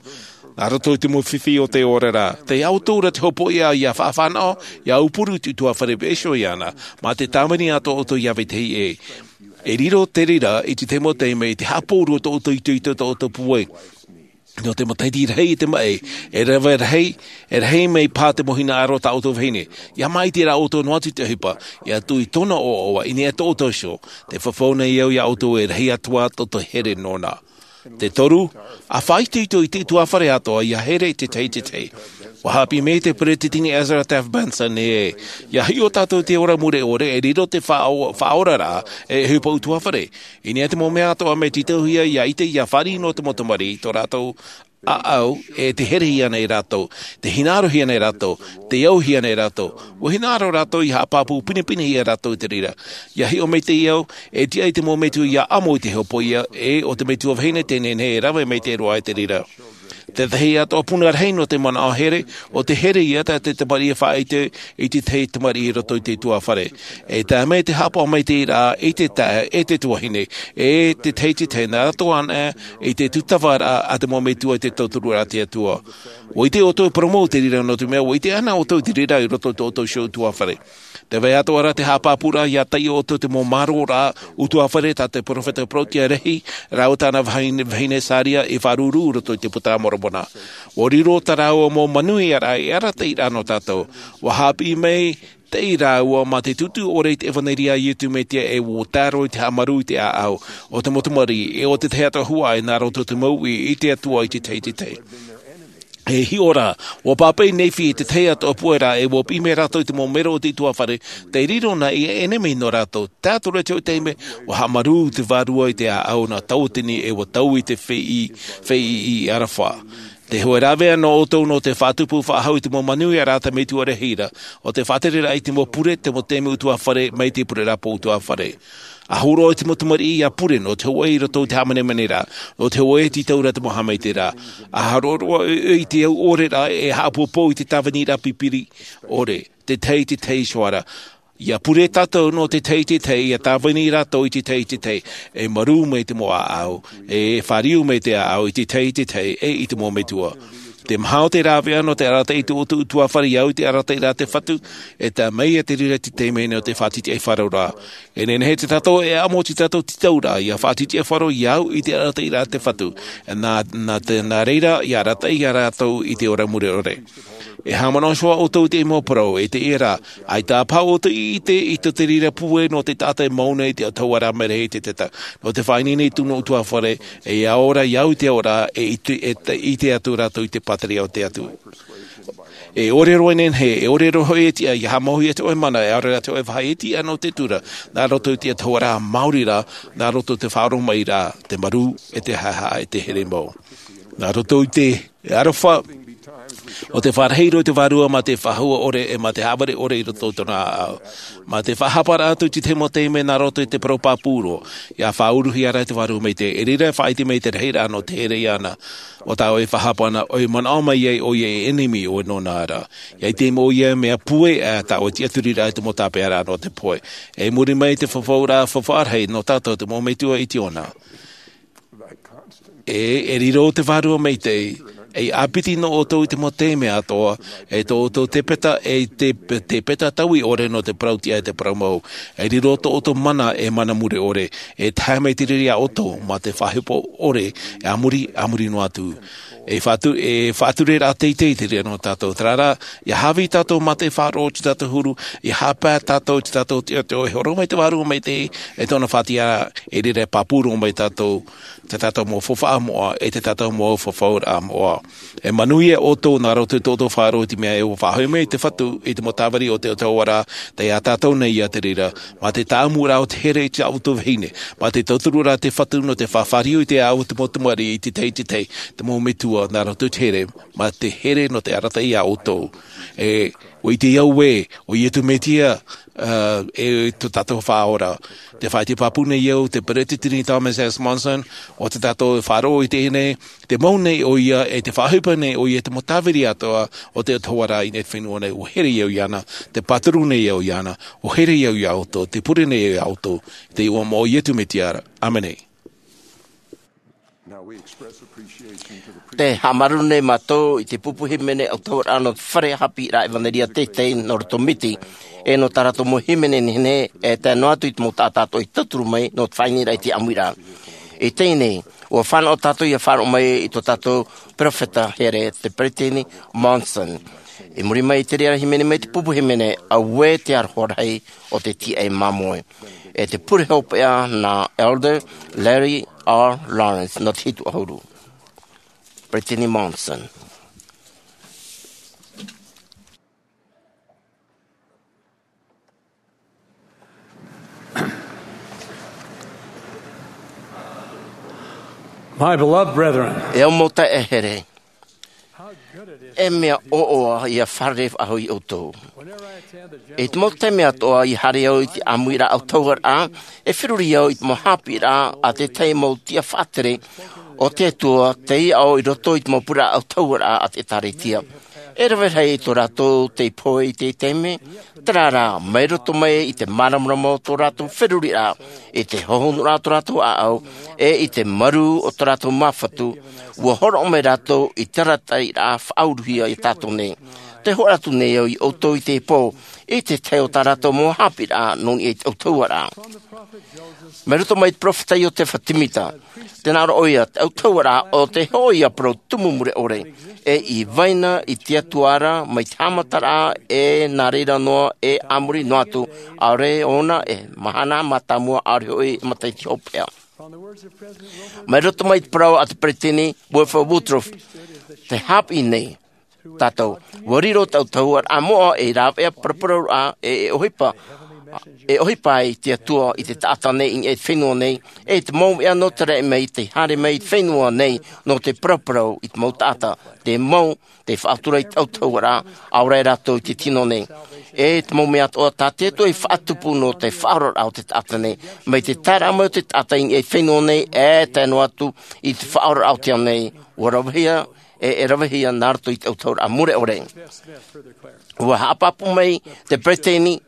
Nā roto i te mau fifi o te ora ra. Tei ʻoutou ra te hopoiʻa ia faʻafānaʻo, ia aupuru i te ʻutuāfare e vaiiho iāna, mā te tāvini a tō ʻoutou iā vetahi ʻē. E riro te reira i te tahi mau taime i te haʻapōuri o tō ʻoutou itoito, tō ʻoutou pūai. Nō te matahiti rahi i te maʻi, e rave rahi, e rahi mai paha te mau hinaʻaro tā ʻoutou vahine. Ia māʻiti rā ʻoutou noa atu i te ʻohipa, ia tuʻu i tōna ʻoaʻoa i niʻa i tō ʻoutou iho. Tē fafau nei au iā ʻoutou e rahi atu ā tō te here nōna. Te toru, ʻa faʻaitoito i te ʻutuāfare atoʻa ia here i te tahi i te tahi. ʻUa haʻapiʻi mai te peresideni Ezra Taft Benson ē, ia hiʻo tātou i te ora mure ʻore, e riro te faʻao-, faʻaoraraʻa, e ʻohipa ʻutuāfare. I niʻa i te mau mea atoʻa mea tītauhia ia ʻite, ia fāriʻi nō te mau tamariʻi, tō rātou ʻāʻau, e tē herehia nei rātou, tē hinaʻarohia nei rātou, tē auhia nei rātou. ʻUa hinaʻaro rātou ia haʻapāpū pinepinehia rātou i te reira. Ia hiʻo maitaʻi au, e tiʻa i te mau metua ia ʻamo i te hopoiʻa, e ʻo te metua vahine tē nehenehe e rave maitaʻi roa i te reira. Te tahi atoʻa puna rahi nō te manaʻo here, ʻo te here ia tā te tamariʻi e faʻaʻite i te tahi tamariʻi i roto i te ʻutuāfare. E tae mai te haʻapaʻo maitaʻiraʻa i te taeaʻe, e te tuahine, e te tahi i te tahi, nā roto anaʻe i te tūtavaraʻa a te mau metua i te tauturu a te Atua. ʻUa ʻite ʻoutou e parau mau i te reira nō te mea, ʻua ʻite anaʻe ʻoutou i te reira i roto i tō ʻoutou iho ʻutuāfare. Tē vai atoʻa ra te haʻapāpūraʻa ia taiʻo ʻoutou i te mau māroraʻa ʻutuāfare tā te peropheta Protia Lehi, rāua tāna vahine, vahine Sāria i faʻaruru i roto i te Puta a Moromona. ʻUa riro tā rāua mau manuiaraʻa e arataʻiraʻa nō tātou. ʻUa haʻapiʻi maitaʻi rāua mā te tūtū ʻore i te ʻevanelia a Iesu Mesia, e ʻua tae roa i te haʻamarū i te ʻāʻau o te mau tamariʻi, e ʻo te tahi atoʻa huaʻai nā roto i te mau uʻi i te Atua i te tahi i te tahi. E hiʻo rā, ʻua pāpaʻi Nephi i te tahi atoʻa puai ra, e ʻua piʻi mai rātou i te mau mero o te ʻutuāfare, tei riro na ia ʻenemi nō rātou. Tae atu ra i te hōʻē taime, ʻua haʻamarū te vārua i te ʻāʻau nā tauatini, e ʻua taui te feiʻi, feiʻi i Arafa. Te hōʻē rāveʻa nō ʻoutou nō te faʻatupu faʻahou i te mau manuiaraʻa a te Metua Lehi ra, ʻo te faʻatereraʻa i te mau pure, te mau taime ʻutuāfare, mai te pureraʻa pō ʻutuāfare. ʻA hōroʻa i te mau tamariʻi ia pure nō te hōʻē i roto i te hāmanemaneraʻa, nō te hōʻē e tītau ra te mau haʻamaitaʻiraʻa. ʻA hōroʻa ʻoe i te au ʻore ra e haʻapoupou i te tāviniraʻa pipiri ʻore, te tahi i te tahi iho ā ra. Ia pure tātou nō te tahi i te tahi, ia tāvini rātou i te tahi i te tahi, e marū mai te mau ʻāʻau, e fāriu mai te ʻāʻau i te tahi i te tahi, e i te mau metua. Te maha o te rāveʻa nō te arataʻi i tō ʻoutou ʻutuāfare, ia au i te arataʻiraʻa a te Fatu, e tae mai ia te reira i te taime nō te faʻatitiʻaifaro ra. E nehenehe tātou e ʻamo i tō tātou tītauraʻa, ia faʻatitiʻaifaro, ia au i te arataʻiraʻa a te Fatu. Nā, nā te, nā reira, ia arataʻi ia rātou i te ora mure ʻore. E haʻamanaʻo iho ā ʻoutou i te mau parau, e te ia rā, ʻaita paha ʻoutou i ʻite i tō te reira pūai nō te taʻata e mau nei te ʻautahuʻaraʻa mai rahi i te tata, nō te faʻaineine i tōna ʻutuāfare, e ora i au i te ora, e ʻite, e te, ʻite atu rātou i te pātireia o te Atua. E ʻore roa e nehenehe, e ʻore roa hoʻi e tiʻa, ʻia haʻamauhia te hōʻē mana, e ʻaore rā te hōʻē vāhi e tiʻa nō te tura, nā roto i te ʻautahuʻaraʻa maori rā, nā roto i te faʻaroʻo mai rā, te marū, e te haʻehaʻa, e te here mau. Nā roto i te aroha, ʻo te faʻarahi roa i te Vārua mā te faʻahou ʻore, e mā te haʻavare ʻore i roto i tōna ʻāʻau. Mā te faʻahapa atu i te mau taime nā roto i te parau pāpū roa, ʻia faʻauruhia rā te Vārua Maitaʻi, e reira e faʻaʻite mai te rahiraʻa nō te here iāna. ʻO tāʻu e faʻahapa na, ʻoia e manaʻo mai ai ʻoia e ʻenemi ʻoe nōna ra. ʻIa ʻite mai ʻoia mea pūai, ʻa tāʻu e tiʻaturiraʻa i te mau tāpeʻaraʻa nō te pohe. E muri mai te fafauraʻa faʻaʻohipa nō tātou te mau metua i te ʻona. E, e riro te Vārua Maitaʻi, e ʻāpiti nō ʻoutou i te mau taime atoʻa, e tō ʻoutou tepeta, e te, tepeta taui ʻore nō te parau tiʻa e te parau mau. E riro tō ʻoutou mana, e mana mure ʻore, e tae mai te reira iā ʻoutou, mā te faʻaʻohipa ʻore, e a muri, a muri noa atu. E faʻatu-, e faʻatureraʻa teitei te reira nō tātou. Terā rā, ʻia haʻavī tātou mā te faʻaroʻo i tō tātou huru, ʻia haʻapae tātou i tō tātou tiʻa, e hōroʻa mai te Vārua Maitaʻi, e tōna faʻatiʻaraʻa, e reira e pāpū roa mai tātou, tō tātou mau faufaʻa moʻa, e tō tātou mau fafauraʻa moʻa. E manuia ʻoutou nā roto i tō ʻoutou faʻaroʻo i te mea e faʻahoʻi mai te Fatu i te mau tāviri o te ʻautahuʻaraʻa, tei iā tātou nei ia te reira, mā te tāʻamuraʻa o te here i tā ʻoutou vahine, mā te tautururaʻa te Fatu nō te faʻafāriu i te ʻāʻau o te mau tamariʻi i te tahi i te tahi, te mau metua nā roto i te here, mā te here nō te arataʻi iā ʻoutou. E, ʻua ʻite au ē, ʻo Iesu Mesia, ā, e tō tātou Faʻaora. Tē faʻaʻite pāpū nei au, te Peresideni Thomas S. Monson, ʻo tā tātou e faʻaroʻo i teie nei, tē mau nei ʻoia, e tē faʻaʻohipa nei ʻoia i te mau tāviri atoʻa o te ʻautahuʻaraʻa i niʻa i te fenua nei, ʻua here au iāna, tē pāturu nei au iāna, ʻua here au iā ʻoutou, tē pure nei au iā ʻoutou, i te iʻoa o Iesu Mesia ra. ʻĀmene. Tē haʻamāuruuru nei mātou i te pupu hīmene ʻautahuʻaraʻa nō te fare haʻapiʻiraʻa ʻevanelia teitei nō roto Miti, e nō tā rātou mau hīmene nehenehe, e tae noa atu i te mau taʻata atoʻa i tauturu mai nō te faʻaineraʻa i te ʻāmuiraʻa. I teie nei, ʻua fānaʻo tātou ʻia faʻaroʻo mai i tō tātou peropheta here, te Peresideni Monson. I muri mai i te reira hīmene mai te pupu hīmene, auē te aroha rahi o te tīaʻi māmoe. E te pure hopeʻa nā Elder Larry R. Lawrence nō te hitu ʻahuru. Peresideni Monson. My beloved brethren. E au mau taeaʻe here. E mea ʻoaʻoa ʻia fārerei faʻahou iā ʻoutou. I te mau taime atoʻa ʻia haere au i te ʻāmuiraʻa ʻautahuʻaraʻa, e feruri au i te mau haʻapiʻiraʻa a te tahi mau tiʻa faʻatere o te Atua, tei aʻo i roto i te mau pure ʻautahuʻaraʻa a te ʻĒtārētia. E rave rahi tō rātou tei pohe i teie taime, terā rā, mai roto mai i te māramarama o tō rātou feruriraʻa, i te hohonuraʻa o tō rātou ʻāʻau, e i te marū o tō rātou māfatu, ʻua hōroʻa mai rātou i te arataʻiraʻa faʻauruhia iā tātou nei. Tē hoʻi atu nei au iā ʻoutou i teie pō, i te tahi o tā rātou mau haʻapiʻiraʻa nō niʻa i te ʻautahuʻaraʻa. Mai roto mai te peropheta Iosefa Semita, tē nā ʻō ʻoia, te ʻautahuʻaraʻa ʻo tē hoʻi ʻia parau tumu mure ʻore, e i vai na i te Atua ra, mai te haʻamataraʻa, e nā reira noa, e a muri noa atu, ʻaore ʻōna e mahana mātāmua, ʻaore hoʻi e matahiti hopeʻa. Mai roto mai te parau a te Peresideni Wilford Woodruff, tē haʻapiʻi nei tātou, ʻua riro te ʻautahuʻaraʻa moʻa ei rāveʻa paraparauraʻa, e, e ʻohipa, e ʻohipa ai te Atua i te taʻata nei i niʻa i te fenua nei, e te mau mea nō te raʻi mai, tei haere mai i te fenua nei, nō te paraparau i te mau taʻata, te mau, tei faʻatura i te ʻautahuʻaraʻa, ʻaore rātou i te tino nei. E te mau mea atoʻa tā te Atua i faʻatupu nō te faʻaoraraʻa o te taʻata nei, mai te taeraʻa mai o te taʻata i niʻa i te fenua nei, e tae noa atu i te faʻaoraraʻa o te ao nei, ʻua ravehia, e, e ravehia nā roto i te ʻautahuʻaraʻa mure ʻore. ʻUa haʻapāpū mai te Peresideni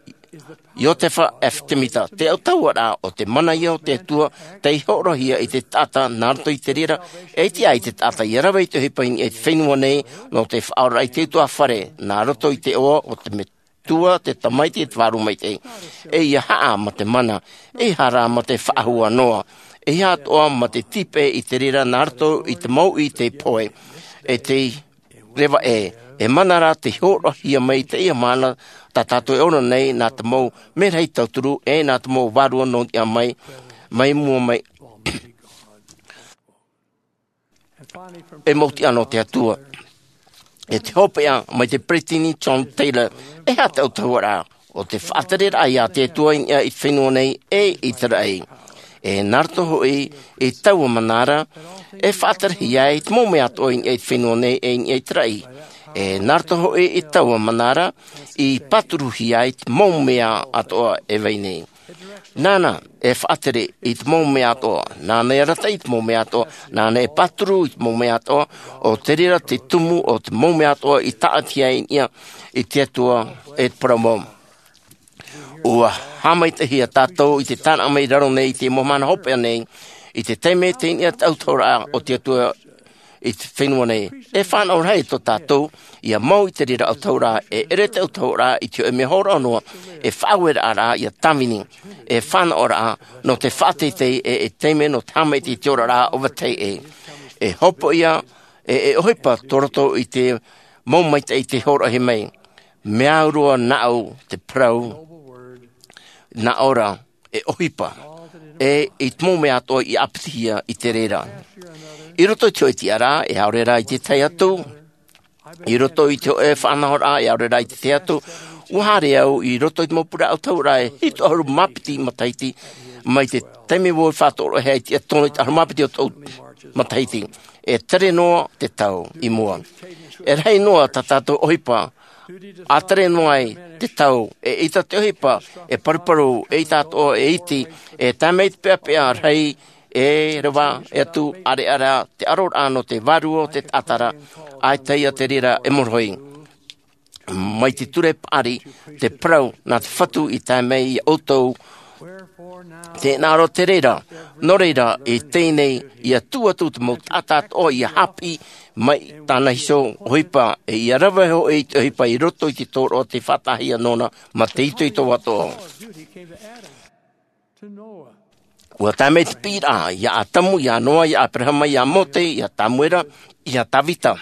Iosefa F. Semita, te ʻautahuʻaraʻa ʻo te mana ïa o te Atua, tei hōroʻahia i te taʻata nā roto i te reira, e tiʻa ai te taʻata ʻia rave i te ʻohipa i niʻa i te fenua nei, nō te faʻaoraraʻa i te ʻutuāfare, nā roto i te iʻoa o te Metua, te Tamaiti, e te Vārua Maitaʻi. E ʻia haʻa mā te mana, ʻeiaha rā mā te faʻahou noa, ʻeiaha atoʻa mā te tīpeʻe i te reira nā roto i te mau ʻī tei pohe, e tei reva ʻē, E mana ra te hōroʻahia mai i teie mahana tā tātou e ora nei nā te mau merahi tauturu e nā te mau vārua nō niʻa mai, mai mua mai. E mau tiʻa nō te Atua. E te hopeʻa mai te Peresideni John Taylor, e aha te autahuʻaraʻa o te faʻatereraʻa iā te Atua i niʻa i te fenua nei e i te raʻi. E nā roto hoʻi i taua mana ra, e faʻaterehia ai te mau mea atoʻa i niʻa i te fenua nei e i niʻa i te raʻi. E nā roto hoʻi i taua mana ra, i pāturuhia ai te mau mea atoʻa e vai nei. Nāna e faʻatere i te mau mea atoʻa, nāna e arataʻi i te mau mea atoʻa, nāna e pāturu i te mau mea atoʻa, ʻo te reira te tumu o te mau mea atoʻa i tāʻatihia i niʻa i te Atua e te parau mau. ʻUa haʻamaitaʻihia tātou i te tāraʻa mai i raro nei i te mau mahana hopeʻa nei, i te taime tei niʻa te autahuʻaraʻa o te Atua i te fenua nei. E fānaʻo rahi tō tātou, ʻia mau i te reira autahuʻaraʻa, e ʻere te autahuʻaraʻa i te hōʻē mea hōroʻa noa, e faʻaueraʻa ra ʻia tāvini, e fānaʻoraʻa nō te faʻateitei e, e taime nō te haʻamaitaʻi i te oraraʻa ʻo vetahi ʻē. E hopoiʻa, e, e ʻohipa tō roto i te mau maitaʻi tei hōroʻahia mai. Mea au roa nāʻu te parau, nā ʻō ra, e ʻohipa, e i te mau mea atoʻa i ʻāpitihia i te reira. I roto i te hōʻē tiʻaraʻa, e ʻaore rā i te tahi atu, i roto i te hōʻē faʻanahoraʻa, e ʻaore rā i te tahi atu, ʻua haere au i roto i te mau pure autahuʻaraʻa e hitu ʻahuru mā piti matahiti, mai te taime vau i faʻatoroʻahia i te ʻatonga i te ʻahuru mā piti o tōʻu matahiti. E tere noa te tau i mua. E rahi noa tā tātou ʻohipa, ʻa tere noa ai te tau, e ʻita te ʻohipa, e paruparu, e ʻita atoʻa, e iti, e tae mai te peʻapeʻa rahi, e reva, e atu, ʻareʻa ra te ʻaroraʻa nō te vārua o te taʻata ra, ʻaita ia te reira e morohi. Mai te ture paʻari, te parau, nā te Fatu i tae mai iā ʻoutou, tē hinaʻaro te reira, nō reira, i teie nei, ʻia tuʻu atu te mau taʻata atoʻa ʻia haʻapiʻi mai tāna iho ʻohipa, e ʻia rave hoʻi i te ʻohipa i roto i te tōroʻa tei faʻataʻahia nōna, mā te itoito atoʻa. ʻUa tae mai te piʻiraʻa, iā ʻĀtamu, iā Noa, iā ʻĀperahama, iā Mōte, iā Tāmuera, iā Tāvita.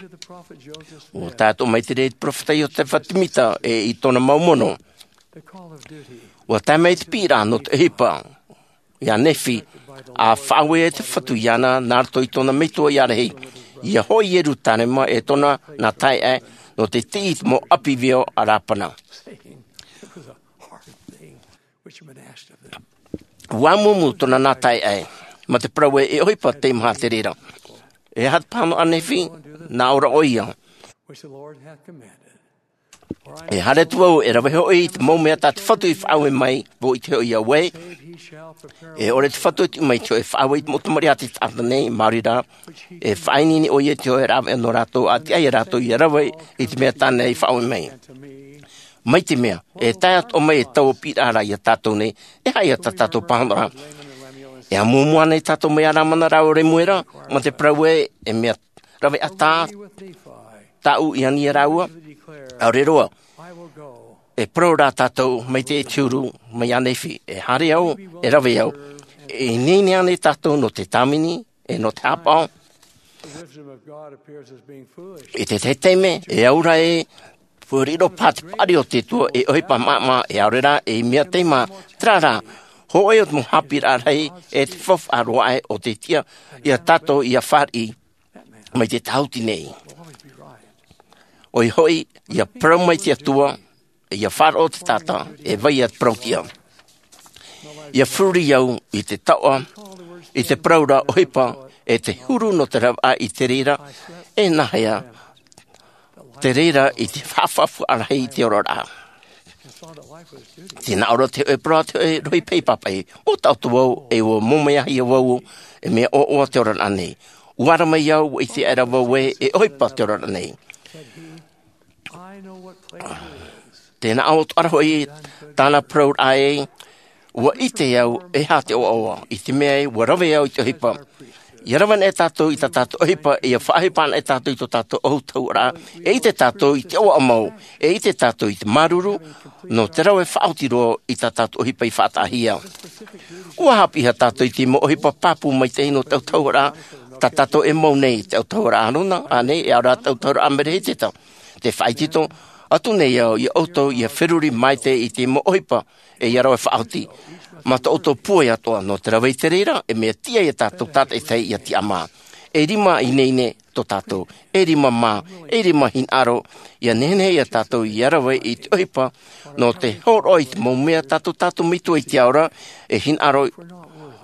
ʻUa tae atoʻa mai te reira i te peropheta Iosepha Semita, e i tōna mau mono. ʻUa tae mai te piʻiraʻa nō te ʻohipa, iā Nephi, ʻa faʻaue ai te Fatu iāna, nā roto i tōna metua ʻārahi. ʻIa hoʻi i Ierutarema e tōna nā taeaʻe, nō te tiʻi i te mau ʻapi veo a Rapana. ʻUa amuamu tōna nā taeaʻe, mā te parau ē, e ʻohipa tei maha te reira. E aha te pāhonoraʻa a Nephi, nā ʻō ra ʻoia. E haere atu vau, e rave hoʻi i te mau mea tā te Fatu i faʻaue mai, vau i te hoʻi iā ʻoe. E ʻore te Fatu e tiʻi mai i te hoʻi e faʻaue i te mau tamariʻi a te taʻata nei, maori rā, e faʻaineine ʻoia i te hoʻi e rāveʻa nō rātou, ʻa tiʻa ia rātou ʻia rave i te mea tāna i faʻaue mai. Mai te mea, e tae atoʻa mai e taua piʻiraʻa ra iā tātou nei, e aha ia tā tātou pāhonoraʻa. E amuamu ānei tātou mai iā Lamana rāua Remuera, mā te parau ē, e mea rave ʻatā tāʻu i ani iā rāua, ʻaore roa. E parau rā tātou mai te huru, mai iā Nephi, e haere au, e rave au. E ineine ānei tātou nō te tāvini, e nō te haʻapaʻo. I te tahi taime, e au ra ē, ʻua riro paha te paʻari o te Atua, e ʻohipa maʻamaʻa, e ʻaore rā, e mea tei maha, terā rā, hōʻē o te mau haʻapiʻiraʻa rahi, e te faufaʻa roa aʻe o te tiʻa, iā tātou ʻia fāriʻi, mai te tāhuti nei. ʻOia hoʻi, ʻia parau mai te Atua, ʻia faʻaroʻo te taʻata, e vai ia te parau tiʻa. ʻIa feruri au i te taoʻa, i te parau ra ʻohipa, e te huru nō te ravaʻa i te reira, e nāhea, te reira i te faʻafaʻafuaʻa rahi i te oraraʻa. Tē nā ʻō ra te hōʻē parau a te hōʻē rohi paʻipapaʻi, ʻua taʻoto vau, e ʻua mōmeahia vau, e mea ʻoaʻoa te oraraʻa nei. ʻUa ara mai au, ʻua ʻite aʻera vau ē, e ʻohipa te oraraʻa nei. Tē nā ʻō atoʻa ra hoʻi tāna parauraʻa ē, ʻua ʻite au e aha te ʻoaʻoa, i te mea ē, ʻua rave au i te ʻohipa. ʻIa rave anaʻe tātou i tā tātou ʻohipa, ʻia faʻaʻohipa anaʻe tātou i tō tātou autahuʻaraʻa, e ʻite tātou i te ʻoaʻoa mau, e ʻite tātou i te māuruuru, nō te rave faʻaoti roa i tā tātou ʻohipa i faʻataʻahia. ʻUa haʻapiʻihia tātou i te mau ʻohipa pāpū maitaʻi nō te autahuʻaraʻa, tā tātou e mau nei, te autahuʻaraʻa Arona, ānei, e ʻaore rā te autahuʻaraʻa Mereheteta. Te faʻaitoito atu nei au ia ʻoutou ia feruri maite i te mau ʻohipa e ia rave faʻaoti mā tō ʻoutou puai atoʻa. Nō te rave i te reira, e mea tiʻa ia tātou tātaʻitahi ia tiʻamā. E rima ineine tō tātou, e rima mā, e rima hinaʻaro, ia nehenehe ia tātou ia rave i te ʻohipa nō te hōroʻa i te mau mea tātou, tātou metua i te ao ra, e hinaʻaro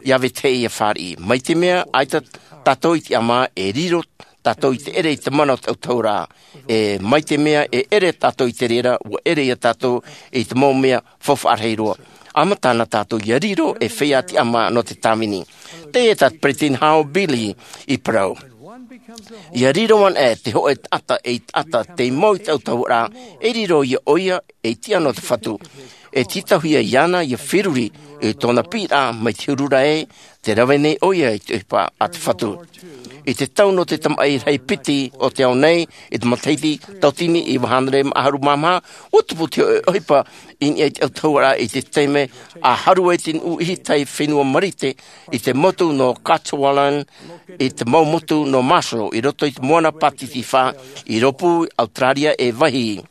ia vetahi ia fāriʻi. Mai te mea ʻaita tātou i tiʻamā, e riro tātou i te ʻere i te mana o te ʻautahuʻaraʻa. E mai te mea e ʻere tātou i te reira, ua ʻere ia tātou i te mau mea faufaʻa rahi roa. ʻAmata na tātou ia riro e feiā tiʻamā nō te tāvini. Teie tā te peresideni Harold B. Lee i parau, ia riro anaʻe te hōʻē taʻata ei taʻata tei mau i te ʻautahuʻaraʻa, e riro ia ʻoia ei tiʻa nō te Fatu. E tītauhia iāna ia feruri i tōna piʻiraʻa mai te huru ra ē, tē rave nei ʻoia i te ʻohipa a te Fatu. I te tau nō te tamaʻi rahi piti o te ao nei, i te matahiti tauatini iva hānere mā ʻahuru mā maha, ua tupu te hōʻē ʻohipa i niʻa i te ʻautahuʻaraʻa i te taime a haru ai te nuʻu ʻihitai fenua Marite i te motu nō Cuchulainn, i te mau motu nō Marshall, i roto i te moana Pāsifika, i rōpū Auteraria e Vaihi.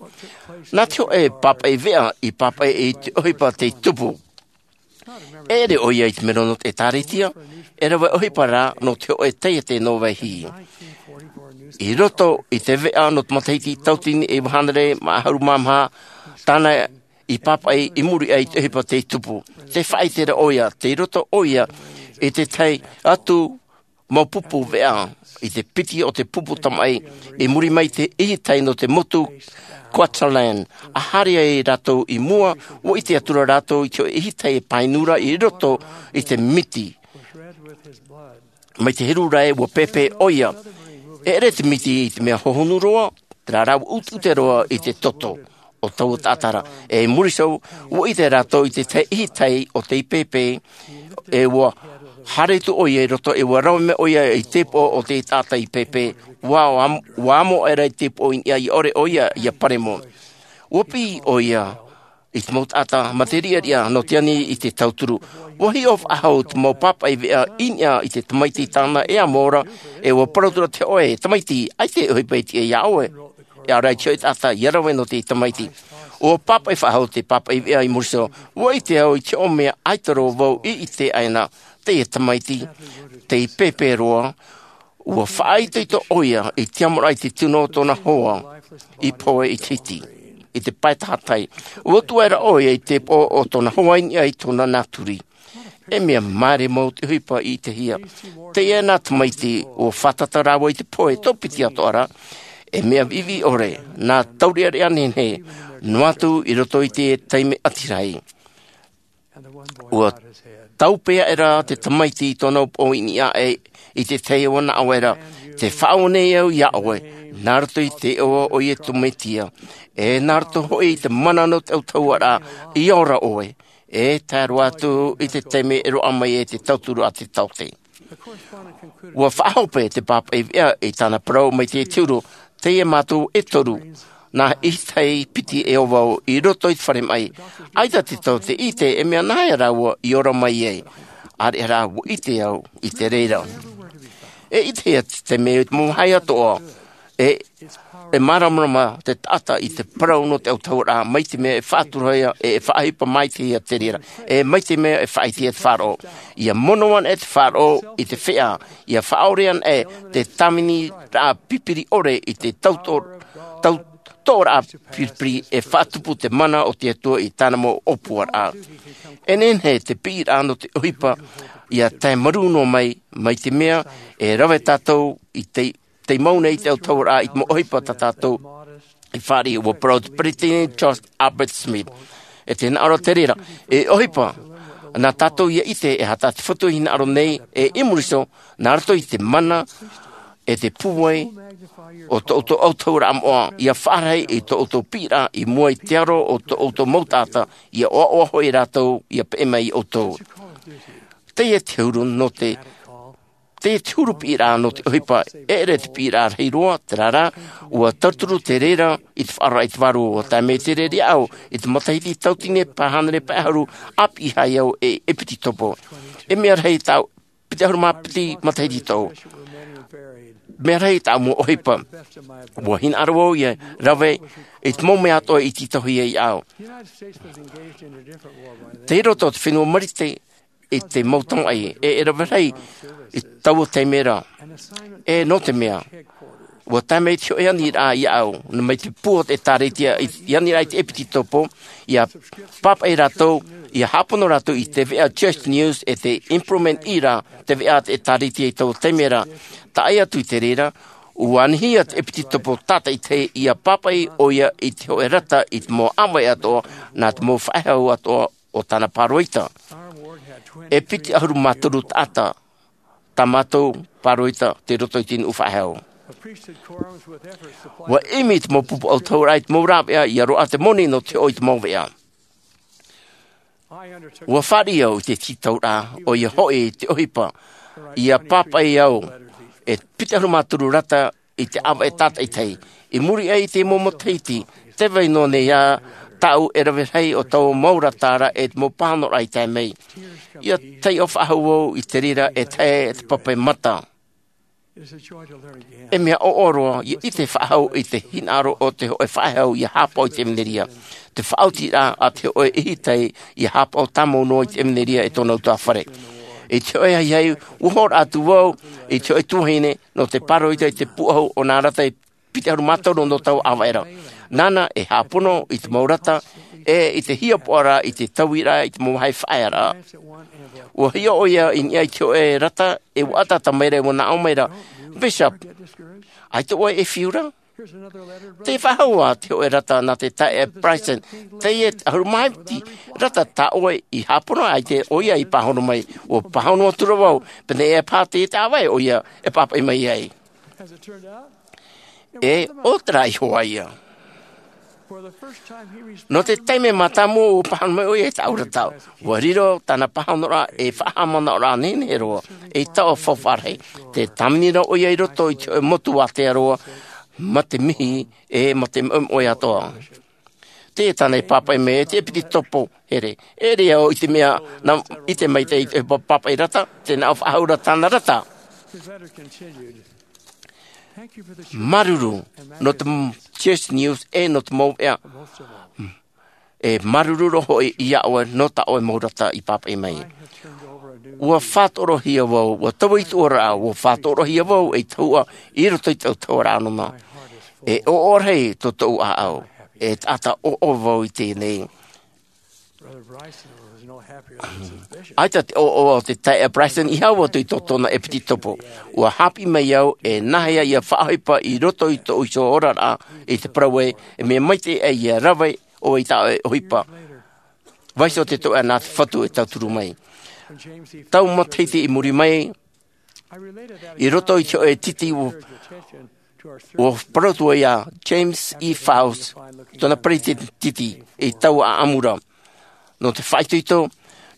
Nā te hōʻē pāpaʻi veʻa i pāpaʻi i te ʻohipa tei tupu. E ʻere ʻoia i te mero nō te ʻĒtārētia, e rave ʻohipa rā nō te hōʻē taiete nō Vaihi. I roto i te veʻa nō te matahiti tauatini iva hānere mā ʻahuru mā maha, tāna i pāpaʻi i muri aʻe i te ʻohipa tei tupu. Tē faʻaʻite ra ʻoia, tei roto ʻoia i te tahi atu mau pupu veʻa, i te piti o te pupu tamaʻi, i muri mai i te ʻihitai nō te motu Cuchulainn. A haere ai rātou i mua, ua ʻite atu ra rātou i te hōʻē ʻihitai e pāinu ra i roto i te miti. Mai te huru ra ē, ua pēpē ʻoia. E ʻere te miti i te mea hohonu roa, terā rā ua ʻuteʻute roa i te toto o taua taʻata ra. E i muri iho, ua ʻite rātou i te tahi ʻihitai o tei pēpē, e ua haere atu ʻoia i roto, e ua rave mai ʻoia i te tēpoʻo o te taʻata i pēpē. Ua, ua am-, ua amo aʻera i te tēpoʻo i niʻa, ʻia ʻore ʻoia ʻia paremo. Ua piʻi ʻoia i te mau taʻata mā te riʻariʻa nō te ani i te tauturu. Ua hiʻo faʻahou te mau pāpaʻi veʻa i niʻa i te tamaiti tāna e amo ra, e ua parau atu ra te hōʻē, tamaiti, ʻaita e ʻohipa e tiʻa iā ʻoe. E ʻaore rā i te hōʻē taʻata ʻia rave nō te tamaiti. Ua pāpaʻi faʻahou te pāpaʻi veʻa i muri iho, ua ʻite au i te hōʻē mea ʻaita roa vau i ʻite aʻe na, teie tamaiti, tei pēpē roa, ua faʻaitoito ʻoia i te amoraʻa i te tino o tōna hoa i pohe i te hiti, i te pae tahatai. Ua tuʻu aʻera ʻoia i te tēpoʻo o tōna hoa i niʻa i tōna naturi. E mea māere mau te ʻohipa i ʻitehia. Teie nā tamaiti, ua fātata rāua i te pohe tau piti atoʻa ra, e mea viʻiviʻi ʻore, nā taureʻareʻa nehenehe, noa atu i roto i te taime ʻati rahi. Ua tāupe aʻera te tamaiti i tōna upoʻo i niʻa aʻe i te tahi ʻoa nā ʻoe ra, tē faʻaʻō nei au iā ʻoe, nā roto i te iʻoa o Iesu Mesia, e nā roto hoʻi i te mana nō te ʻautahuʻaraʻa, ʻia ora ʻoe, e tae roa atu i te taime e roaʻa mai ai te tauturu a te taote. Ua faʻahope te pāpaʻi veʻa i tāna parau mai te huru, teie mātou e toru, nā ʻihitai piti e ō vau i roto i te fare maʻi. ʻAita te taote i ʻite e mea nāhea rāua i ora mai ai. ʻAreʻa rā ua ʻite au i te reira. E ʻitehia te taime i te mau vāhi atoʻa, e, e māramarama te taʻata i te parau nō te ʻautahuʻaraʻa, mai te mea e faʻaturahia, e, e faʻaʻohipa maitaʻihia te reira, e mai te mea e faʻaʻitehia te faʻaroʻo. ʻIa mono anaʻe te faʻaroʻo i te feʻa, ʻia faʻaʻore anaʻe te tāviniraʻa pipiri ʻore i te tauto-, tau-, toʻoraʻa piripiri e faʻatupu te mana o te Atua i tāna mau ʻōpuaraʻa. E nehenehe te piʻiraʻa nō te ʻohipa ʻia tae marū noa mai, mai te mea e rave tātou i te tei mau nei te ʻautahuʻaraʻa i te mau ʻohipa tā tātou i fāriʻi. Ua parau te Peresideni George Albert Smith, e te hinaʻaro te reira, e ʻohipa, nā tātou ʻia ʻite e aha tā te Fatu e hinaʻaro nei, e i muri iho, nā roto i te mana, e te pūai, o tō ʻoutou ʻautahuʻaraʻa moʻa, ʻia faʻarahi i tō ʻoutou piʻiraʻa i mua i te aro o tō ʻoutou mau taʻata, ʻia ʻoaʻoa hoʻi rātou, ʻia peʻe mai iā ʻoutou. Teie te huru nō te Teie te huru piʻiraʻa nō te ʻohipa, e ʻere te piʻiraʻa rahi roa, terā rā, ua tauturu te reira i te faʻaroʻo i te vārua, ua tae mai te reira iāʻu, i te matahiti tauatini pae hānere pae ʻahuru, ʻāpī ʻoia au e, e piti topo. E mea rahi tāʻu, piti ʻahuru mā piti matahiti tōʻu. mea rahi i tāʻu mau ʻohipa. Ua hinaʻaro au ʻia rave i te mau mea atoʻa i tītauhia iāʻu. Tei roto te fenua Marite i te mau tamaʻi e e rave rahi i taua taime ra. E nō te mea ua tae mai te hoʻe aniraʻa iāʻu mai te pū o te ʻēkālesia i aniraʻa i te ʻepitetopo, ʻia pāpaʻi rātou ʻia hāpono rātou i te veʻa Church News e te Improvement i rā te veʻa a te ʻēkālesia i taua taime ra. Taʻa atu i te reira ua anihia te ʻepitetopo tātaʻitahi ʻia pāpaʻi ʻoia i te hoʻe rata i te mau ʻāvaʻe atoʻa nā te mau faʻehau atoʻa o tāna pāroita. E piti ʻahuru mā toru taʻata tā mātou pāroita tei roto i te nuʻu faʻehau. Ua ʻimi te mau pupu ʻautahuʻaraʻa i te mau rāveʻa ʻia roaʻa te moni nō te hoʻo i te mau veʻa. Ua fāriʻi au i te tītauraʻa ʻoia hoʻi te ʻohipa ʻia pāpaʻi au e piti ʻahuru mā toru rata i te ʻāvaʻe tātaʻitahi. I muri aʻe i te mau matahiti, tē vai noa nei ā tāʻu e rave rahi o taua mau rata ra e te mau pāhonoraʻa i tae mai. ʻIa taiʻo faʻahou au i te reira e tae te pape mata. E mea ʻoʻoro ʻia ʻite faʻahou i te hinaʻaro o te hoʻe faʻehau ʻia hāpaʻo i te ʻevanelia. Te faʻaotiraʻa a te hoʻe ʻihitai ʻia hāpaʻo tāmau noa i te ʻevanelia e tōna utuāfare. I te hoʻe ahiahi ua hoʻoraʻa atu vau i te hoʻe tuahine nō te pāroita i te pūʻohu o nā rata e piti ʻahuru mā toru nō taua ʻāvaʻe ra. Nāna e hāpono i te mau rata e i te hiapoʻaraʻa i te tauiraʻa i te mau vāhi faʻaearaʻa. Ua hiʻo ʻoia i niʻa i te hoʻe rata e ua ʻataʻata mai ra e ua naʻo mai ra, Bishop, ʻaita ʻoe e fiu ra? Tē faʻahou ā te hoʻe rata nā te taeaʻe Bryson. Teie te ʻahuru mā piti rata tā ʻoe i hāpono, ʻaita ʻoia i pāhono mai. Ua pāhono atu ra vau, pēnei e pā teie te ʻāvaʻe ʻoia e pāpaʻi mai ai. E ʻo terā iho ā ia. Nō te taime mātāmua ua pāhono mai ʻoia i tāʻu rata. Ua riro tāna pāhonoraʻa ei faʻahaʻamanaʻoraʻa nehenehe roa, ei taoʻa faufaʻa rahi. Tē tāvini ra ʻoia i roto i te hoʻe motu ātea roa mā te mihi e mā te moemoe atoʻa. Teie tāna i pāpaʻi mai e te ʻepitetopo here. E ʻere au i te mea nā ʻite maitaʻi i te pāpaʻi rata, tē nā ʻō faʻahou ra tāna rata. Māuruuru nō te Church News e nō te mau veʻa. E māuruuru roa hoʻi iā ʻoe nō tā ʻoe mau rata i pāpaʻi mai. Ua faʻatorohia vau, ua taui tuʻu ra, ua faʻatorohia vau ei tahuʻa i roto i te autahuʻaraʻa nōna. E ʻoʻoraʻa tō tōʻu ʻāʻau, e taʻata ʻoʻo vau i teie nei. ʻAita te ʻoʻoa o te taeaʻe Bryson i hau atu i tō tōna ʻepitetopo. Ua haʻapiʻi mai au e nāhea ʻia faʻaʻohipa i roto i tōʻu iho oraraʻa i te parau ē, e mea maitaʻi ʻia rave ʻoe i tā ʻoe ʻohipa. Vaiiho te toeʻa nā te Fatu e tauturu mai. Tau matahiti i muri mai, i roto i te hoʻe titi ua, ua parau atu ai iā James E. Faust, tōna peretiteni i taua ʻāʻamu ra. Nō te faʻaitoito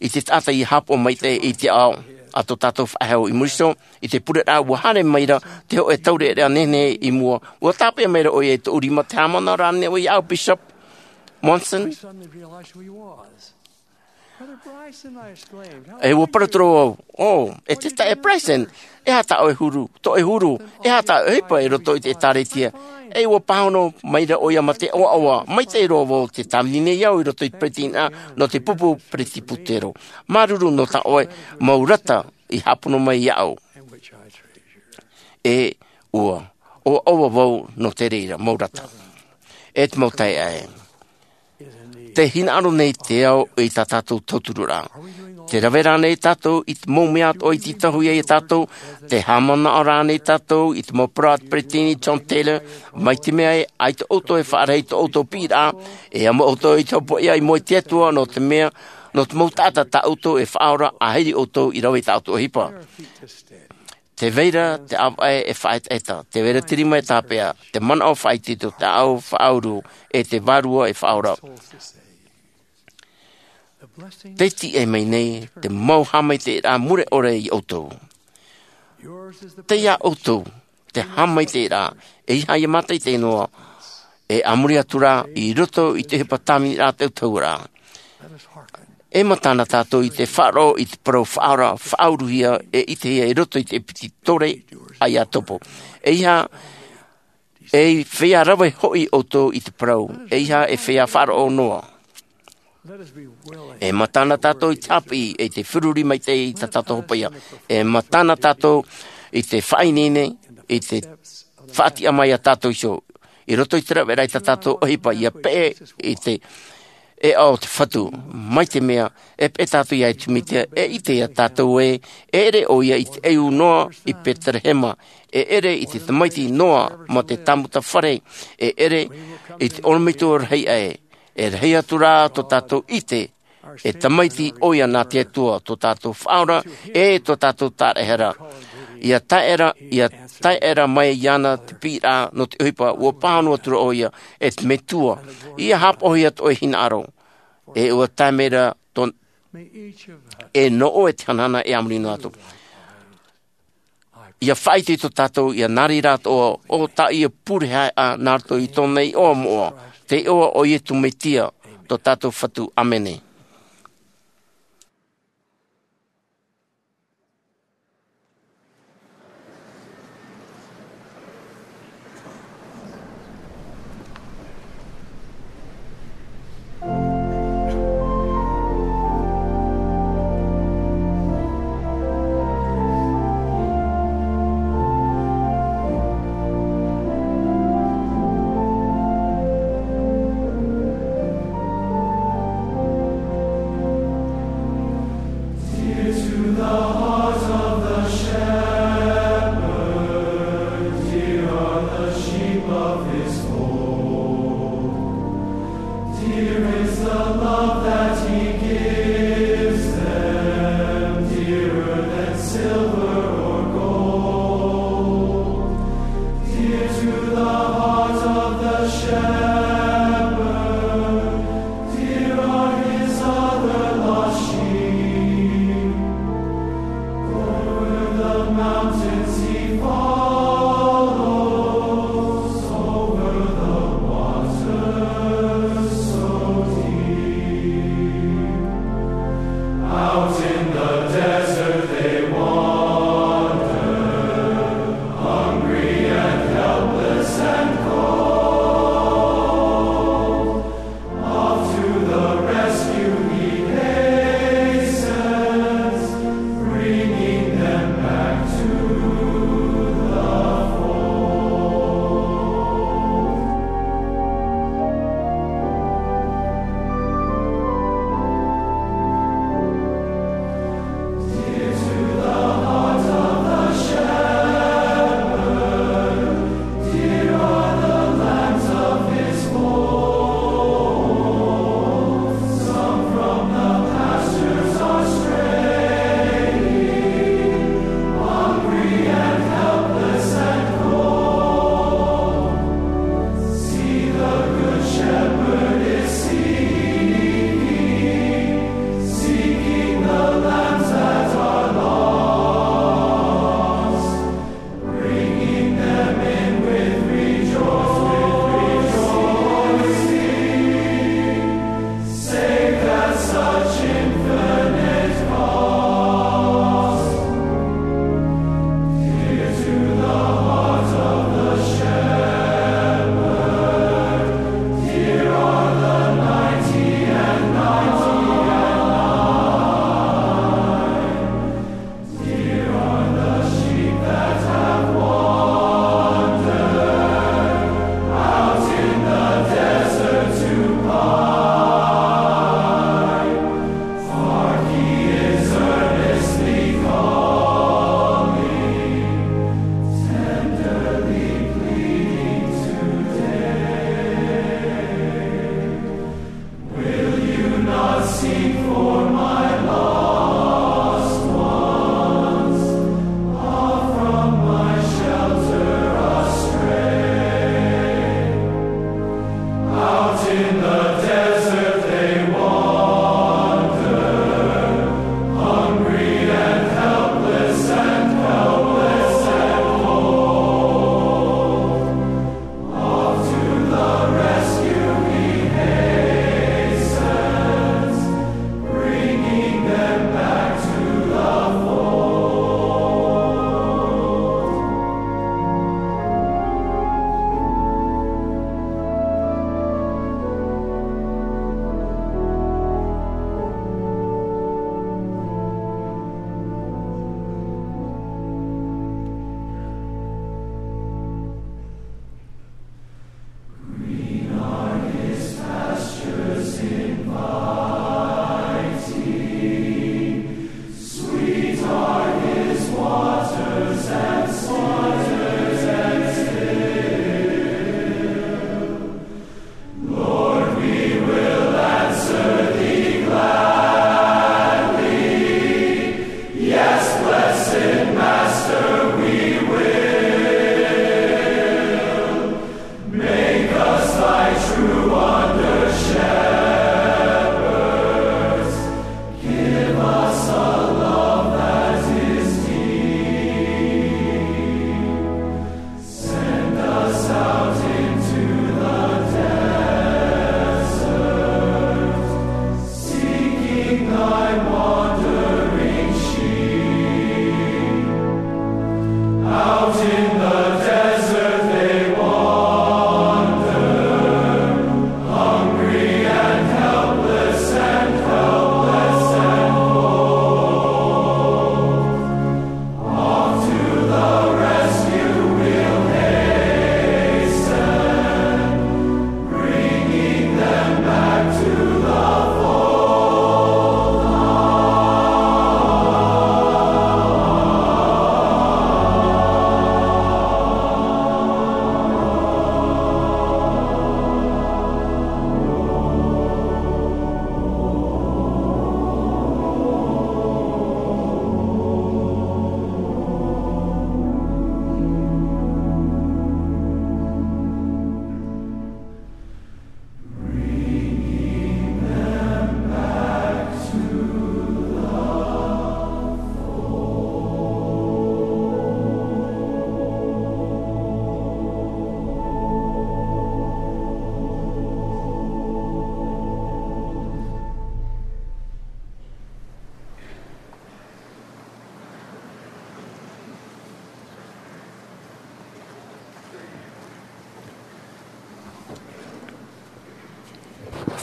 i te taʻata i hāpaʻo maitaʻi i te ao a tō tātou faʻehau i muri iho, i te pureraʻa ua haere mai ra te hoʻe taureʻareʻa nehenehe i mua, ua tāpeʻa mai ra ʻoia i tōʻu rima, tē haʻamanaʻo ra ānei ʻoe iāʻu, Bishop Monson? E ua parau atu ra vau, ʻo, e te taeaʻe Bryson, e aha tā ʻoe huru, tō ʻoe huru, e aha tā ʻoe ʻohipa i roto i te ʻĒtārētia? E ua pāhono mai ra ʻoia mā te ʻoaʻoa maitaʻi roa vau, tē tāvini nei au i roto i te peretiteniraʻa nō te pupu peretibutero. Māuruuru nō tā ʻoe mau rata i hāpono mai iāʻu. E ua ʻoaʻoa vau nō te reira mau rata. E te mau taeaʻe, tē hinaʻaro nei te ao i tā tātou tautururaʻa. Tē rave ra ānei tātou i te mau mea atoʻa i tītauhia iā tātou? Tē haʻamanaʻo ra ānei tātou i te mau parau a te peretiteni John Taylor, mai te mea ē, ʻaita ʻoutou e faʻarahi i tō ʻoutou piʻiraʻa, e amo ʻoutou i te hopoiʻa i mua i te Atua, nō te mea, nō te mau taʻata tā ʻoutou e faʻaora, ʻāhiri ʻoutou i rave i tā ʻoutou ʻohipa. Tē vai ra te ʻāvaʻe e faʻaetaeta, tē vai ra te rima e tāpeʻa, te manaʻo faʻaitoito, te ʻāʻau faʻauru, e te vārua e faʻaora. Tē tiʻa mai nei te mau haʻamaitaʻiraʻa mure ʻore iā ʻoutou. Tei iā ʻoutou te haʻamaitaʻiraʻa, ʻeiaha ʻia mātaʻitaʻi noa, e a muri atu ra i roto i te ʻohipa tāviniraʻa a te autahuʻaraʻa. E matana tātou i te faʻaroʻo i te parau faʻaora, faʻauruhia, e ʻitehia i roto i te piti tore a Iakobo. E ʻeiaha, e feiā rave hoʻi ʻoutou i te parau, e ʻeiaha e feiā faʻaroʻo noa. E matana tātou i te haʻapiʻi, e te feruri maitaʻi i tā tātou hopeʻa. E matana tātou i te faʻaineine, i te faʻatiʻa mai a tātou iho. I roto i te raveraʻa i tā tātou ʻohipa ʻia peʻe i te ʻēʻa o te Fatu. Mai te mea, e peʻe tātou iā Iesu Mesia, e ʻite iā tātou ē, e ʻere ʻoia i te ʻeiū noa i Betelehema, e ʻere i te tamaiti noa mā te tāmuta fare, e ʻere i te ʻorometua rahi aʻe. E rahi atu rā tō tātou ʻite, e tamaiti ʻoia nā te Atua, tō tātou Faʻaora, e tō tātou Taraehara. ʻIa tae ra, ʻia tae ra mai iāna te piʻiraʻa nō te ʻohipa, ʻua pāhono atu ra ʻoia, e te Metua, ʻia haʻapaʻohia tō ʻoe hinaʻaro, e ʻua tae mai ra tō, e nō ʻoe te hanahana e a muri noa atu. ʻIa faʻaitoito tātou, ʻia nā reira atoʻa ʻo tā ʻoe pure haeʻa nā roto i tōna iʻoa moʻa, te iʻoa o Iesu Mesia, tō tātou Fatu. ʻĀmene. Dear to the heart of the shepherd, dear are the sheep of his fold. Dear is the love that he gives them, dearer than silver or gold. Dear to the heart of the shepherd, dear are his other lost sheep. Over the mountains he follows, over the waters so deep. Out in the desert they wander, hungry and helpless and cold. Off to the rescue he hastens, bringing them back to the fold. Dear to the heart of the shepherd, dear are the lambs of his fold. Some from the pastures are straying, hungry and helpless and cold. See, the Good Shepherd is seeking, seeking the lambs that are lost, bringing them in with rejoicing, with rejoicing. Saved at such infinite cost. Dear to the heart of the shepherd, dear are the ninety and ninety and nine. Dear are the sheep that have wandered out in the desert to pine. Hark, he is earnestly calling, tenderly pleading today. Will you not seek for my lost ones, off from my shelter astray? Out in the desert they wander, hungry and helpless and helpless and cold. Off to the rescue he hastens, bringing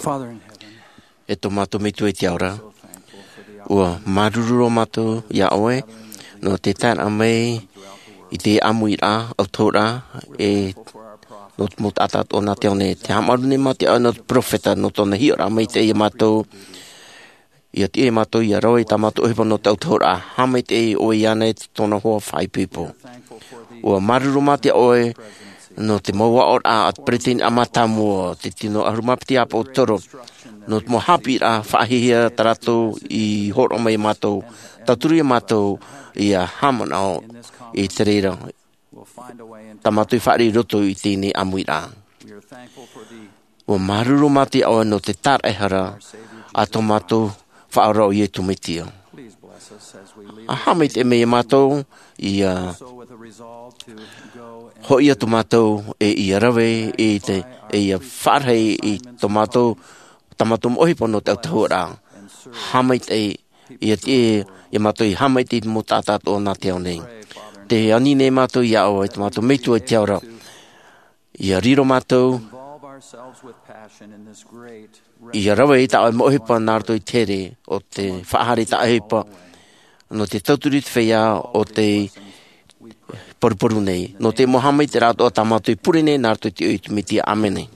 E tō mātou Metua i te ao ra, ua māuruuru roa mātou iā ʻoe nō te taeraʻa mai i te ʻāmuiraʻa, ʻautahuʻaraʻa, e nō te mau taʻata atoʻa nā te ao nei. Te haʻamāuruuru nei mātou iā ʻoe nō te peropheta, nō tōna hiʻoraʻa maitaʻi iā mātou, ʻia tiʻa iā mātou ʻia rave i tā mātou ʻohipa nō te ʻautahuʻaraʻa. Haʻamaitaʻi ʻoe iāna i tōna hoa faʻaipoipo. Ua māuruuru mātou iā ʻoe nō te mau aʻoraʻa a te peresideni mātāmua, te tino ʻahuru mā piti ʻāpōsetolo, nō te mau haʻapiʻiraʻa faʻahiahia tā rātou i hōroʻa mai iā mātou, tauturu iā mātou ʻia haʻamanaʻo i te reira tā mātou i fāriʻi i roto i teie ʻāmuiraʻa. Ua māuruuru mātou iā ʻoe nō te tāraʻehara a tō mātou Faʻaora ʻo Iesu Mesia. ʻA haʻamaitaʻi mai iā mātou, ʻia hoʻi atu mātou, e ʻia rave i te, e ʻia faʻarahi i tō mātou, tā mātou mau ʻohipa nō te ʻautahuʻaraʻa. Haʻamaitaʻi, ʻia tiʻa iā mātou ʻia haʻamaitaʻi i te mau taʻata atoʻa nā te ao nei. Tē ani nei mātou iā ʻoe, tō mātou Metua i te ao ra. ʻIa riro mātou, ʻia rave i tā ʻoe mau ʻohipa nā roto i te here o te faʻahaere i tā ʻoe ʻohipa, nō te tauturu i te feiā o tē poruporu nei. Nō te mau haʻamaitaʻiraʻa atoʻa tā mātou i pure nei nā roto i te iʻoa o Iesu Mesia. ʻĀmene.